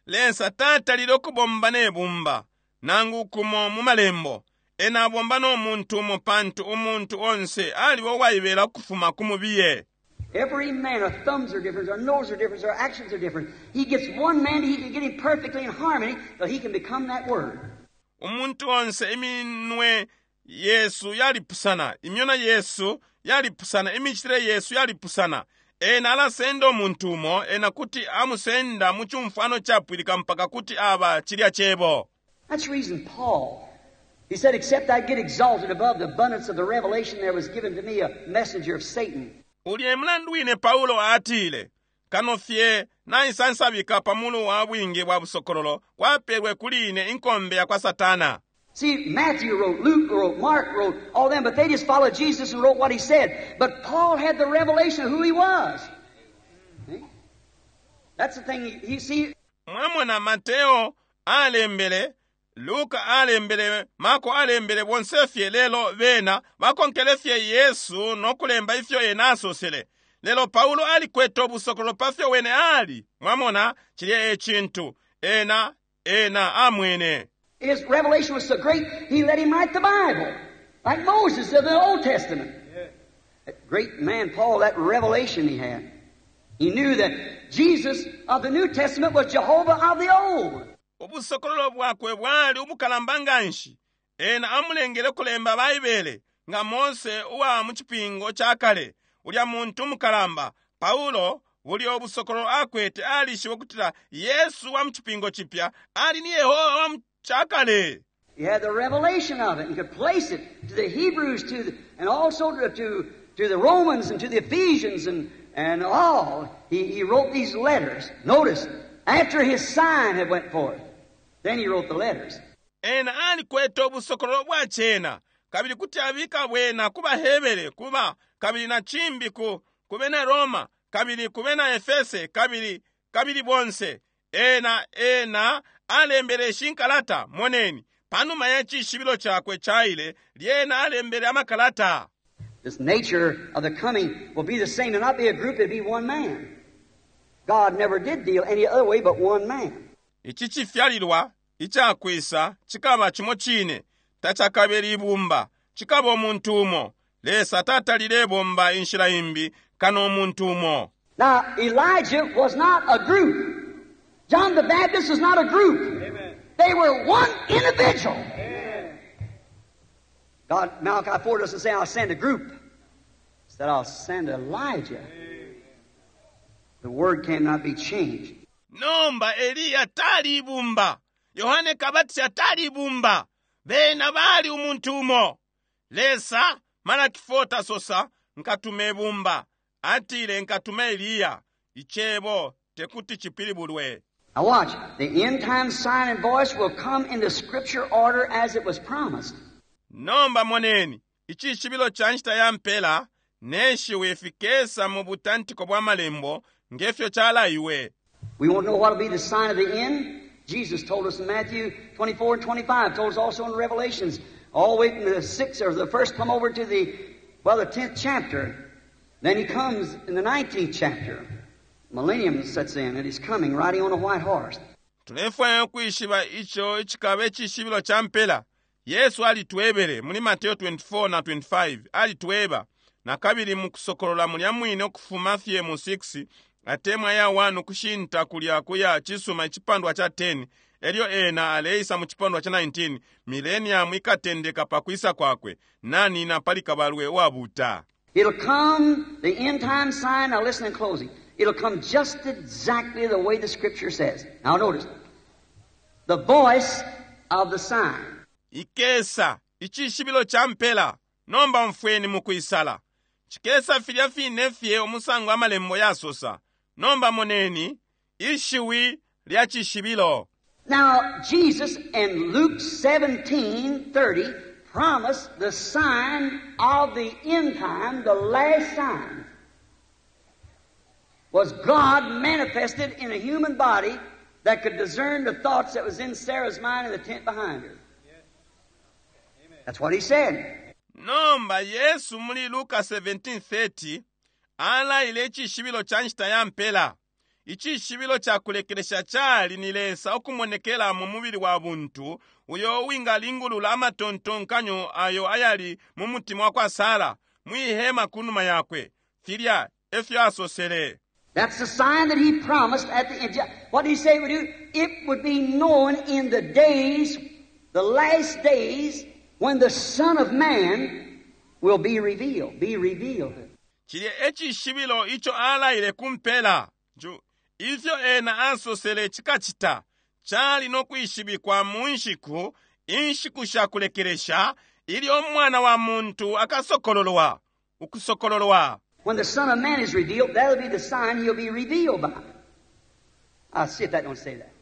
Lesa tatalile ukubomba ne bumba nangu kumo mu malembo. Ena abomba no muntu umo pantu umuntu onse aliba uwaibela ukufuma ku mubiye. Every man, our thumbs are different, our noses are different, our actions are different. He gets one man, he can get him perfectly in harmony, but he can become that Word. Umuntu onse iminwe yesu yalipusana, imyona yesu yalipusana, imicitile yesu yalipusana. Ena alasenda umuntu umo, ena kuti amusenda mu cumfwano capwilika mpaka kuti aba cilya cebo. That's the reason Paul, he said, except I get exalted above the abundance of the revelation there was given to me a messenger of Satan. Ulya e mulandu wine Paulo atile, kano fye naisansabika pa mulu wa bwingi bwa busokololo kwapelwe kuli ine inkombe ya kwa Satana. See, Matthew wrote, Luke wrote, Mark wrote, all them, but they just followed Jesus and wrote what he said. But Paul had the revelation of who he was. See? That's the thing, you see. Mwamona Mateo alembele, Luka alembele, Marko alembele, bonse fye lelo bena bakonkele fye Yesu no kulemba ifyo ena asosele. Lelo Paulo alikwete ubusokololo pa fyo wene ali. Mwamona, cilya e cintu ena, ena amwene. His revelation was so great, he let him write the Bible, like Moses of the Old Testament. That great man, Paul, that revelation he had. He knew that Jesus of the New Testament was Jehovah of the Old. Ubusokololo bwakwe bwali ubukalamba nganshi. Ena amulengele kulemba Baibele nga Mose uwa mu cipingo ca kale, ulya muntu mukalamba Paulo. Bulya ubusokololo akwete, alishibe ukutila Yesu wa mu Cipingo Cipya ali ni Yehoba wa mu Cakale. He had the revelation of it and could place it to the Hebrews to the, and also to, to, to the Romans and to the Ephesians and, and all. He, he wrote these letters. Notice, after his sign had went forth, then he wrote the letters. Ena alikwete ubusokololo bwa cena, kabili kuti abika bwena ku baHebere, kuba kabili na cimbi ku ku bena Roma, kabili ku bena Efese, kabili kabili bonse. Ena ena alembele ishi nkalata, moneni, panuma ya cishibilo cakwe caile, lyena alembele amakalata. This nature of the coming will be the same. It'll not be a group, it'll be one man. God never did deal any other way but one man. Ici cifyalilwa icakwisa cikaba cimo cine, tacakabe libumba, cikaba umuntu umo. Lesa tatalile bomba inshila imbi kano umuntu umo. Now, Elijah was not a group. John the Baptist was not a group. Amen. They were one individual. Amen. God, Malachi 4 doesn't say, I'll send a group. He said, I'll send Elijah. The word cannot be changed. Nomba Eliya tali ibumba, Yohane Kabatisha tali ibumba, bena bali umuntu umo. Lesa, Malaki 4 tasosa, nkatuma ibumba, atile nkatuma Eliya. Icebo tekuti cipilibulwe. Now watch. The end time sign and voice will come in the scripture order as it was promised. Nomba moneni, icishibilo ca nshita ya mpela ne shiwi fikesa mu butantiko bwa malembo nge fyo calaiwe. We won't know what will be the sign of the end. Jesus told us in Matthew 24 and 25, told us also in Revelations, all the way from the sixth or the first come over to the, well, the 10th chapter. Then he comes in the 19th chapter. Millennium sets in and he's coming riding on a white horse. Tulefwaya ukwishiba ico icikaba icishibilo ca mpela. Yesu alitwebele muli Mateo 24 na 25, alitweba na kabili mu Kusokolola mulya mwine ukufuma fye mu 6 atemwa ya 1 ukushinta kulya kuya cisuma icipandwa ca 10, elyo ena aleisa mu cipandwa ca 19, millennium ikatendeka pa kwisa kwakwe, nanina pali kabalwe uwabuta. It'll come, the end time sign, now listen in closing. It'll come just exactly the way the scripture says. Now notice, the voice of the sign. Ikesa, icishibilo ca mpela. Nomba umfweni mukwisala. Cikesa filya fine fye umusango amalembo yasosa. Nomba moneni, ishiwi lya cishibilo. Now, Jesus in Luke 17:30 promised the sign of the end time, the last sign, was God manifested in a human body that could discern the thoughts that was in Sarah's mind in the tent behind her. That's what he said. Nomba Yesu muli Luka 17:30 alaile icishibilo ca nshita ya mpela. Icishibilo ca kulekelesha cali ni Lesa ukumonekela mu mubili wa buntu uyo uwingalingulula amatontonkanyo ayo ayali mu mutima wa kwa Sara mwi hema kunuma yakwe. Filya efyo asosele. That's the sign that he promised at the end. What did he say it would do? It would be known in the days, the last days, when the Son of Man will be revealed. Be revealed. Cilya e cishibilo ico alaile ku mpela. Ju, ifyo ena asosele cikacita, cali no kwishibikwa mu nshiku, inshiku sha kulekelesha, ilyo Umwana wa muntu akasokololwa, ukusokololwa. When the Son of Man is revealed, that'll be the sign he'll be revealed by. I'll see if that don't say that.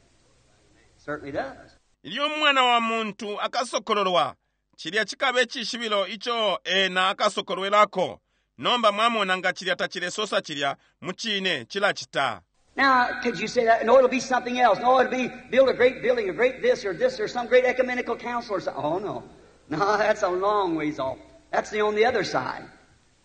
Certainly does. Ilyo Umwana wa muntu akasokololwa, cilya cikaba icishibilo ico ena akasokolwelako. Nomba mwamona nga cilya tacilesosa cilya, mucine cilacita. Now, could you say that? No, it'll be something else. No, it'll be build a great building, a great this or this or some great ecumenical council or something. Oh, no. No, that's a long ways off. That's the on the other side.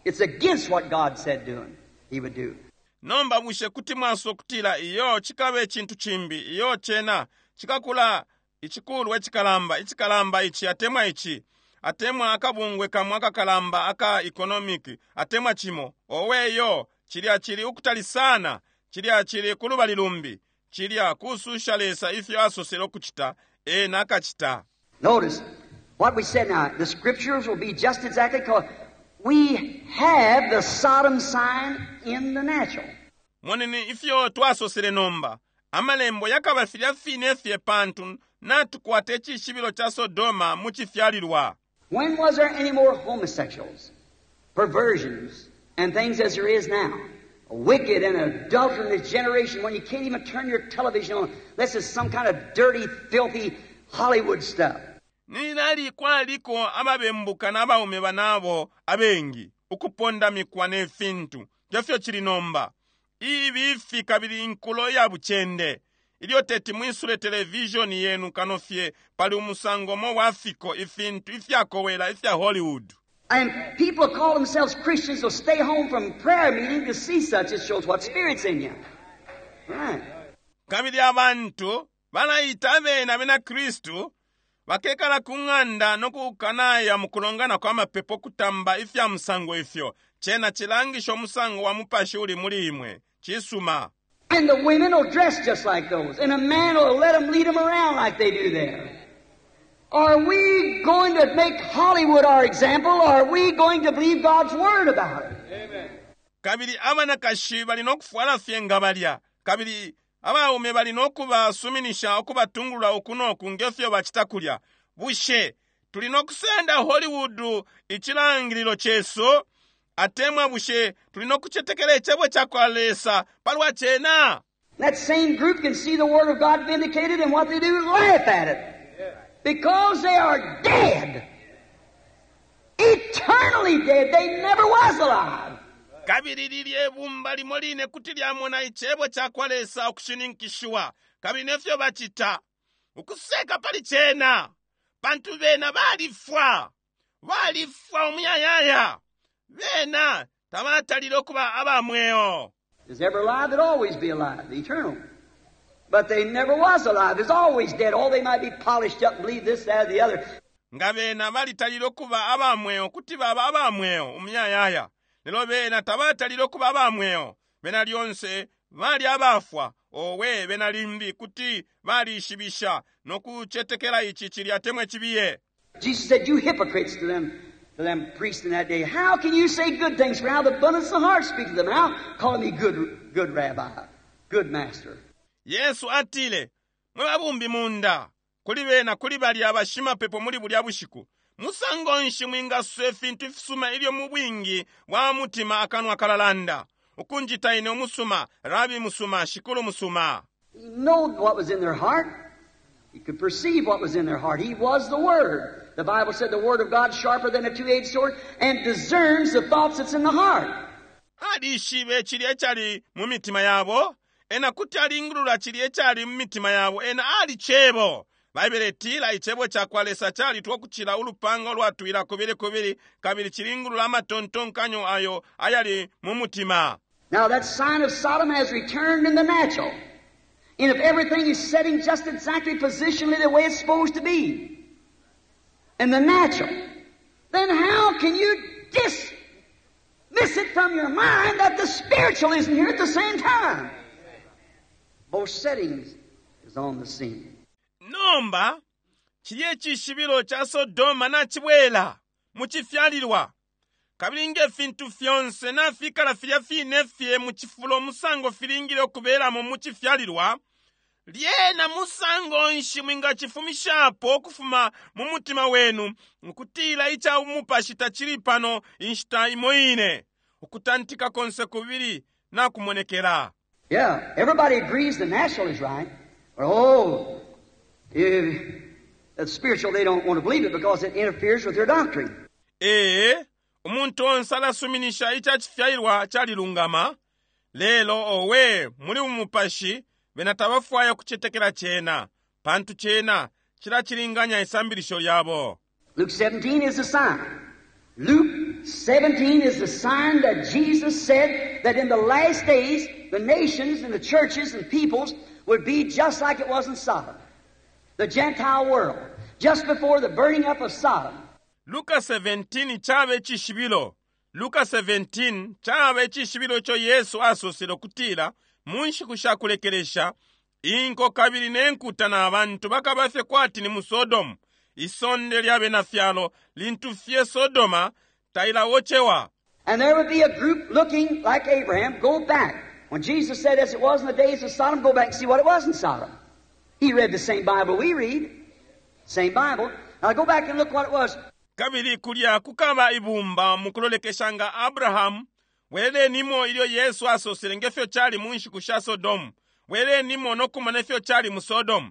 It's against what God said doing. He would do. Nomba bushe kuti mwasosa ukutila iyo cikaba icintu cimbi, iyo cena cikakula icikulwa icikalamba, icikalamba ici atemwa ici, atemwa akabungwe kamo akakalamba aka economic, atemwa cimo? Owe iyo, cilya cili ukutali sana, cilya cili kulubali lumbi, cilya kususha Lesa ifyo asosele ukucita, ena akacita. Notice what we said now. The scriptures will be just exactly because we have the Sodom sign in the natural. Moneni ifyo twasosele nomba. Amalembo yakaba filya fine fye pantu natukwata icishibilo ca Sodoma mu cifyalilwa. When was there any more homosexuals, perversions, and things as there is now? A wicked and adulterous generation when you can't even turn your television on unless it's some kind of dirty, filthy Hollywood stuff. Nilali kwaliko ababembuka n'abaume banabo abengi, ukupondamikwa ne fintu, ngefyo cili nomba. Ibifi kabili inkulo ya bucende. Ilyo teti mwisule televishoni yenu kano fye pali umusango umo wa fiko ifintu ifyakowela ifya Hollywood. And people call themselves Christians will stay home from prayer meeting to see such. It shows what spirit's in you. Right. Kabili abantu balaita abene abena Kristu bakekala ku ng'anda no kukanaya mu kulongana kwa mapepo kutamba ifya musango ifyo. Cena cilangisha umusango wa mupashi uli muli imwe. Cisuma. And the women will dress just like those. And a man will let them lead them around like they do there. Are we going to make Hollywood our example, or are we going to believe God's word about it? Kabili abanakashi bali no kufwala fye nga balya. Kabili abaume bali no kubasuminisha ukubatungulula uku no ku ngefyo bacita kulya. Bushe tuli no kusenda Hollywood icilangililo cesu? Atemwa bushe tuli no kucetekela icebo ca kwa Lesa palwa cena? That same group can see the Word of God vindicated, and what they do is laugh at it. Because they are dead. Eternally dead. They never was alive. Kabili lilye bumba limo line kuti lyamona icebo ca kwa Lesa ukushininkishiwa, kabili nefyo bacita ukuseka pali cena, pantu bena balifwa, balifwa umuyayaya, bena tabatalile ukuba aba mweo. Is ever alive, that always be alive, the eternal. But they never was alive. Is always dead. Oh, they might be polished up and believe this, that, or the other. Nga bena balitalile ukuba aba mweo kuti baba aba mweo umuyayaya, lelo bena tabatalile ukuba aba mweo. Bena lyonse bali abafwa. Owe, bena limbi kuti balishibisha no kucetekela ici cilya atemwa cibiye. Jesus said, You hypocrites, to them priests in that day, how can you say good things? For out of the abundance of the heart speak to them. How? Calling me good, good rabbi, good master. Yesu atile, mwe babumbi munda, kuli bena kuli balya abashimapepo muli bulya bushiku, musango nshi mwingasosa ifintu ifisuma ilyo mu bwingi bwa mutima akanwa kalalanda? Ukunjita ine umusuma, rabi musuma, shikulu musuma. He knowed what was in their heart. He could perceive what was in their heart. He was the Word. The Bible said the Word of God sharper than a two-edged sword and discerns the thoughts that's in the heart. Alishibe cilya icali mu mitima yabo, ena kuti alingulula cilya icali mu mitima yabo, ena ali cebo. Baibele itila icebo ca kwa Lesa calitwa ukucila ulupanga ulwatwila kubili kubili, kabili cilingulula amatontonkanyo ayo ayali mu mutima. Now that sign of Sodom has returned in the natural. And if everything is setting just exactly positionally the way it's supposed to be, in the natural, then how can you dismiss it from your mind that the spiritual isn't here at the same time? Both settings is on the scene. Nomba cilya icishibilo ca Sodoma nacibwela mu cifyalilwa, kabili nge fintu fyonse nafikala filya fine fye mu cifulo musango filingile ukubelamo mu cifyalilwa, lyena musango nshi mwingacifumishapo ukufuma mu mutima wenu ukutila ica umupashi tacili pano inshita imo ine? Ukutantika konse kubili nakumonekela. Yeah, everybody agrees the natural is right. But oh, if the spiritual, they don't want to believe it because it interferes with their doctrine. Ee, umuntu onse alasuminisha ica cifyalilwa calilungama, lelo owe muli umupashi bena tabafwaya kucetekela cena, pantu cena cilacilinganya isambilisho lyabo. Luke 17 is the sign. Luke 17 is the sign that Jesus said that in the last days the nations and the churches and peoples would be just like it was in Sodom. The Gentile world. Just before the burning up of Sodom. Luka 17 caba icishibilo. Luka 17 caba icishibilo ico Yesu asosele ukutila mu nshiku sha kulekelesha inko kabili ne nkuta na bantu bakaba fye kwati ni mu Sodomu, isonde lya bena fyalo lintu fye Sodoma tailaocewa. And there would be a group looking like Abraham go back. When Jesus said, as it was in the days of Sodom, go back and see what it was in Sodom. He read the same Bible we read. Same Bible. Now go back and look what it was. Kabili kulya kukaba ibumba mukulolekesha nga Abrahamu. Bwelenimo ilyo Yesu asosele nge fyo cali mu nshiku sha Sodomu. Bwelenimo no kumona ifyo cali mu Sodomu.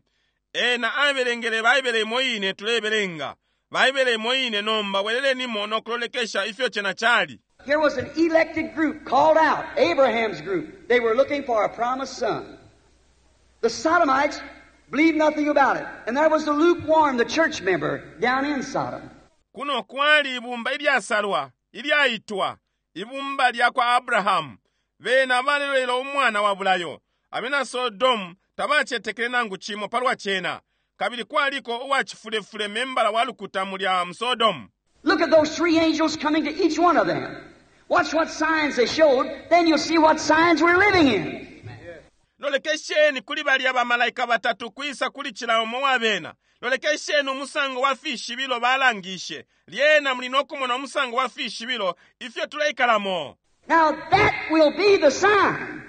Ena abelengele Baibele imo ine tulebelenga. Baibele imo ine nomba bwelelenimo no kulolekesha ifyo cena cali. Here was an elected group called out, Abraham's group. They were looking for a promised son. The Sodomites believed nothing about it. And there was the lukewarm, the church member, down in Sodom. Kuno kwali ibumba ilyasalwa, ilyaitwa, ibumba lya kwa Abrahamu. Bena balelolela umwana wa bulayo. Abena Sodomu tabacetekele nangu cimo palwa cena. Kabili kwaliko uwacifulefule membala wa lukuta mulya mu Sodomu. Look at those three angels coming to each one of them. Watch what signs they showed, then you'll see what signs we're living in. Lolekesheni kuli balya bamalaika batatu kwisa kuli cila umo wa bena. Lolekesheni umusango wa fishibilo balangishe. Lyena muli no kumona umusango wa fishibilo ifyo tuleikalamo. Now that will be the sign.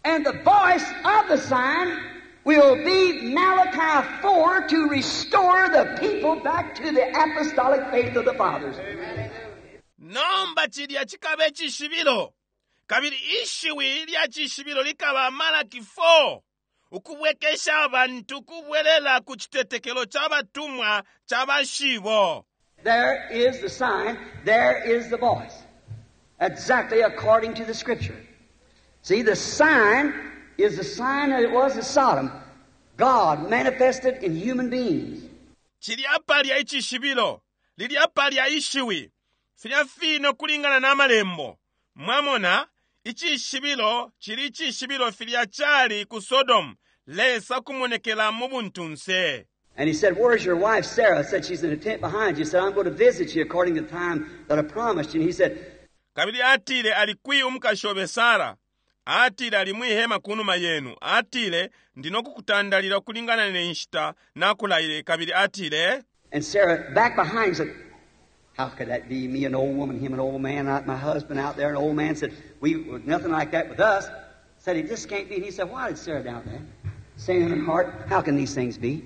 And the voice of the sign will be Malachi 4 to restore the people back to the apostolic faith of the fathers. Nomba cilya cikaba icishibilo. Kabili ishiwi lya cishibilo likaba Malaki 4 ukubwekesha abantu kubwelela ku citetekelo ca batumwa ca bashibo. There is the sign, there is the voice. Exactly according to the Scripture. See, the sign is the sign that it was in Sodom. God manifested in human beings. Cilya palya icishibilo, lilya palya ishiwi, filya fine ukulingana na malembo. Mwamona, icishibilo cili icishibilo filya cali ku Sodom, Lesa kumonekela mu buntunse. And he said, Where's your wife Sarah? I said, She's in a tent behind you. He said, I'm going to visit you according to the time that I promised you. And he said, Kabili atile, Ali kwi umukashi obe Sara? Atile, Ali mwi hema kunuma yenu. Atile, Ndi no kukutandalila ukulingana ne nshita nakulaile. Kabili atile, And Sarah, back behind, said, How could that be? Me, an old woman, him, an old man, out, my husband out there, an old man said, We nothing like that with us. Said, It just can't be. And he said, Why did Sarah doubt that? Saying in her heart, How can these things be?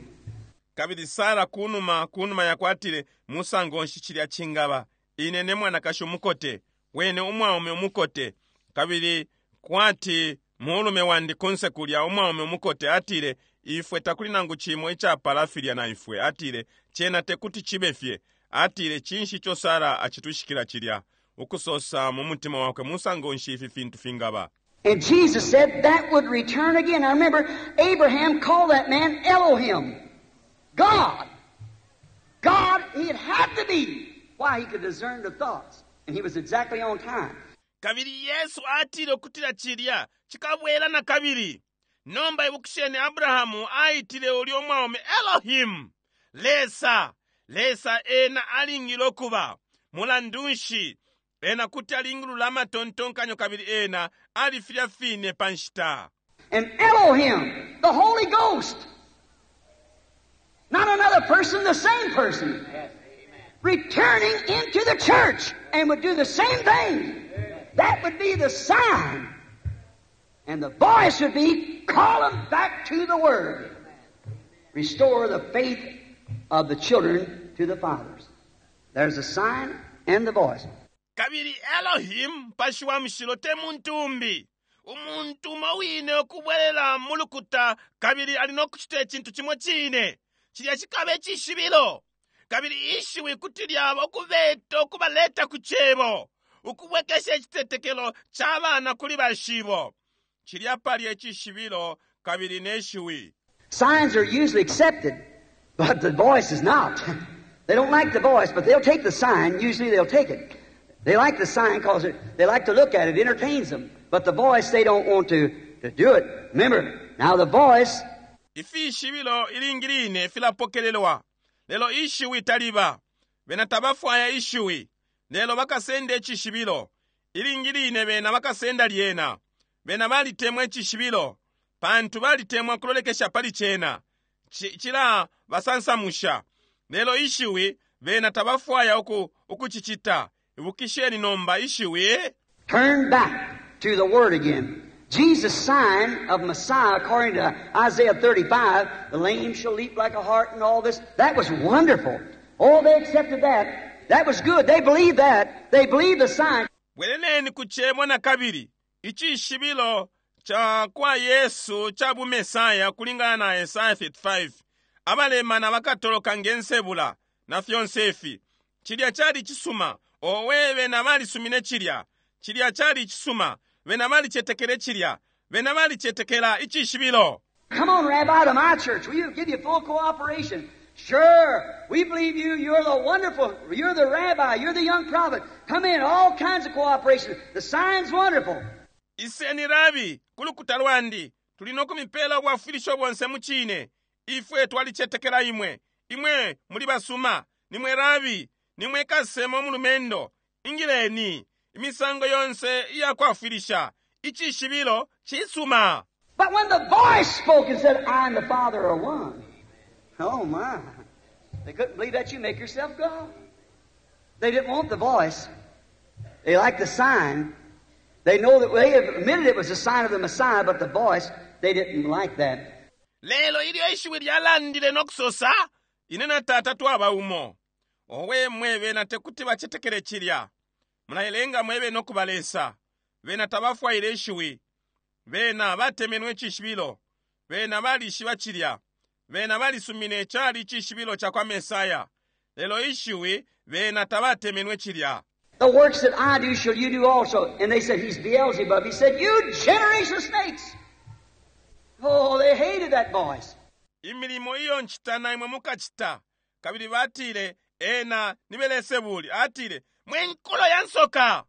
Kabili Sara kunuma, kunuma yakwe atile, Musango nshi cilya cingaba? Ine ne mwanakashi umukote, wene umwaume umukote, kabili kwati mulume wandi kunse kulya, umwaume umukote, atile, ifwe takuli nangu cimo icapala filya na ifwe. Atile, Cena tekuti cibe fye. Atile, Cinshi ico Sara acitwishikila cilya? Ukusosa mu mutima wakwe, Musango nshi ifi fintu fingaba? And Jesus said that would return again. Now remember, Abraham called that man Elohim, God. God, he had to be. Why? He could discern the thoughts. And he was exactly on time. Kabili Yesu atile ukutila cilya cikabwela nakabili. Nomba ibukisheni, Abrahamu aitile ulya umwaume Elohim, Lesa. Lesa ena alingile ukuba. Mulandu nshi, ena kuti alingulula amatontonkanyo kabili ena ali filya fine pa nshita. And Elohim, the Holy Ghost, not another person, the same person, returning into the church and would do the same thing. That would be the sign. And the voice would be, call them back to the Word. Restore the faith of the children to the fathers. There's the sign and the voice. Kabili Elohim, Mupashi wa Mushilo, te muntu umbi. Umuntu umo wine ukubwelela mu lukuta kabili ali no kucita icintu cimo cine. Cilya cikaba icishibilo. Kabili ishiwi kuti lyaba ukubeta, ukubaleta ku Cebo, ukubwekesha icitetekelo ca bana kuli bashibo. Cilya palya icishibilo kabili ne shiwi. Signs are usually accepted, but the voice is not. They don't like the voice, but they'll take the sign. Usually they'll take it. They like the sign because they like to look at it. It entertains them. But the voice, they don't want to do it. Remember, now the voice... Ifishibilo ilingi line filapokelelwa, lelo ishiwi taliba. Bena tabafwaya ishiwi, lelo bakasenda icishibilo. Ilingi line bena bakasenda lyena. Bena balitemwa icishibilo, pantu balitemwa kulolekesha pali cena. Cila basansamusha. Lelo ishiwi, bena tabafwaya ukucicita. Ibukisheni nomba ishiwi. Turn back. to the Word again. Jesus' sign of Messiah, according to Isaiah 35, the lame shall leap like a hart and all this, that was wonderful. Oh, they accepted that. That was good. They believed that. They believed the sign. Bweleleni ku Cebo nakabili, icishibilo cakwa Yesu ca bu Mesaya ukulingana na Esaya 35, Abalemana bakatoloka nge nsebula, na fyonse ifi. Cilya cali icisuma. Owe, bena balisumine cilya. Cilya cali icisuma. Bena balicetekele cilya. Bena balicetekela icishibilo. Come on, Rabbi, to my church. We'll give you full cooperation. Sure, we believe you. You're the wonderful, you're the rabbi, you're the young prophet. Come in, all kinds of cooperation. The sign's wonderful. Iseni, Rabi, ku lukuta lwandi. Tuli no kumipela ubwafwilisho bonse mucine. Ifwe twalicetekela imwe. Imwe muli basuma. Nimwe Rabi. Nimwe kasesema umulumendo. Ingileni. Imisango yonse iya kwafwilisha. Icishibilo cisuma. But when the voice spoke and said, I and the Father are one. Oh my. They couldn't believe that you make yourself God. They didn't want the voice. They liked the sign. They know that they admitted it was a sign of the Messiah, but the voice, they didn't like that. Lelo ilyo ishiwi lyalandile no kusosa, Ine na Tata twaba umo. Owe, mwe, bena tekuti bacetekele cilya. Mulailenga mwebene ukuba Lesa. Bena tabafwaile ishiwi. Bena batemenwe icishibilo. Bena balishiba cilya. Bena balisumine cali icishibilo cakwa Mesaya. Lelo ishiwi, bena tabatemenwe cilya. The works that I do shall you do also. And they said, He's Beelzebub. He said, You generation of snakes! Oh, they hated that voice. Imilimo iyo ncita na imwe mukacita. Kabili batile, Ena ni Belesebuli. Atile, Mwe nkulo ya nsoka!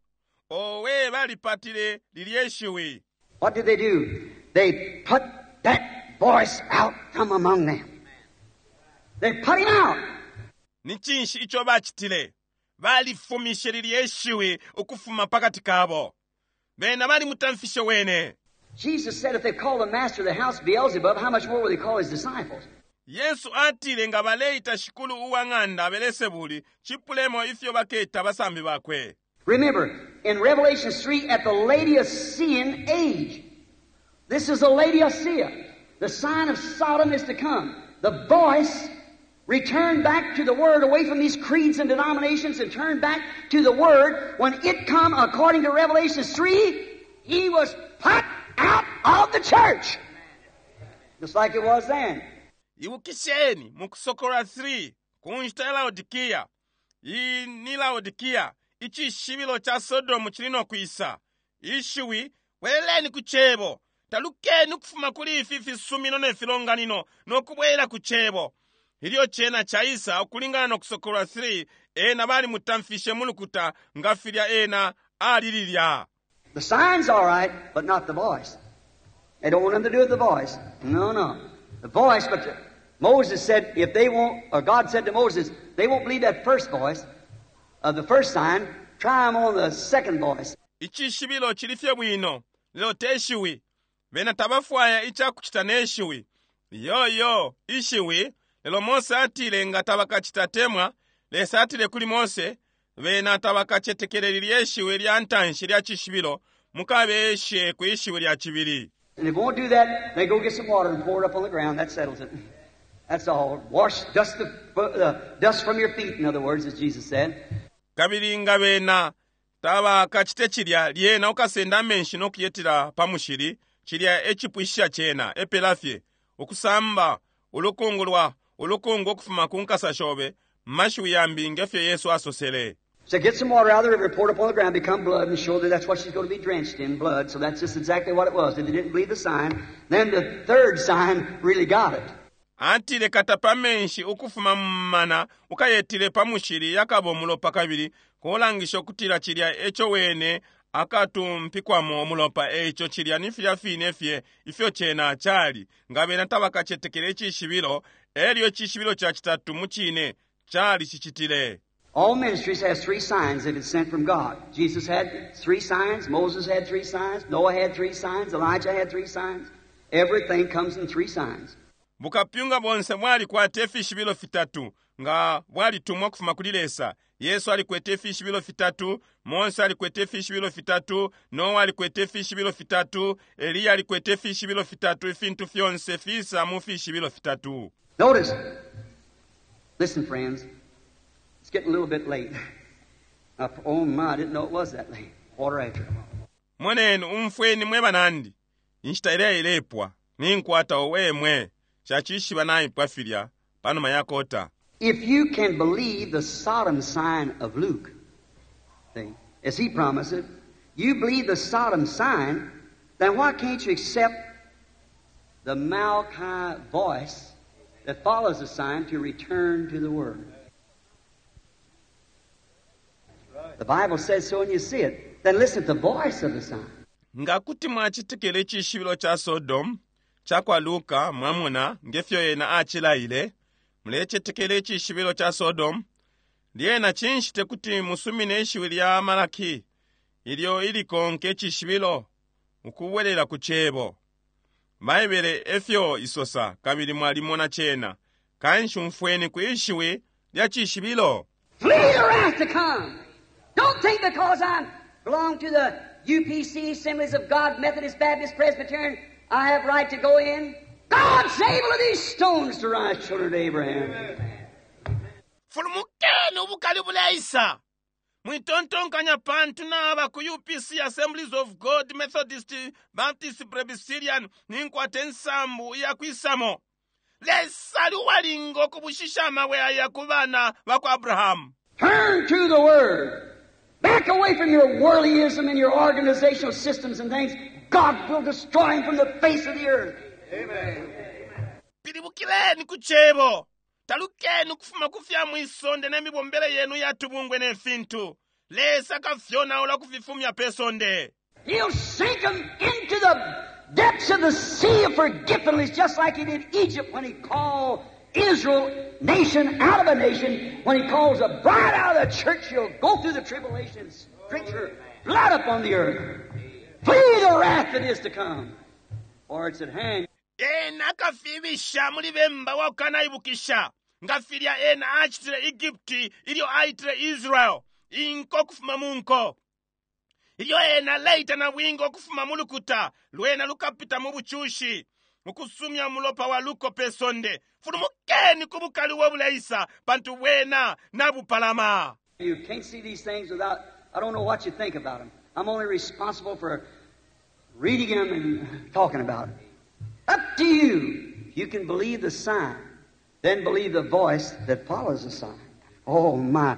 Owe, balipatile lilye shiwi. What did they do? They put that voice out from among them. They put him out. Ni cinshi ico bacitile? Balifumishe lilye shiwi ukufuma pakati kabo. Bena balimutamfishe wene. Jesus said if they call the master of the house Beelzebub, how much more will they call his disciples? Yesu atile nga baleita shikulu uwa ng'anda Belesebuli, cipulemo ifyo baketa abasambi bakwe. Remember, in Revelation 3, at the Laodicean age, this is the Laodicea. The sign of Sodom is to come. The voice returned back to the Word, away from these creeds and denominations, and turned back to the Word. When it come, according to Revelation 3, he was put out of the church. Just like it was then. Ibukisheni, mu Kusokolola 3, ku nshita ya Laodikia, iyi ni Laodikia, icishibilo ca Sodomu cili no kwisa. Ishiwi, bweleleni ku Cebo! Talukeni ukufuma kuli ifi fisumino ne filonganino, no kubwela ku Cebo. Ilyo cena caisa, ukulingana no Kusokolola 3, ena balimutamfishe mu lukuta nga filya ena ali lilya. The sign's all right, but not the voice. They don't want nothing to do with the voice. No, no. The voice, but Moses said, if they won't, or God said to Moses, they won't believe that first voice of the first sign, try them on the second voice. Icishibilo cili fye bwino, lelo te shiwi. Bena tabafwaya icakucita ne shiwi. Iyo, iyo, ishiwi, lelo Mose atile nga tabakacita temwa, Lesa atile kuli Mose, bena tabakacetekele lilye shiwi lya ntanshi lya cishibilo, mukabeshe kwi shiwi lya cibili. And if they won't do that, they go get some water and pour it up on the ground. That settles it. That's all. Wash dust the, the dust from your feet, in other words, as Jesus said. Kabili nga bena tabakacite cilya, lyena ukasenda amenshi no kuyetila pa mushili, cilya e cipwishisha cena, epela fye. Ukusamba ulukungu lwa, ulukungu ukufuma ku nkasa shobe, mu mashiwi yambi, nge fyo Yesu asosele. So get some water out of the river, pour it upon the ground, become blood, and show that that's what she's going to be drenched in, blood. So that's just exactly what it was. If they didn't believe the sign, then the third sign really got it. Atile, Katapa amenshi ukufuma mu mumana, ukayetile pa mushili, yakaba umulopa kabili kulangisha ukutila cilya eco wene akatumpikwamo umulopa. Eico cilya ni filya fine fye ifyo cena cali. Nga bena tabakacetekele icishibilo, elyo icishibilo ca citatu mucine calicicitile. All ministries has three signs if it's sent from God. Jesus had three signs, Moses had three signs, Noah had three signs, Elijah had three signs. Everything comes in three signs. Bukapyunga bonse bwalikwata ifishibilo fitatu nga bwalitumwa ukufuma kuli Lesa. Yesu alikwete ifishibilo fitatu, Mose alikwete ifishibilo fitatu, Noa alikwete ifishibilo fitatu, Eliya alikwete ifishibilo fitatu. Ifintu fyonse fisa mu fishibilo fitatu. Notice. Listen, friends. It's getting a little bit late. Oh my, I didn't know it was that late. Quarter after. Moneni, umfweni mwe banandi. Inshita ileya ilepwa. Ninkwata owe mwe. Nshacishiba naipwa filya panuma ya kota. If you can believe the Sodom sign of Luke, see, as he promised it, you believe the Sodom sign, then why can't you accept the Malachi voice that follows the sign to return to the Word? The Bible says so and you see it. Then listen to the voice of the sign. Nga kuti mwacetekela icishibilo ca Sodom, cakwa Luka, mwamona, ngefyo ena acilaile, mulecetekela icishibilo ca Sodom, lyena cinshi tekuti musumine ishiwi lya Malaki, ilyo ilikonka icishibilo, ukubwelela ku Cebo? Baibele efyo isosa, kabili mwalimona cena. Kanshi umfweni kwi shiwi lya cishibilo. Flee the wrath to come! Don't think because I belong to the UPC, Assemblies of God, Methodist, Baptist, Presbyterian, I have right to go in. God's able of these stones to rise children to Abraham. Fulumukeni ubukali buleisa. Mwitontonkanya pantu naba ku UPC, Assemblies of God, Methodist, Baptist, Presbyterian, ninkwata insambu iyakwisamo. Lesa ali uwalinga ukubushisha amabwe aya ku bana bakwa Abrahamu. Turn to the Word. Back away from your worldlyism and your organizational systems and things. God will destroy them from the face of the earth. Amen. Pilibukileni ku Cebo. Talukeni ukufuma ku fya mwisonde ne mibombele yenu ya tubungwe ne fintu. Lesa akafyonaula ukufifumya pe sonde. He'll sink them into the depths of the sea of forgetfulness, just like he did Egypt when he called Israel nation out of a nation. When he calls a bride out of the church, she'll go through the tribulation and stretch her blood upon the earth. Flee the wrath that is to come, for it's at hand. Ena akafibisha muli bemba wa kukanaibukisha, nga filya ena acitile Egupti ilyo aitile Israel inko ukufuma mu nko. Ilyo ena aleita nabwinga ukufuma mu lukuta, lwena lukapita mu bucushi, ukusumya umulopa wa luko pe sonde. Fulumukeni ku bukali ubo buleisa, pantu bwena nabupalama. You can't see these things without, I don't know what you think about them. I'm only responsible for reading them and talking about them. Up to you. If you can believe the sign, then believe the voice that follows the sign. Oh, my.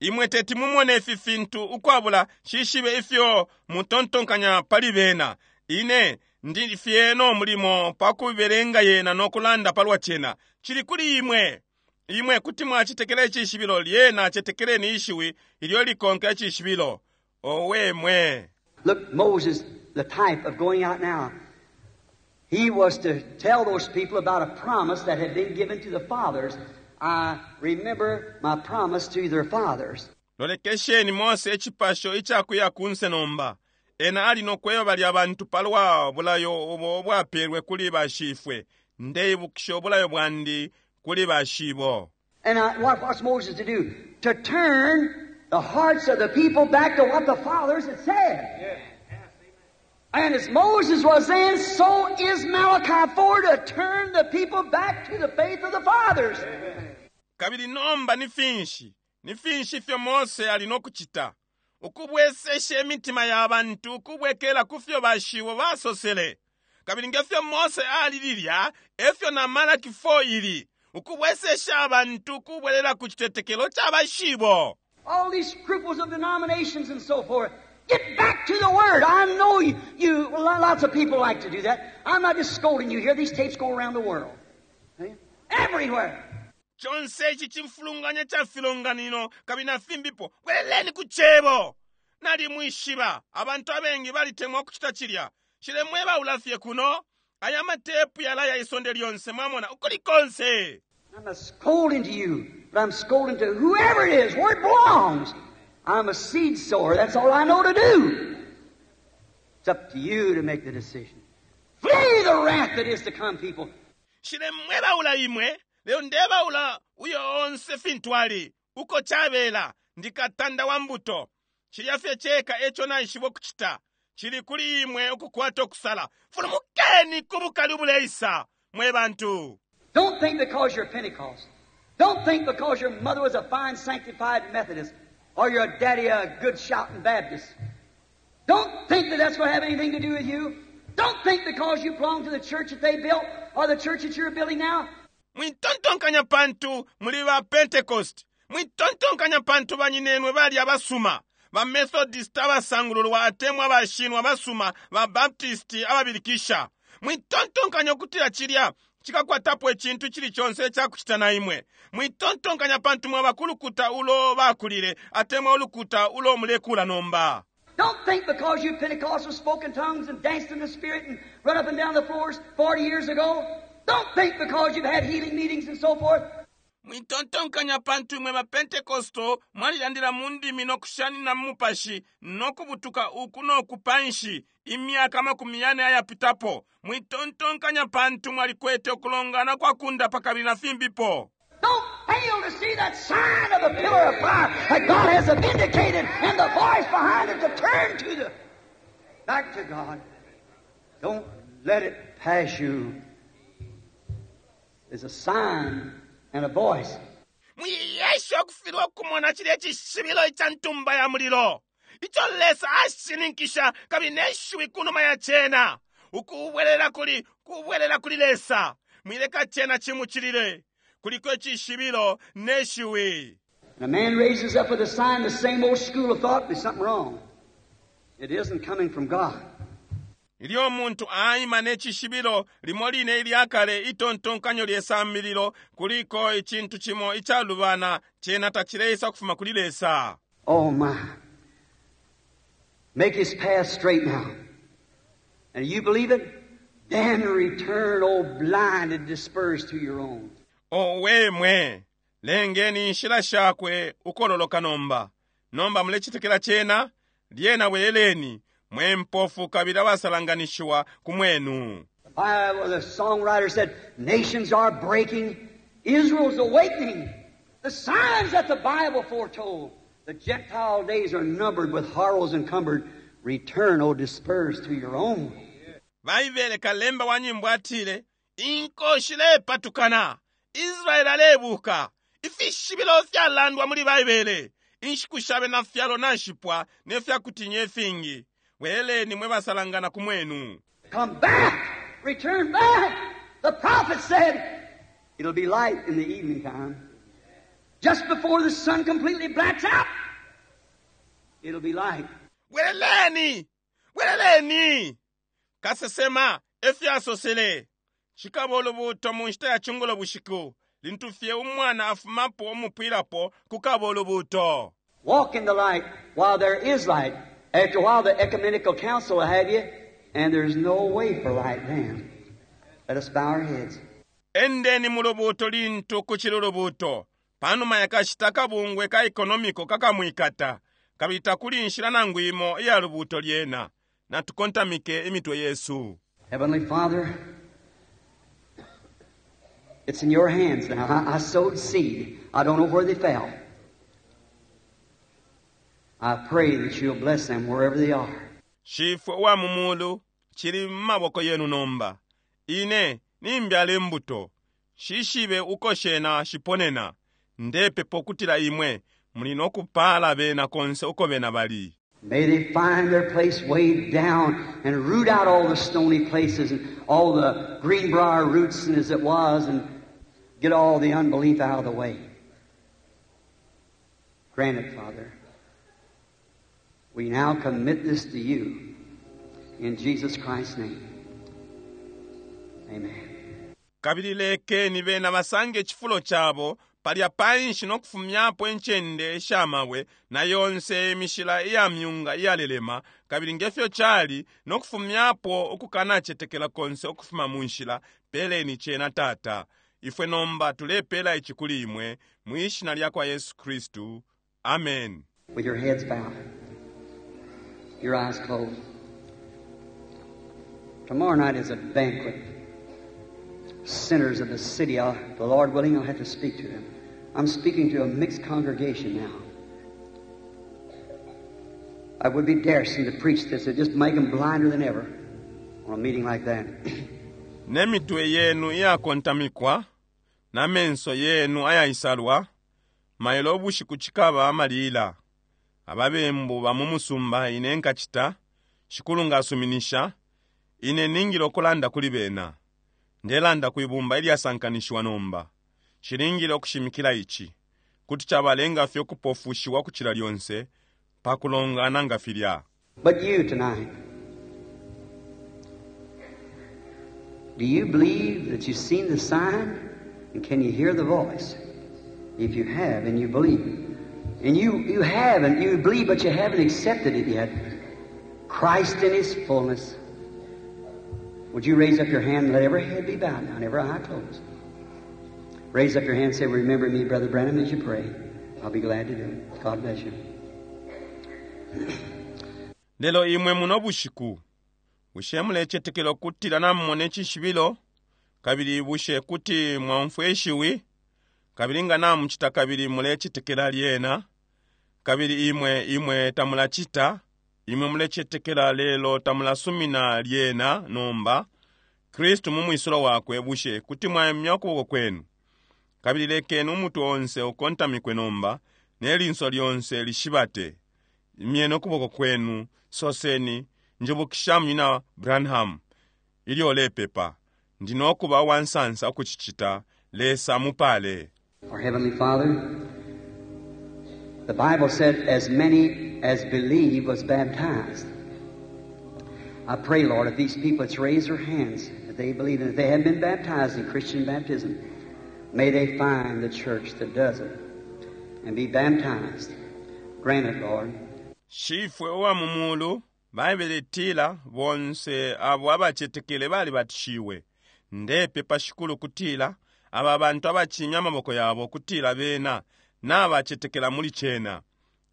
Imwe teti mumone ifi fintu ukwabula nshishibe ifyo mutontonkanya pali bena. Ine ndi fye no mulimo pa kubelenga yena no kulanda palwa cena. Cili kuli imwe. Imwe kuti mwacetekela icishibilo, lyena cetekeleni ishiwi ilyo likonka icishibilo. Owe, mwe! Look, Moses, the type of going out now. He was to tell those people about a promise that had been given to the fathers. I remember my promise to their fathers. Lolekesheni Mose icipasho icakuya kunse nomba. Ena ali no kweba balya bantu palwa bulayo ubo ubwapelwe kuli bashifwe. Ndeibukisha ubulayo bwandi kuli bashibo. And I, what was Moses to do? To turn the hearts of the people back to what the fathers had said. Yeah. And as Moses was then, so is Malachi 4 to turn the people back to the faith of the fathers. Amen. Kabili nomba ni finshi? Ni finshi ifyo Mose ali no kucita? Ukubwesesha imitima ya bantu ukubwekela ku fyo bashibo basosele. Kabili nge fyo Mose ali lilya, e fyo na Malaki 4 ili. Ukubwesesha abantu ukubwelela ku citetekelo ca bashibo. All these scruples of denominations and so forth. Get back to the Word. I know you, you lots of people like to do that. I'm not just scolding you here. These tapes go around the world. See? Everywhere. Conse ici cimfulunganya ca filonganino kabili na fimbipo, bweleleni ku Cebo. Nalimwishiba, abantu abengi balitemwa ukucita cilya. Nshilemwebaula fye kuno. Aya matepu yalaya isonde lyonse, mwamona, ukuli konse. I'm not scolding to you, but I'm scolding to whoever it is, where it belongs. I'm a seed sower. That's all I know to do. It's up to you to make the decision. Flee the wrath that is to come, people. Nshilemwebaula imwe, lelo ndebaula uyo onse fintu ali, uko cabela, ndi katanda wa mbuto. Cilya fye ceka eco naishiba ukucita. Cili kuli imwe ukukwata ukusala. Fulumukeni ku bukali ubuleisa, mwe bantu. Don't think because you're Pentecost. Don't think because your mother was a fine sanctified Methodist or your daddy a good shouting Baptist. Don't think that that's going to have anything to do with you. Don't think because you belong to the church that they built or the church that you're building now. Mwitontonkanya pantu muli ba Pentecost. Mwitontonkanya pantu banyinenwe bali abasuma. Ba Methodist abasangululwa atemwa abashinwa abasuma, ba Baptist ababilikisha. Mwitontonkanya ukutila cilya cikakwatapo icintu cili conse icakucita na imwe. Mwitontonkanya pantu mwaba ku lukuta ulo bakulile atemwa ulukuta ulo mulekula nomba. Don't think because you Pentecostals spoke in tongues and danced in the Spirit and run up and down the floors 40 years ago. Don't think because you've had healing meetings and so forth. Mwitontonkanya pantu imwe ba Pentecostal mwalilandila mu ndimi no kushanina mu mupashi no kubutuka uku no ku panshi imyaka amakumi yane ayapitapo. Mwitontonkanya pantu mwalikwete ukulongana kwa kundapa kabili na fimbipo. Don't fail to see that sign of the pillar of fire that God has vindicated and the voice behind it to turn to the back to God. Don't let it pass you. There's a sign and a voice. Mwiyesha ukufilwa ukumona cilya cishibilo ica ntumba ya mulilo ico Lesa ashininkisha kabili ne shiwi kunuma ya cena ukubwelela kuli kubwelela kuli Lesa. Mwileka cena cimucilile. Kuliko icishibilo ne shiwi. And a man raises up with a sign, the same old school of thought, there's something wrong. It isn't coming from God. Ilyo umuntu aima ne cishibilo limo line ilya kale itontonkanyo lye sambililo, kuliko icintu cimo icalubana, cena tacileisa ukufuma kuli Lesa. Oh my. Make his path straight now. And you believe it? Then return, O blind, and disperse to your own. Owe mwe, lengeni inshila shakwe ukololoka nomba. Nomba mulecetekela cena? Lyena bweleleni, mwe mpofu kabili abasalanganishiwa ku mwenu. The Bible, the songwriter said, nations are breaking, Israel's awakening. The signs that the Bible foretold. The Gentile days are numbered with horrors encumbered. Return, O dispersed to your own. Baibele kalemba wa nyimbo atile, Inko shilepatukana, Israele alebuka, ifishibilo fyalandwa muli Baibele, inshiku sha bena fyalo nashipwa ne fya kutinya ifingi. Bweleleni mwe basalangana ku mwenu. Come back! Return back! The prophet said, it'll be light in the evening time. Just before the sun completely blacks out, it'll be light. Bweleleni! Bweleleni! Kasesema efyo asosele, Cikaba ulubuuto mu nshita ya cungulo bushiku, lintu fye umwana afumapo umupwilapo, kukaba ulubuuto. Walk in the light while there is light. After a while, the ecumenical council will have you, and there's no way for light then. Let us bow our heads. Endeni mu lubuuto lintu kucili ulubuuto. Panuma ya kashita akabungwe ka economico kakamwikata, kabili takuli inshila nangu imo iya lubuuto lyena. Natukontamike imitwe yesu. Heavenly Father, it's in your hands now. I sowed seed. I don't know where they fell. I pray that you'll bless them wherever they are. Shifwe uwa mu Mulu, cili mu maboko yenu nomba. Ine nimbyala imbuto. Nshishibe uko shena shiponena. Ndepepa ukutila Imwe muli no kupaala bena konse uko bena bali. May they find their place way down and root out all the stony places and all the greenbrier roots and as it was and get all the unbelief out of the way. Grant it, Father. We now commit this to you in Jesus Christ's name. Amen. Kabili lekeni bena basange icifulo cabo palya panshi no kufumyapo incende isha mabwe na yonse imishila iya myunga iyalelema, kabili nge fyo cali, no kufumyapo ukukanacetekela konse ukufuma mu nshila. Peleni cena, Tata. Ifwe nomba tulepela ici kuli Imwe, mwi Shina lyakwa Yesu Kristu. Amen. With your heads bowed, your eyes closed. Tomorrow night is a banquet. sinners of the city. I'll, the Lord willing, I'll have to speak to them. I'm speaking to a mixed congregation now. I would be daresome to preach this. It'd just make them blinder than ever on a meeting like that. Ne mitwe yenu iyakontamikwa na menso yenu ayaisalwa, mailo ubushiku cikaba amalila. Ababembu ba mu musumba ine nkacita, Shikulu nga asuminisha, ine ningile ukulanda kuli bena. Ndelanda kwi bumba ilyasankanishiwa nomba. Nshilingile ukushimikila ici. Kuti cabalenga fye ukupofushiwa ukucila lyonse, pa kulongana nga filya. But you tonight, do you believe that you've seen the sign? And can you hear the voice? If you have and you believe. And you have and you believe, but you haven't accepted it yet. Christ in His fullness. Would you raise up your hand and let every head be bowed now and every eye closed? Raise up your hand and say, Remember me, Brother Branham, as you pray. I'll be glad to do it. God bless you. Lelo imwe muno bushiku, bushe mulecetekela ukutila namumona icishibilo? Kabili bushe kuti mwaumfwa ishiwi? Kabili nga namucita kabili mulecetekela lyena, kabili imwe, imwe tamulacita, imwe mulecetekela lelo tamulasumina lyena nomba, Kristu mu mwisulo Wakwe, bushe kuti mwaimya ukuboko kwenu? Kabili lekeni umutwe onse ukontamikwe nomba, ne linso lyonse lishibate. Imyeni ukuboko kwenu, soseni, Njibukisha Munyina Branham, ilyo ulepepa. Ndi nokuba uwansansa ukucicita. Lesa amupale. Our Heavenly Father, the Bible said, as many as believe was baptized. I pray, Lord, if these people that's raised their hands, if they believe, and if they haven't been baptized in Christian baptism, may they find the church that does it and be baptized. Grant it, Lord. Shifwe uwa mu Mulu, Baibele itila, Bonse abo abacetekele balibatishiwe. Ndepepa, Shikulu, ukutila aba bantu abacimya amaboko yabo ukutila bena nabacetekela muli cena.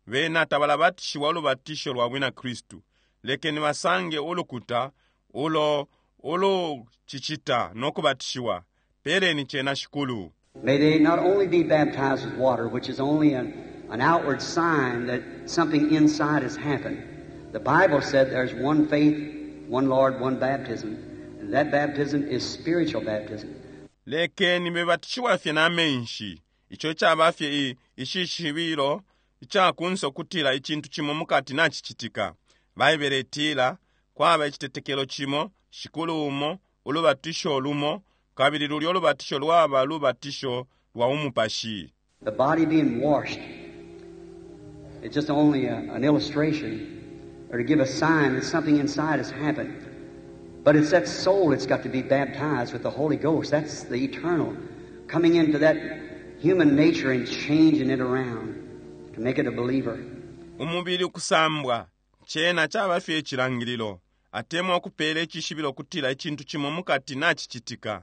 Bena tabalabatishiwa ulubatisho lwa bwina Kristu. Lekeni basange ulukuta ulo ulucicita no kubatishiwa. Peleni cena, Shikulu. May they not only be baptized with water, which is only an outward sign that something inside has happened. The Bible said there's one faith, one Lord, one baptism. And that baptism is spiritual baptism. Lekeni bebatishiwa fye na menshi, ico icaba fye i, icishibilo ica kunse ukutila icintu cimo mukati nacicitika. Baibele itila, Kwaba icitetekelo cimo, Shikulu umo, ulubatisho lumo, kabili lulyo lubatisho lwaba lubatisho lwa bumupashi. The body being washed, it's just only an illustration or to give a sign that something inside has happened. But it's that soul that's got to be baptized with the Holy Ghost. That's the eternal coming into that human nature and changing it around to make it a believer. Umubili ukusambwa, cena caba fye icilangililo, atemwa ukupela icishibilo ukutila icintu cimo mukati nacicitika.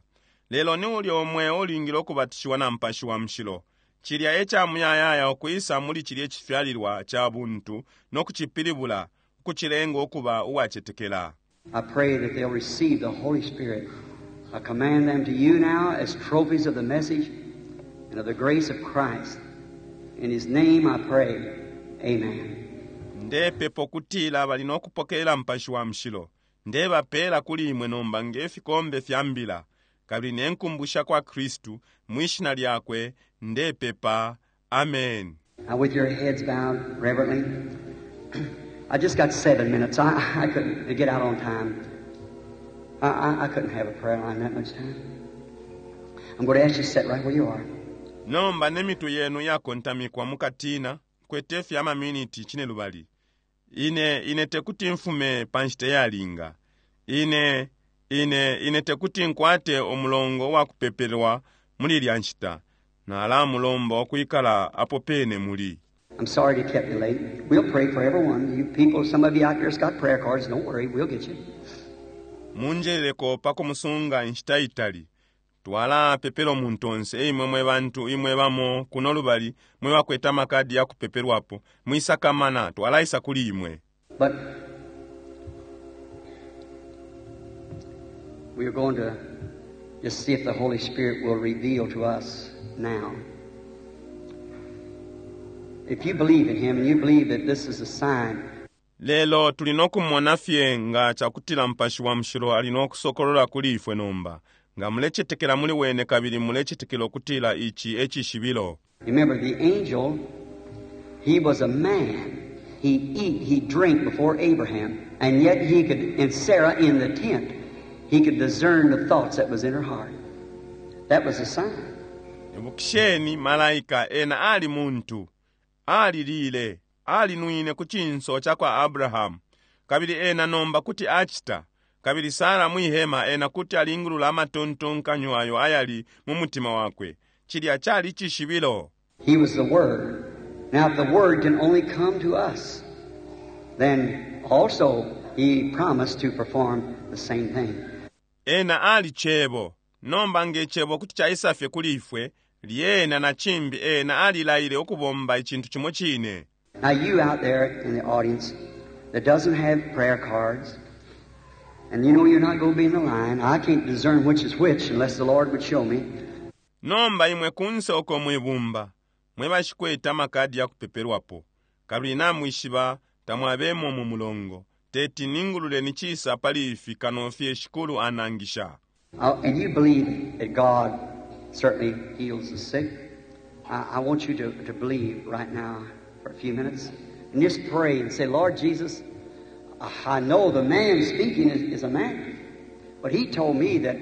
Lelo ni ulya umweo ulingile ukubatishiwa na Mupashi wa Mushilo. Cilya e ca Muyayaya ukwisa muli cilye cifyalilwa ca buntu no kucipilibula, ukucilenga ukuba uwacetekela. I pray that they'll receive the Holy Spirit. I command them to you now as trophies of the message and of the grace of Christ. In His name I pray. Amen. Ndepepa ukutila bali no kupokelela Mupashi wa Mushilo. Ndebapela kuli imwe nomba nge fikombe fya mbila, kabili ne nkumbu shakwa Kristu, mwi Shina Lyakwe, ndepepa. Ameni. Now with your heads bowed reverently, I just got 7 minutes. I couldn't to get out on time. I couldn't have a prayer line that much time. I'm going to ask you to sit right where you are. Nomba ne mitwe yenu iyakontamikwa mukatina, nkwete fye ama miniti cinelubali. Ine, ine tekuti mfume pa nshita iyalinga. Ine, ine, ine tekuti nkwate umulongo uwakupepelwa muli ilya nshita. Nalamulomba ukwikala apo pene muli. I'm sorry to keep you late. We'll pray for everyone. You people, some of you out there's got prayer cards. Don't worry, we'll get you. Munjeleleko pa kumusunga inshita itali. Twalapepela umuntu onse, imwe mwe bantu, imwe bamo kuno lubali mwe bakwete amakadi ya kupepelwapo. Mwisakamana, twalaisa kuli imwe. But we are going to Just see if the Holy Spirit will reveal to us now. If you believe in Him and you believe that this is a sign, Lelo tuli nokumona fye nga cakutila Mupashi wa Mushilo ali nokusokolola kuli ifwe nomba. Nga mulecetekela muli Wene kabili mulecetekela ukutila ici e cishibilo. Remember, the angel, he was a man. He eat, he drank before Abraham, and yet he could, and Sarah in the tent, he could discern the thoughts that was in her heart. That was a sign. Ibukisheni, malaika ena ali muntu. Alilile, alinwine ku cinso cakwa Abrahamu. Kabili ena nomba kuti acita. Kabili Sara mwi hema ena kuti alingulula amatontonkanyo ayo ayali mu mutima wakwe. Cilya cali cishibilo. He was the Word. Now, if the Word can only come to us, then also He promised to perform the same thing. Ena ali Cebo. Nomba nge Cebo kuti caisa fye kuli ifwe, lyena na cimbi Ena alilaile ukubomba icintu cimo cine. Now, you out there in the audience that doesn't have prayer cards, and you know you're not going to be in the line, I can't discern which is which unless the Lord would show me. Nomba imwe kunse uko mwibumba, mwe bashikwete amakadi ya kupepelwapo, kabili namwishiba tamwabemo mu mulongo, teti ningulule ni cisa pali ifi kano fye Shikulu anangisha. And you believe that God certainly heals the sick. I want you to believe right now for a few minutes. And just pray and say, Lord Jesus, I know the man speaking is a man. But he told me that,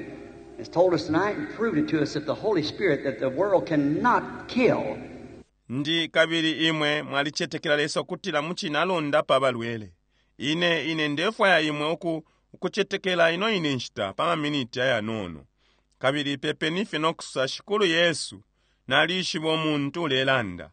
has told us tonight and proved it to us that the Holy Spirit, that the world cannot kill. Ndi kabili imwe mwalicetekela Lesa ukutila mucine alondapa abalwele. Ine, ine ndefwaya imwe uku, ukucetekela ino ine nshita pa maminiti ayanono. Kabili pepeni fye no kusosa, Shikulu Yesu, nalishiba umuntu ulelanda.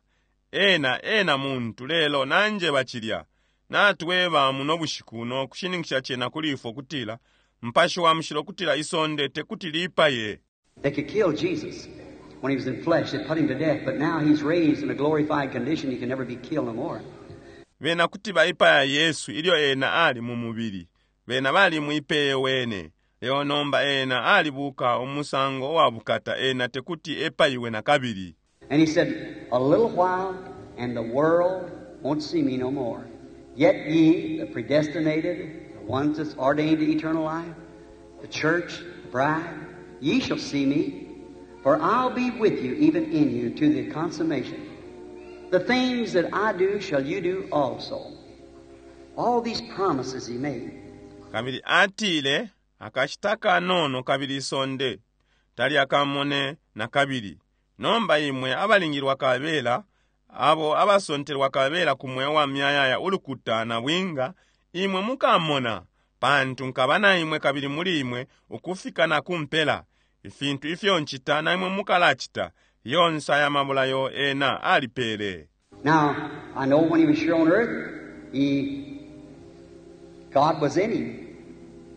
Ena, ena muntu, lelo nanjeba cilya. Natweba muno bushiku no kushininkisha cena kuli ifwe ukutila, Mupashi wa Mushilo ukutila isonde tekuti lipaye. They could kill Jesus when he was in flesh. They put him to death, but now he's raised in a glorified condition. He can never be killed no more. Bena kuti baipaya Yesu ilyo ena ali mu mubili. Bena balimwipeye wene. Lelo nomba ena alibuka umusango wa bukata, ena tekuti epaiwe na kabili. And he said, A little while, and the world won't see me no more. Yet ye, the predestinated, the ones that's ordained to eternal life, the church, the bride, ye shall see me, for I'll be with you, even in you, to the consummation. The things that I do shall you do also. All these promises he made. Kabili atile, akashita kanono kabili isonde talyakamone na kabili. Nomba imwe abalingilwa kabela, abo abasontelwa kabela ku mweo wa muyayaya ulukuta na bwinga, imwe mukamona, pantu nkaba na imwe kabili muli imwe ukufika na ku mpela. Ifintu ifyo ncita na imwe mukalacita, yonse aya mabulayo ena alipele. Now, I know when he was here on earth, God was in him.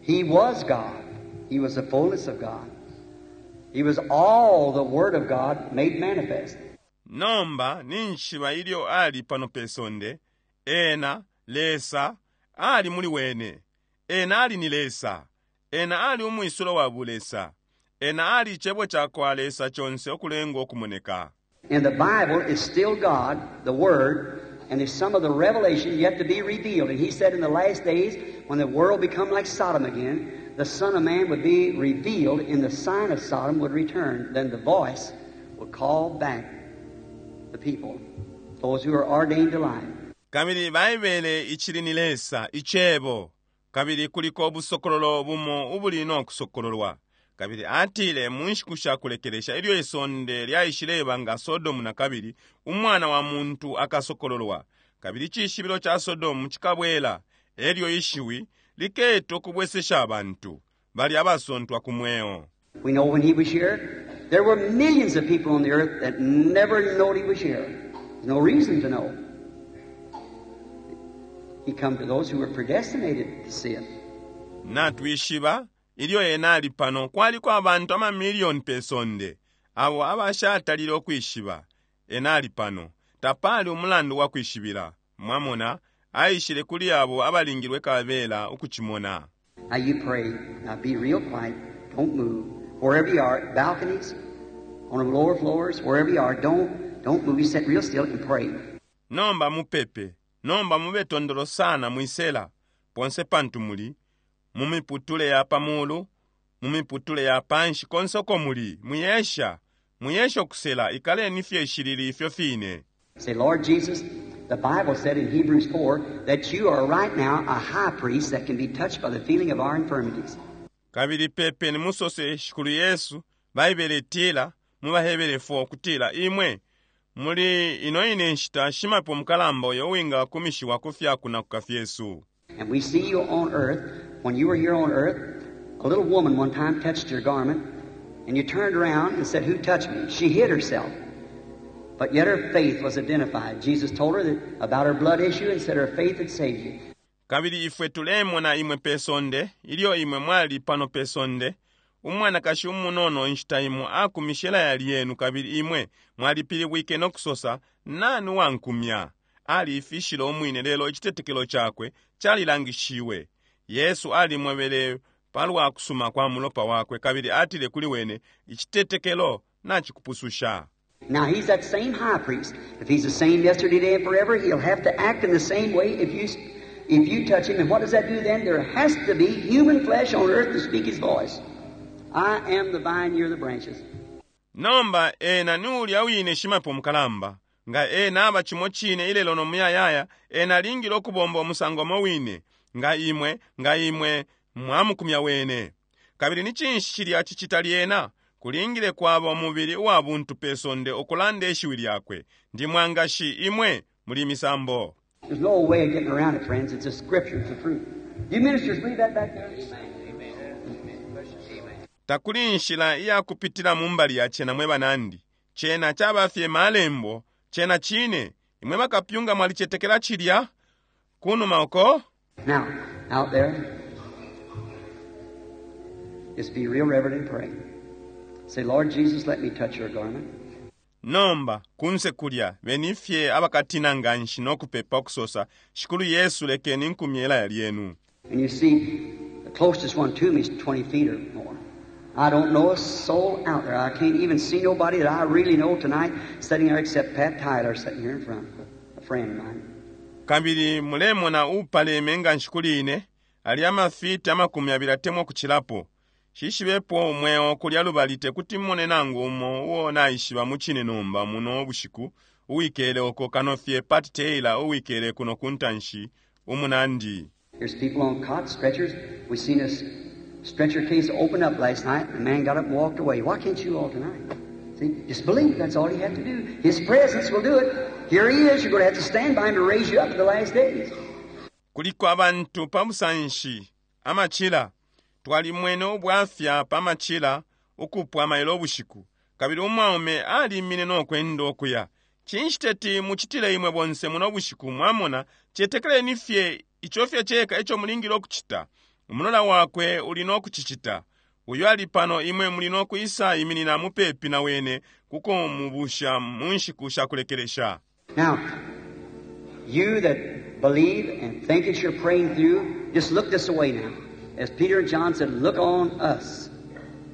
He was God. He was the fullness of God. He was all the Word of God made manifest. Nomba ninjishiba ilyo ali pano pe sonde, ena, Lesa, ali muli wene. Ena ali ni Lesa. Ena ali umwisulo wa bulesa. Ena ali icebo cakwa Lesa conse ukulengwa ukumoneka. And the Bible is still God, the Word, and there's some of the revelation yet to be revealed. And he said in the last days, when the world become like Sodom again, the Son of Man would be revealed, and the sign of Sodom would return. Then the voice would call back the people, those who are ordained to life. Kabili Baibele icili ni Lesa, Icebo, kabili kuliko ubusokololo bumo ubuli no kusokololwa. Kabili atile mu nshiku sha kulekelesha ilyo isonde lyaishileba nga Sodomu na kabili, Umwana wa muntu akasokololwa. Kabili icishibilo ca Sodomu cikabwela, elyo ishiwi liketa ukubwesesha abantu bali abasontwa ku mweo. We know when he was here, there were millions of people on the earth that never knowed he was here. There's no reason to know. He come to those who were predestinated to see it. Natwishiba ilyo ena ali pano kwaliko abantu amamilioni pe sonde abo abashatalile ukwishiba ena ali pano. Tapali umulandu wa kwishibila. Mwamona, aishile kuli abo abalingilwe kabela ukucimona. Now you pray. Now be real quiet. Don't move. Wherever you are, balconies, on the lower floors, wherever you are, don't move. You sit real still and pray. Nomba mupepe. Nomba mube tondolo sana mwisela. Ponse pantu muli, mu miputule ya pamulu, mu miputule ya panshi, konse uko muli, mwiyesha. Mwiyesha ukusela, ikaleni fye shilili ifyo fine. Say, Lord Jesus, the Bible said in Hebrews 4 that you are right now a high priest that can be touched by the feeling of our infirmities. Kabili pepeni musose, Shikulu Yesu, Baibele itila mu baHebere 4 kutila imwe muli ino ine nshita shimapepo mukalamba uyo uwingakumishiwa ku fya kunakuka fyesu. And we see you on earth. When you were here on earth, a little woman one time touched your garment, and you turned around and said, Who touched me? She hid herself. But yet her faith was identified. Jesus told her that about her blood issue and said her faith had saved you. Kabili ifwe tulemona imwe pe sonde, ilyo imwe mwali pano pe sonde, umwanakashi umunono inshita imo akumishe ilaya lyenu kabili imwe mwalipilibwike no kusosa, Nani wankumya? Aliifishile umwine, lelo icitetekelo cakwe calilangishiwe. Yesu alimwebele palwa kusuma kwa mulopa wakwe kabili atile kuli wene, Icitetekelo nacikupususha. Now he's that same high priest. If he's the same yesterday, today, and forever, he'll have to act in the same way if you touch him. And what does that do then? There has to be human flesh on earth to speak his voice. I am the vine, you're the branches. Nomba ena ni ulya wine shimapepo mukalamba. Nga ena aba cimo cine ilelo no muyayaya, ena alingile ukubomba umusango umo wine. Nga imwe, nga imwe mwamukumya wene. Kabili ni cinshi cilya cicita lyena? Kulingile kwaba umubili uwa buntu pe sonde ukulanda ishiwi lyakwe. Ndi mwangashi, imwe muli misambo. There's no way of getting around it, friends. It's a scripture. It's the truth. You ministers believe that back there? Takuli inshila iya kupitila mu mbali ya cena, mwe banandi. Cena caba fye malembo. Cena cine. Imwe bakapyunga mwalicetekela cilya? Kunuma uko? Now, out there, just be real reverent and pray. Say, Lord Jesus, let me touch your garment. Nomba, kunse kulya, beni fye abakatina nganshi no kupepa ukusosa, Shikulu Yesu, lekeni nkumye ilaya lyenu. And you see, the closest one to me is 20 feet or more. I don't know a soul out there. I can't even see nobody that I really know tonight sitting there except Pat Tyler sitting here in front, a friend of mine. Kabili mulemona upaleme nganshi kuli ine, ali amafiti 20 atemwa ukucilapo. Shishibepo umweo kulya lubali tekuti mmone nangu umo uo naishiba mucine nomba muno bushiku uwikele uko kano fye Pat Taylor uwikele kuno kuntanshi umunandi. There's people on cots, stretchers. We seen this stretcher case open up last night, and the man got up and walked away. Why can't you all tonight? See, just believe. That's all you have to do. His presence will do it. Here he is. You're going to have to stand by him to raise you up in the last days. Kuliko abantu pa busanshi amacila. Twalimwene ubwafya pa macila ukupwa mailo ubushiku. Kabili umwaume alimine no kwenda ukuya. Cinshi teti mucitile imwe bonse muno bushiku, mwamona, cetekeleni fye ico fye ceka ico mulingile ukucita. Umulola wakwe uli no kucicita. Uyo ali pano, imwe muli no kwisa iminina mupepi na wene kuko mubusha mu nshiku sha kulekelesha. Now, you that believe and think that you're praying through, just look this way now. As Peter and John said, look on us.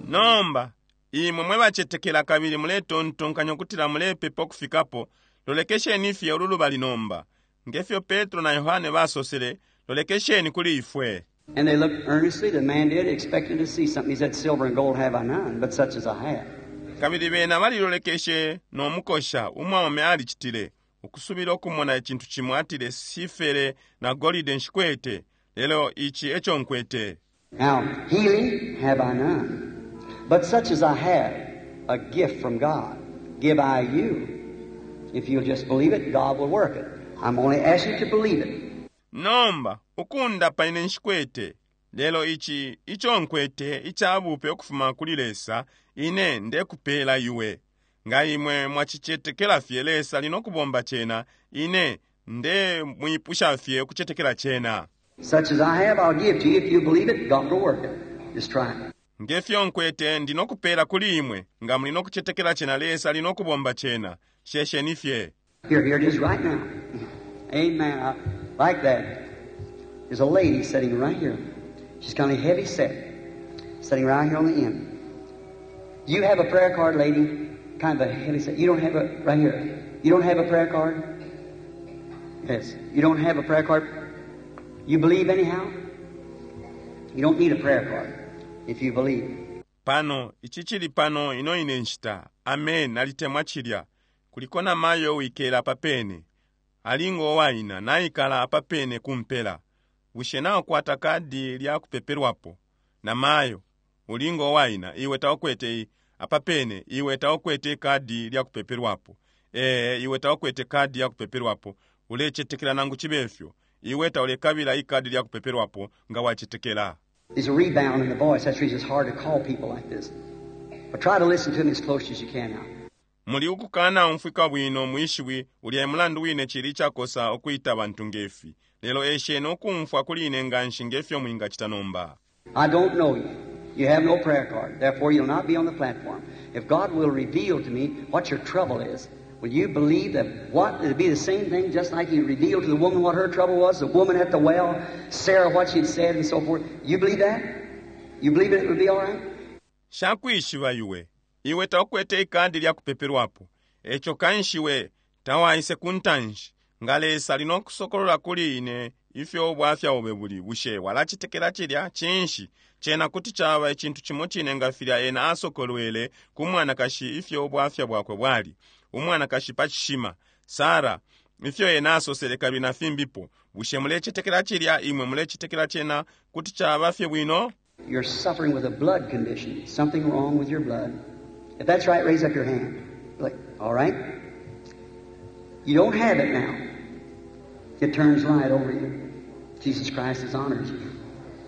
Nomba, imwe mwe bacetekela kabili muletontonkanya ukutila mulepepa ukufikapo, lolekesheni fye ulu lubali nomba. Ngefyo Petro na Yohane basosele, lolekesheni kuli ifwe. And they looked earnestly, the man did, expecting to see something. He said, Silver and gold have I none, but such as I have. Kabili bena balilolekeshe no mukosha, umwaume alicitile, ukusubila ukumona icintu cimo, atile, Sifere na golide nshikwete, lelo ici eco nkwete. Now, healing have I none, but such as I have, a gift from God, give I you. If you'll just believe it, God will work it. I'm only asking you to believe it. Nomba, ukundapa ine nshikwete, lelo ici ico nkwete icabupe ukufuma kuli Lesa, ine ndekupela iwe. Nga imwe mwacicetekela fye, Lesa ali no kubomba cena, ine nde mwipusha fye ukucetekela cena. Such as I have, I'll give to you. If you believe it, God will work it. Just try it. Ngefyo nkwete ndi no kupela kuli imwe, nga muli no kucetekela cena, Lesa ali no kubomba cena. Shesheni fye. Here it is right now. Amen. I like that. There's a lady sitting right here. She's kind of heavy set, sitting right here on the end. Do you have a prayer card, lady? Kind of a heavy set. You don't have a, right here. You don't have a prayer card? Yes. You don't have a prayer card? You believe anyhow? You don't need a prayer card if you believe. Pano, ici cili pano ino ine nshita. Ameni, nalitemwa cilya. Kuliko na mayo uwikele apa pene. Ali ngo waina, naikala apa pene kumpela. Bushe naukwata kadi lya kupepelwapo? Na mayo, uli ngo waina, iwe taukwete i, apa pene, iwe taukwete ikadi lya kupepelwapo. Ee, iwe taukwete kadi ya kupepelwapo. Ulecetekela nangu cibe fyo. Iwe taulekabila ikadi lya kupepelwapo nga wacetekela. There's a rebound in the voice. That's the reason it's hard to call people like this. But try to listen to me as close as you can now. Muli ukukana umfwika bwino mwishiwi, ulya e mulandu wine cili icakosa ukwita abantu ngefi. Lelo esheni ukumfwa kuli ine nganshi ngefyo mwingacita nomba. I don't know you. You have no prayer card. Therefore, you'll not be on the platform. If God will reveal to me what your trouble is, will you believe that what it'll be the same thing, just like He revealed to the woman what her trouble was, the woman at the well, Sarah what she'd said, and so forth? You believe that? You believe it would be all right? Nshakwishiba iwe. Iwe taukwete ikadi lya kupepelwapo. Eco kanshi we tawaise ku ntanshi. Nga Lesa ali no kusokolola kuli ine ifyo ubwafya bobe buli, bushe walacetekela cilya? Cinshi, cena kuti caba icintu cimo cine nga filya Ena asokolwele ku mwanakashi ifyo ubwafya bwakwe bwali, umwanakashi pa cishima, Sara, ifyo Ena asosele kabili na fimbipo. Bushe mulecetekela cilya? Imwe mulecetekela cena kuti caba fye bwino? You're suffering with a blood condition, something wrong with your blood. If that's right, raise up your hand. Look, all right? You don't have it now. It turns light over you. Jesus Christ has honored you.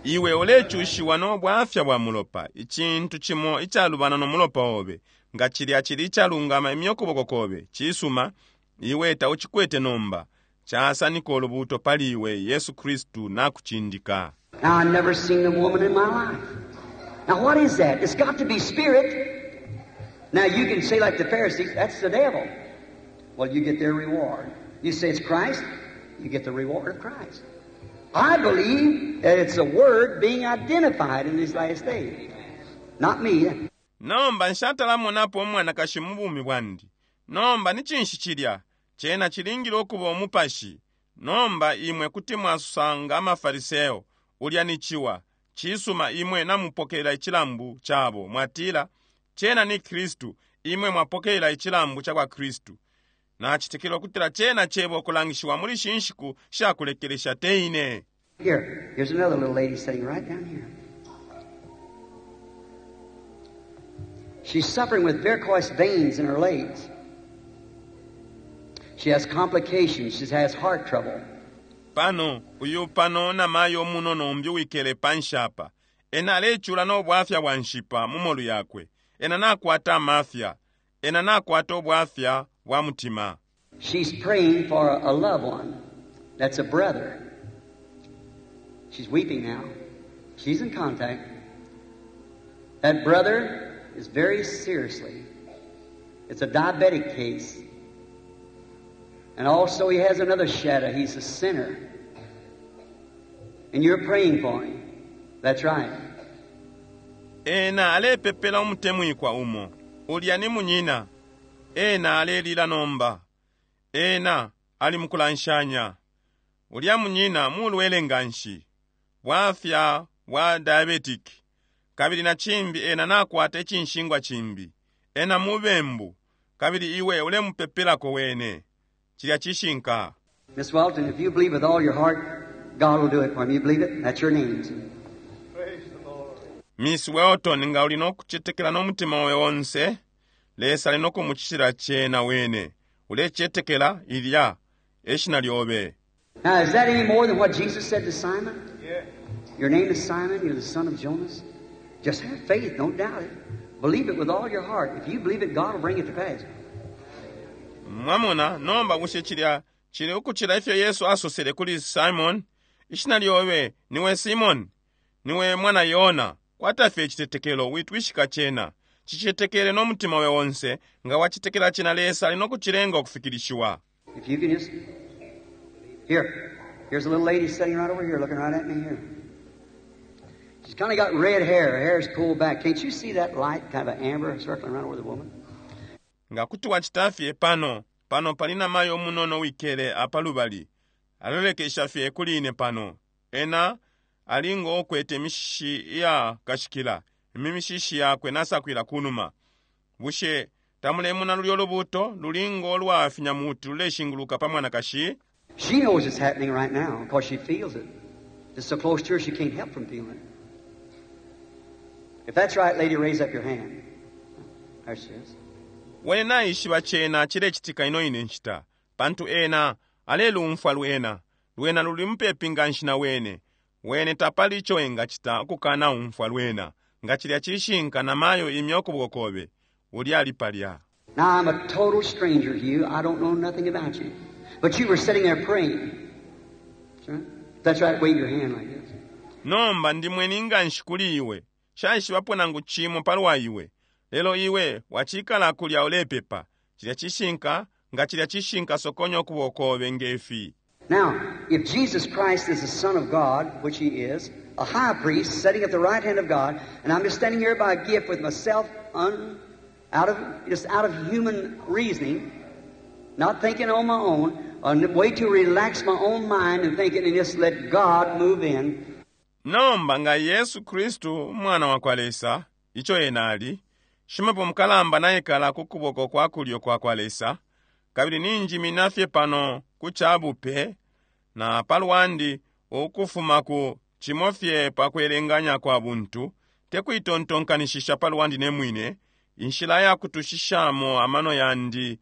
Iwe ulecushiwa no bwafya bwa mulopa, icintu cimo icalubana no mulopa obe. Nga cilya cili icalungama, imya ukuboko kobe. Cisuma, iwe taucikwete nomba. Casanika ulubuuto pali iwe, Yesu Kristu nakucindika. Now, I've never seen a woman in my life. Now, what is that? It's got to be spirit. Now, you can say like the Pharisees, that's the devil. Well, you get their reward. You say it's Christ, you get the reward of Christ. I believe that it's a word being identified in these last days. Not me. Nomba nshatalamonapo umwanakashi mu bumi bwandi. Nomba ni cinshi cilya? Cena cilingile ukuba umupashi. Nomba imwe kuti mwasanga amaFariseo. Ulya ni ciwa. Cisuma, imwe namupokelela icilambu cabo. Mwatila, Cena ni Kristu. Imwe mwapokelela icilambu cakwa Kristu. Nacetekela ukutila cena Cebo ukulangishiwa muli shi nshiku shakulekelesha, te ine. Here, here's another little lady sitting right down here. She's suffering with varicose veins in her legs. She has complications. She has heart trouble. Pano, uyu pano namayo umunono umbi uwikele panshi apa. Ena alecula no bwafya bwa nshipa mu molu yakwe. Ena nakwata amafya. Ena nakwata ubwafya bwa mutima. She's praying for a loved one. That's a brother. She's weeping now. She's in contact. That brother is very seriously. It's a diabetic case. And also he has another shadow. He's a sinner. And you're praying for him. That's right. Ena alepepela umutemwikwa umo. Ulya ni munyina. Ena alelila nomba. Ena ali mukulanshanya. Ulya munyina mulwele nganshi. Bwafya bwa diabetic. Kabili na cimbi ena nakwata icinshingwa cimbi. Ena mubembu. Kabili iwe ulemupepelako wene. Cilya cishinka. Miss Welton, if you believe with all your heart, God will do it for him. You believe it? That's your name. Miss Welton, nga uli no kucetekela no mutima obe onse, Lesa ali no kumucitila cena wene. Ulecetekela? Ilya e shina lyobe. Now, is that any more than what Jesus said to Simon? Yeah. Your name is Simon, you're the son of Jonas. Just have faith, don't doubt it. Believe it with all your heart. If you believe it, God will bring it to pass. Mwamona, nomba bushe cilya cili ukucila ifyo Yesu asosele kuli Simon? Ishina lyobe niwe Simon, niwe mwana Yona. Kwata fye icitetekelo, witwishika cena. Cicetekele no mutima obe onse. Nga wacetekela cena, Lesa ali no kucilenga ukufikilishiwa. If you can just... Here, here's a little lady sitting right over here, looking right at me here. She's kind of got red hair. Her hair's pulled back. Can't you see that light, kind of an amber, circling around over the woman? Nga kuti wacita fye pano, pano pali namayo umunono wikele apa lubali, alolekesha fye kuli ine pano. Ena ali ngo ukwete imishishi iya kashikila, imishishi yakwe nasakwila kunuma. Bushe tamulemona lulyo lubuto luli ngo lwa finyamuti luleshinguluka pa mwanakashi? She knows it's happening right now because she feels it. It's so close to her she can't help from feeling it. If that's right, lady, raise up your hand. There she is. Wene naishiba cena cilecitika ino ine nshita, pantu ena alelumfwa lwena. Lwena luli mupepi nganshi na wene. Wene tapali ico engacita ukukana umfwa lwena. Nga cilya cishinka, namayo imya ukuboko kobe. Ulya ali palya. Now, I'm a total stranger to you. I don't know nothing about you. But you were sitting there praying. That's right. That's right. Wave your hand like this. Nomba ndi mweni nganshi kuli iwe. Nshaishibapo nangu cimo palwa iwe. Lelo iwe wacikala kulya ulepepa. Cilya cishinka, nga cilya cishinka sokonya ukuboko kobe ngefi. Now, if Jesus Christ is the Son of God, which He is, a high priest sitting at the right hand of God, and I'm just standing here by a gift with myself out of, just out of human reasoning, not thinking on my own, a way to relax my own mind and thinking and just let God move in. Nomba nga Yesu Kristu umwana wakwa Lesa, ico ena ali, shimapepo mukalamba naikala ku kuboko kwa kulyo kwa kwa Lesa, kabili ninjimina fye pano ku cabupe na palwandi ukufuma ku cimo fye pa kwelenganya kwa buntu, te kuitontonkanishisha palwandi ne mwine, inshila ya kutushishamo amano yandi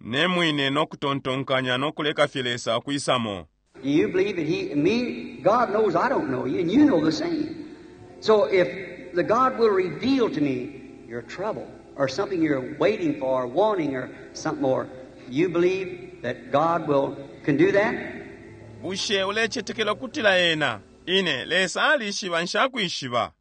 ne mwine no kutontonkanya no kuleka fye Lesa ukwisamo. Do you believe that He, me, God knows I don't know you, and you know the same. So if the God will reveal to me your trouble, or something you're waiting for, or wanting, or something more, you believe that God will can do that? Bushe ulecetekela ukutila ena, ine, Lesa alishiba nshakwishiba,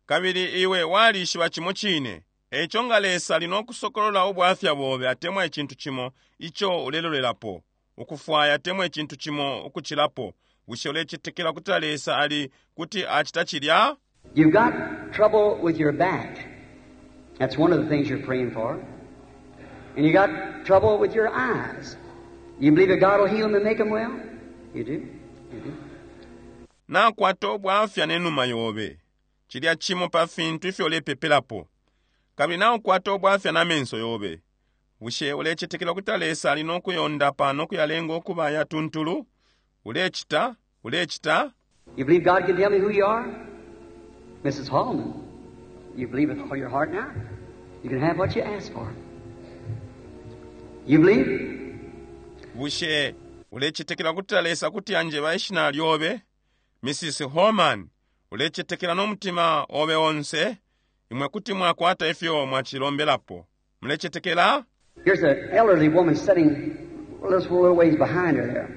kabili iwe walishiba cimo cine. Eico nga Lesa ali no kusokolola ubwafya bobe atemwa icintu cimo ico ulelolelapo, ukufwaya atemwa icintu cimo ukucilapo, bushe ulecetekela ukutila Lesa ali kuti acita cilya? You've got trouble with your back. That's one of the things you're praying for. And you got trouble with your eyes. You believe that God will heal them and make them well? You do? You do. Nakwata ubwafya ne numa yobe. Cilya cimo pa fintu ifyo ulepepelapo. Kabili naukwata ubwafya na menso yobe. Bushe ulecetekela ukuti Lesa ali no kuyondapa no kuyalenga ukuba ayatuntulu? Ulecita? Ulecita? You believe God can tell me who you are? Mrs. Hallman, you believe with all your heart now? You can have what you ask for. You believe? Bushe ulecetekela ukuti Lesa kuti anjeba ishina lyobe? Mrs. Holman, ulecetekela no mutima obe onse? Imwe kuti mwakwata ifyo mwacilombelapo. Mulecetekela? Here's an elderly woman sitting a little ways behind her there.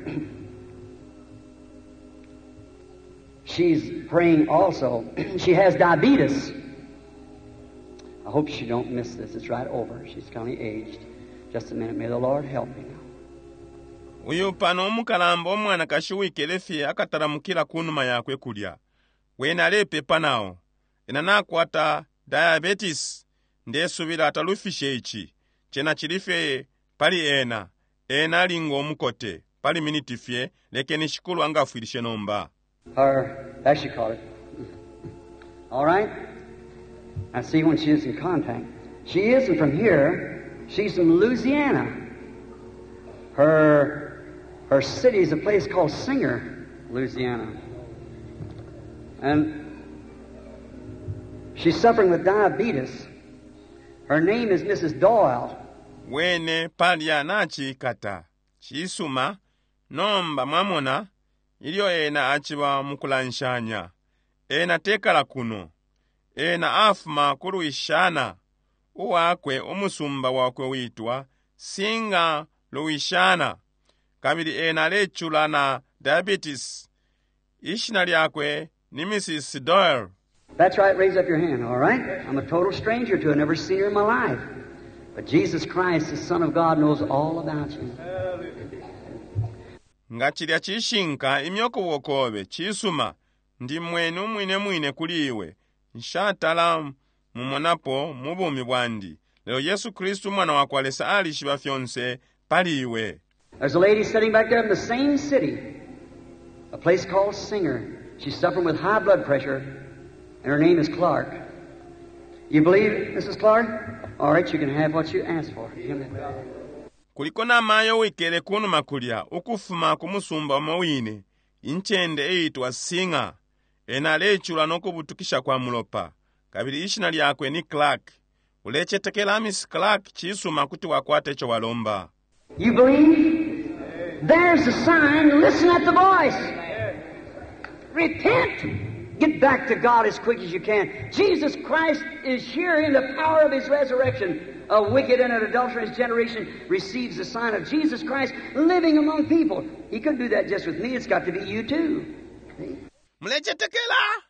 She's praying also. She has diabetes. I hope she don't miss this. It's right over. She's kind of aged. Just a minute. May the Lord help me now. Uyu pano umukalamba umwanakashi uwikele fye akatalamukila kunuma yakwe kulya. Wene alepepa nao. Ena nakwata diabetes. Ndesubila atalufishe ici. Cena cili fye pali ena. Ena ali ngo mukote. Pali miniti fye, lekeni Shikulu angafwilishe nomba. Or, as she called it. All right? I see when she is in contact. She isn't from here. She's from Louisiana. Her city is a place called Singer, Louisiana. And she's suffering with diabetes. Her name is Mrs. Doyle. Wene palya nachikata. Cisuma, nomba mwamona, ilyo ena aciba mukulanshanya. Ena tekala kuno. Ena afuma ku Louisiana. Uwakwe umusumba wakwe witwa Singer, Louisiana. Kabili ena alecula na diabetes. Ishina lyakwe ni Mrs. Doyle. That's right, raise up your hand, all right? I'm a total stranger to her, never seen her in my life. But Jesus Christ, the Son of God, knows all about you. Nga cilya cishinka imya ukuboko kobe, cisuma. Ndi mweni umwine mwine kuli iwe. Nshatala mumonapo mu bumi bwandi. Lelo Yesu Kristu Umwana wakwa Lesa alishiba fyonse pali iwe. There's a lady sitting back there in the same city, a place called Singer. She's suffering with high blood pressure, and her name is Clark. You believe, Mrs. Clark? All right, you can have what you asked for. Kuliko namayo uwikele kunuma kulya ukufuma ku musumba umo wine, incende iitwa Singer. Ena alecula no kubutukisha kwa mulopa, kabili ishina lyakwe ni Clark. Ulecetekela, Miss Clark? Cisuma, kuti wakwata ico walomba. You believe? There's the sign. Listen at the voice. Repent. Get back to God as quick as you can. Jesus Christ is here in the power of His resurrection. A wicked and an adulterous generation receives the sign of Jesus Christ living among people. He couldn't do that just with me. It's got to be you too. See? Mulecetekela?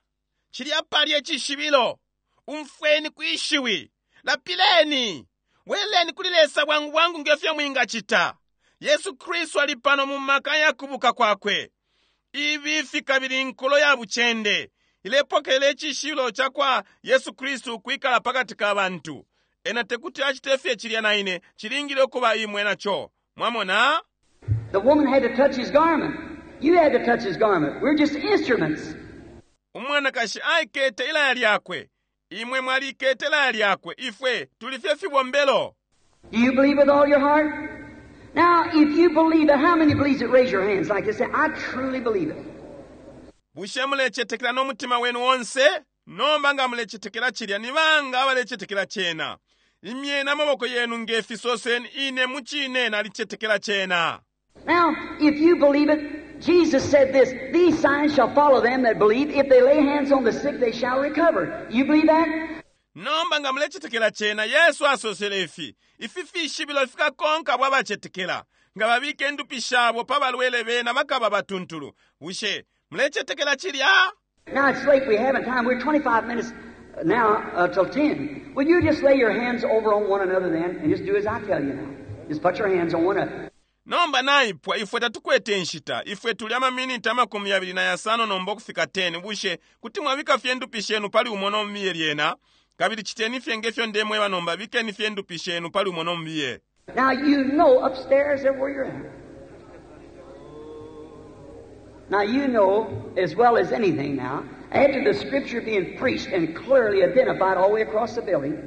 Cilya pali icishibilo. Umfweni kwishiwi. Lapileni. Bweleni kuli Lesa bwangu bwangu ngefyo mwingacita. Yesu Kristu ali pano mu maka ya kubuka kwakwe. Ibifi kabili inkulo ya bucende ilepokelela icishibilo cakwa Yesu Kristu ukwikala pakati ka bantu. Ena tekuti acite fye cilya na ine, cilingile ukuba imwe naco. Mwamona? The woman had to touch his garment. You had to touch his garment. We're just instruments. Umwanakashi aikete ilaya lyakwe. Imwe mwalikete ilaya lyakwe. Ifwe tuli fye fibombelo. Do you believe with all your heart? Now, if you believe it, how many believes it? Raise your hands like this. Say, I truly believe it. Bushe mulecetekela no mutima wenu onse? Nomba nga mulecetekela cilya, ni banga abalecetekela cena? Imyeni amaboko yenu nge fisoseni, ine mucine nalicetekela cena. Now, if you believe it, Jesus said this, these signs shall follow them that believe. If they lay hands on the sick, they shall recover. You believe that? Nomba nga mulecetekela cena, Yesu asosele ifi, ifi fishibilo fikakonka abo abacetekela. Nga babika indupi shabo pa balwele bena bakaba batuntulu. Bushe mulecetekela cilya? Now, it's late. We haven't time. We're 25 minutes now till 10. Will you just lay your hands over on one another then and just do as I tell you now? Just put your hands on one another. Nomba naipwa, ifwe tatukwete inshita. Ifwe tuli amaminiti 25 nomba ukufika 10. Bushe kuti mwabika fye indupi shenu pali umo no mubiye lyena? Kabili citeni fye ngefyo ndemweba nomba, bikeni fye indupi shenu pali umo no mubiye. Now, you know upstairs everywhere you're at. Now, you know as well as anything now, after the Scripture being preached and clearly identified all the way across the building,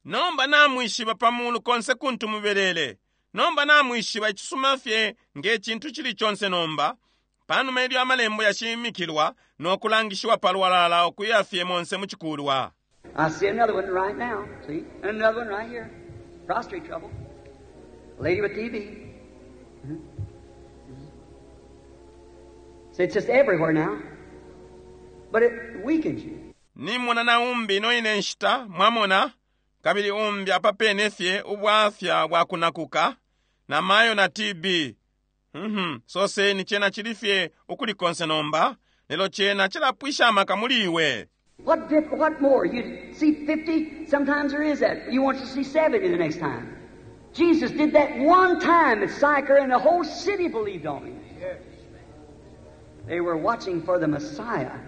Nomba namwishiba pa mulu konse kuntu mubelele. Nomba namwishiba icisuma fye nge cintu cili conse nomba, panuma ilyo amalembo yashimikilwa no kulangishiwa palwalala ukuya fye monse mu cikulwa. I see another one right now, see? And another one right here. Prostrate trouble. Lady with TB. See, it's just everywhere now. But it weakens you. Nimona na umbi ino ine nshita, mwamona, kabili umbi apa pene fye ubwafya bwa kunakuka, na mayo na TB. Soseni cena cili fye ukuli konse nomba, lelo cena cilapwisha amaka muli iwe. What what more? You see 50, sometimes there is that. You want to see 70 the next time. Jesus did that one time at Sychar, and the whole city believed on him. They were watching for the Messiah.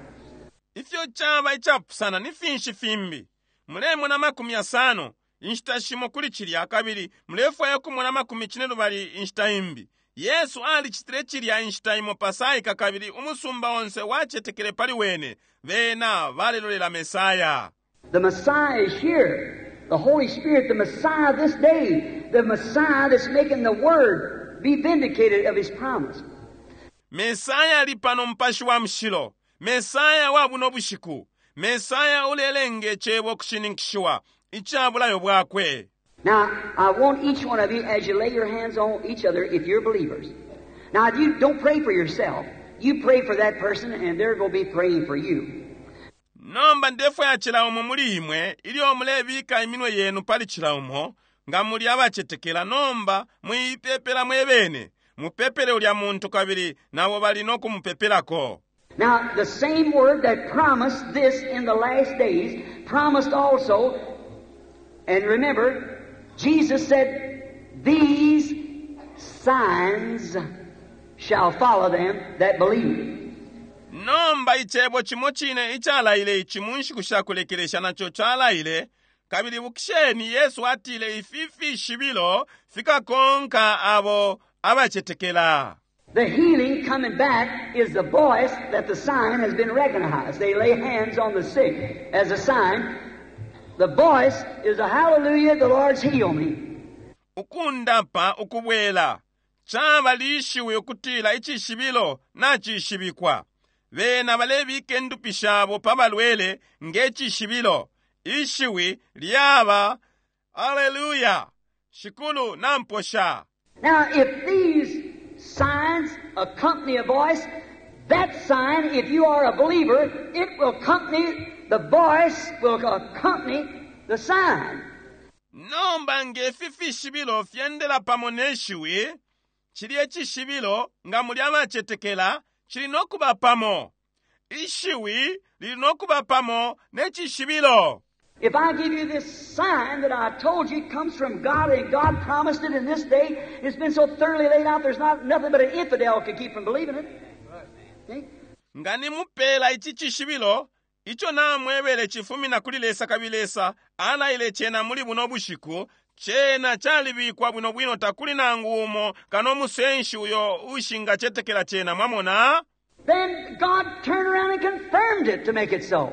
Ifyo caba icapusana ni finshi fimbi. Mulemona 50 inshita shimo kuli cilya, kabili mulefwaya kumona 80 inshita imbi. Yesu alicitile cilya inshita imo pa Saika, kabili umusumba onse wacetekele pali wene. Bena balelolela Mesaya. The Messiah is here. The Holy Spirit, the Messiah this day. The Messiah that's making the Word be vindicated of His promise. Mesaya ali pano, Mupashi wa Mushilo. Mesaya wa buno bushiku. Mesaya ulelenge cebo kushininkishiwa ica bulayo bwakwe. Now, I want each one of you, as you lay your hands on each other, if you're believers. Now, if you don't pray for yourself, you pray for that person, and they're going to be praying for you. Nomba ndefwaya cila umo muli imwe, ilyo mulebika iminwe yenu pali cila umo, nga muli abacetekela, nomba mwipepela mwebene. Mupepele ulya muntu, kabili nabo bali no kumupepelako. Now, the same word that promised this in the last days, promised also, and remember, Jesus said, these signs shall follow them that believe. Nomba icebo cimo cine icalaile ici mu nshiku sha kulekelesha naco calaile, kabili ibukisheni Yesu atile ifi fishibilo fikakonka abo abacetekela. The healing coming back is the voice that the sign has been recognized. They lay hands on the sick as a sign. The voice is a hallelujah, the Lord's healed me. Ukundapa ukubwela caba lishiwi ukutila icishibilo nacishibikwa. Bena balebika indupi shabo pa balwele nge cishibilo. Ishiwi lyaba Alleluya, Shikulu namposha. Now, if these signs accompany a voice, that sign, if you are a believer, it will accompany, the voice will accompany the sign. Nomba nge fi fishibilo fyendela pamo ne shiwi, cilye cishibilo, nga muli abacetekela, cili no kuba pamo. Ishiwi lili no kuba pamo ne cishibilo. If I give you this sign that I told you comes from God and God promised it in this day, it's been so thoroughly laid out there's not nothing but an infidel could keep from believing it. See? Nga nimupela ici cishibilo, ico namwebele cifumina kuli Lesa kabili Lesa alaile cena muli buno bushiku, cena calibikwa bwino bwino takuli nangu umo kano umusenshi uyo ushingacetekela cena, mwamona? Then God turned around and confirmed it to make it so.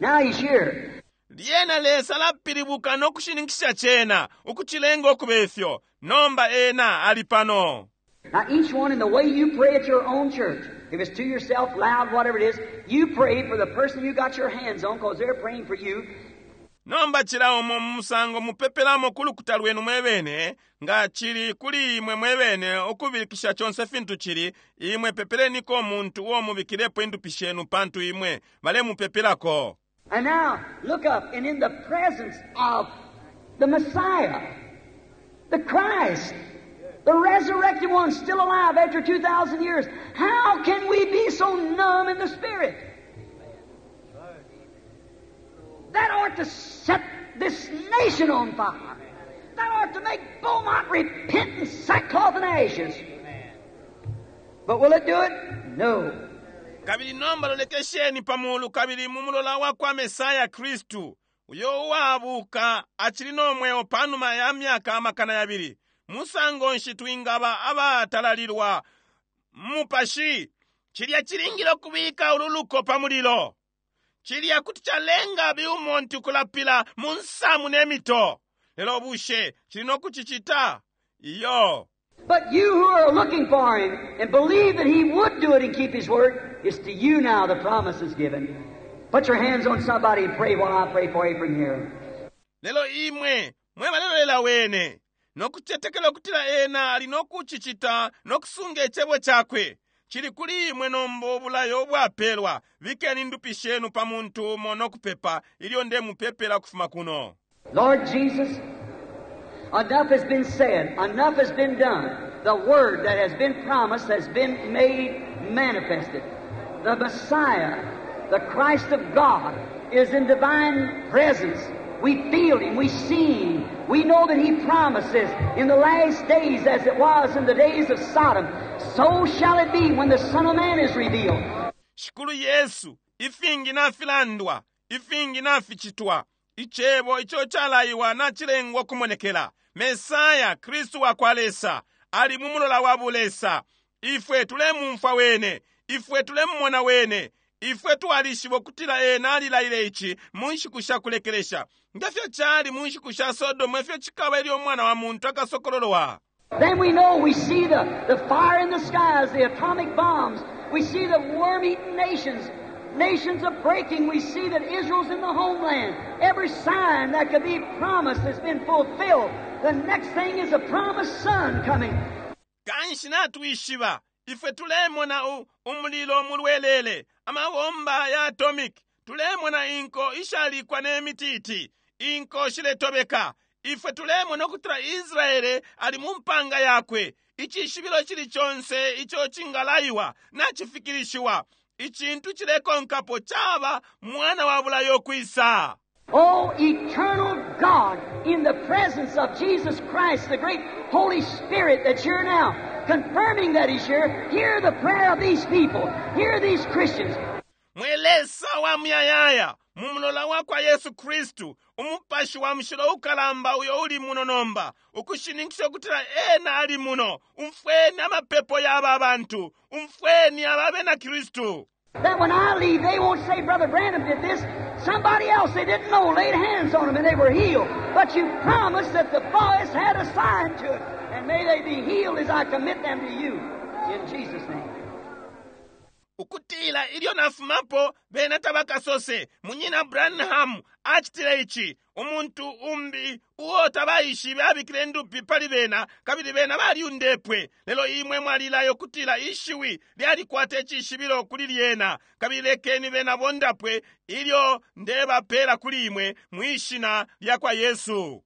Now He's here. Lyena Lesa alapilibuka no kushininkisha cena, ukucilenga ukuba ifyo. Nomba Ena ali pano. Now each one in the way you pray at your own church, if it's to yourself, loud, whatever it is, you pray for the person you got your hands on because they're praying for you. Nomba cila umo mu musango mupepelamo ku lukuta lwenu mwebene, nga cili kuli imwe mwebene ukubilikisha conse fintu cili, imwe pepeleniko umuntu uo mubikilepo indupi shenu pantu imwe balemupepelako. And now, look up, and in the presence of the Messiah, the Christ, the resurrected one still alive after 2,000 years, how can we be so numb in the Spirit? That ought to set this nation on fire. That ought to make Beaumont repent in sackcloth and ashes. But will it do it? No. Kabili nomba lolekesheni pa mulu kabili mu mulola wa kwa Mesaya Kristu, uyo uwabuka acili no mweo panuma ya myaka amakana yabili. Musango nshi twingaba abatalalilwa mu mupashi? Cilya cilingile ukubika ulu luko pa mulilo. Cilya kuti calenga Beaumont ukulapila mu nsamu ne mito. Lelo bushe cili no kucicita? Iyo. But you who are looking for Him and believe that He would do it and keep His word, it's to you now the promise is given. Put your hands on somebody and pray while I pray for you from here. Lelo imwe mwe balelolela Wene, no kucetekela ukutila Ena ali no kucicita no kusunga Icebo Cakwe, cili kuli imwe nomba ubulayo ubwapelwa. Bikeni indupi shenu pa muntu umo no kupepa ilyo ndemupepela ukufuma kuno. Lord Jesus, enough has been said, enough has been done. The word that has been promised has been made manifested. The Messiah, the Christ of God, is in divine presence. We feel Him, we see Him. We know that He promises in the last days, as it was in the days of Sodom, so shall it be when the Son of Man is revealed. Shikulu Yesu, ifingi nafilandwa, ifingi naficitwa. Icebo ico calaiwa nacilengwa ukumonekela. Mesaya, Kristu wakwa Lesa, ali mu mulola wa bulesa. Ifwe tulemumfwa Wene, ifwe tulemumona Wene. Ifwe twalishiba ukutila Ena alilaile ici mu nshiku sha kulekelesha. Nge fyo cali mu nshiku sha Sodomu, efyo cikaba ilyo Umwana wa muntu akasokololwa. Then we know we see the fire in the skies, the atomic bombs. We see the worm-eaten nations, nations a breaking. We see that Israel's in the homeland. Every sign that could be promised has been fulfilled. The next thing is a promised son coming. Kanshi natwishiba, ifwe tulemona umulilo mulwelele, amabomba ya atomic, tulemona inko ishalikwa ne mititi, inko shiletobeka. Ifwe tulemona ukutila Israele ali mu mpanga yakwe. Icishibilo cili conse ico cingalaiwa nacifikilishiwa. Icintu cilekonkapo caba mwana wa bulayo kwisa. Oh, eternal God, in the presence of Jesus Christ, the great Holy Spirit that's here now, confirming that He's here, hear the prayer of these people. Hear these Christians. Mwe Lesa wa muyayaya, mu mulola wa kwa Yesu Kristu, umupashi wa mushilo ukalamba uyo uli muno nomba, ukushininkisha ukutila ena ali muno, umfweni amapepo ya aba bantu, umfweni aba bena Kristu. That when I leave, they won't say, Brother Branham did this. Somebody else they didn't know laid hands on them and they were healed. But you promised that the voice had a sign to it. And may they be healed as I commit them to you. In Jesus' name. Ukutila ilyo nafumapo bena tabakasose, Munyina Branham acitile ici, umuntu umbi uo tabaishibe abikile ndupi pali bena, kabili bena balyundepwe. Lelo imwe mwalilayo kutila ishiwi lyalikwata icishibilo kuli lyena, kabili lekeni bena bondapwe ilyo ndebapela kuli imwe mwishina lya kwa Yesu.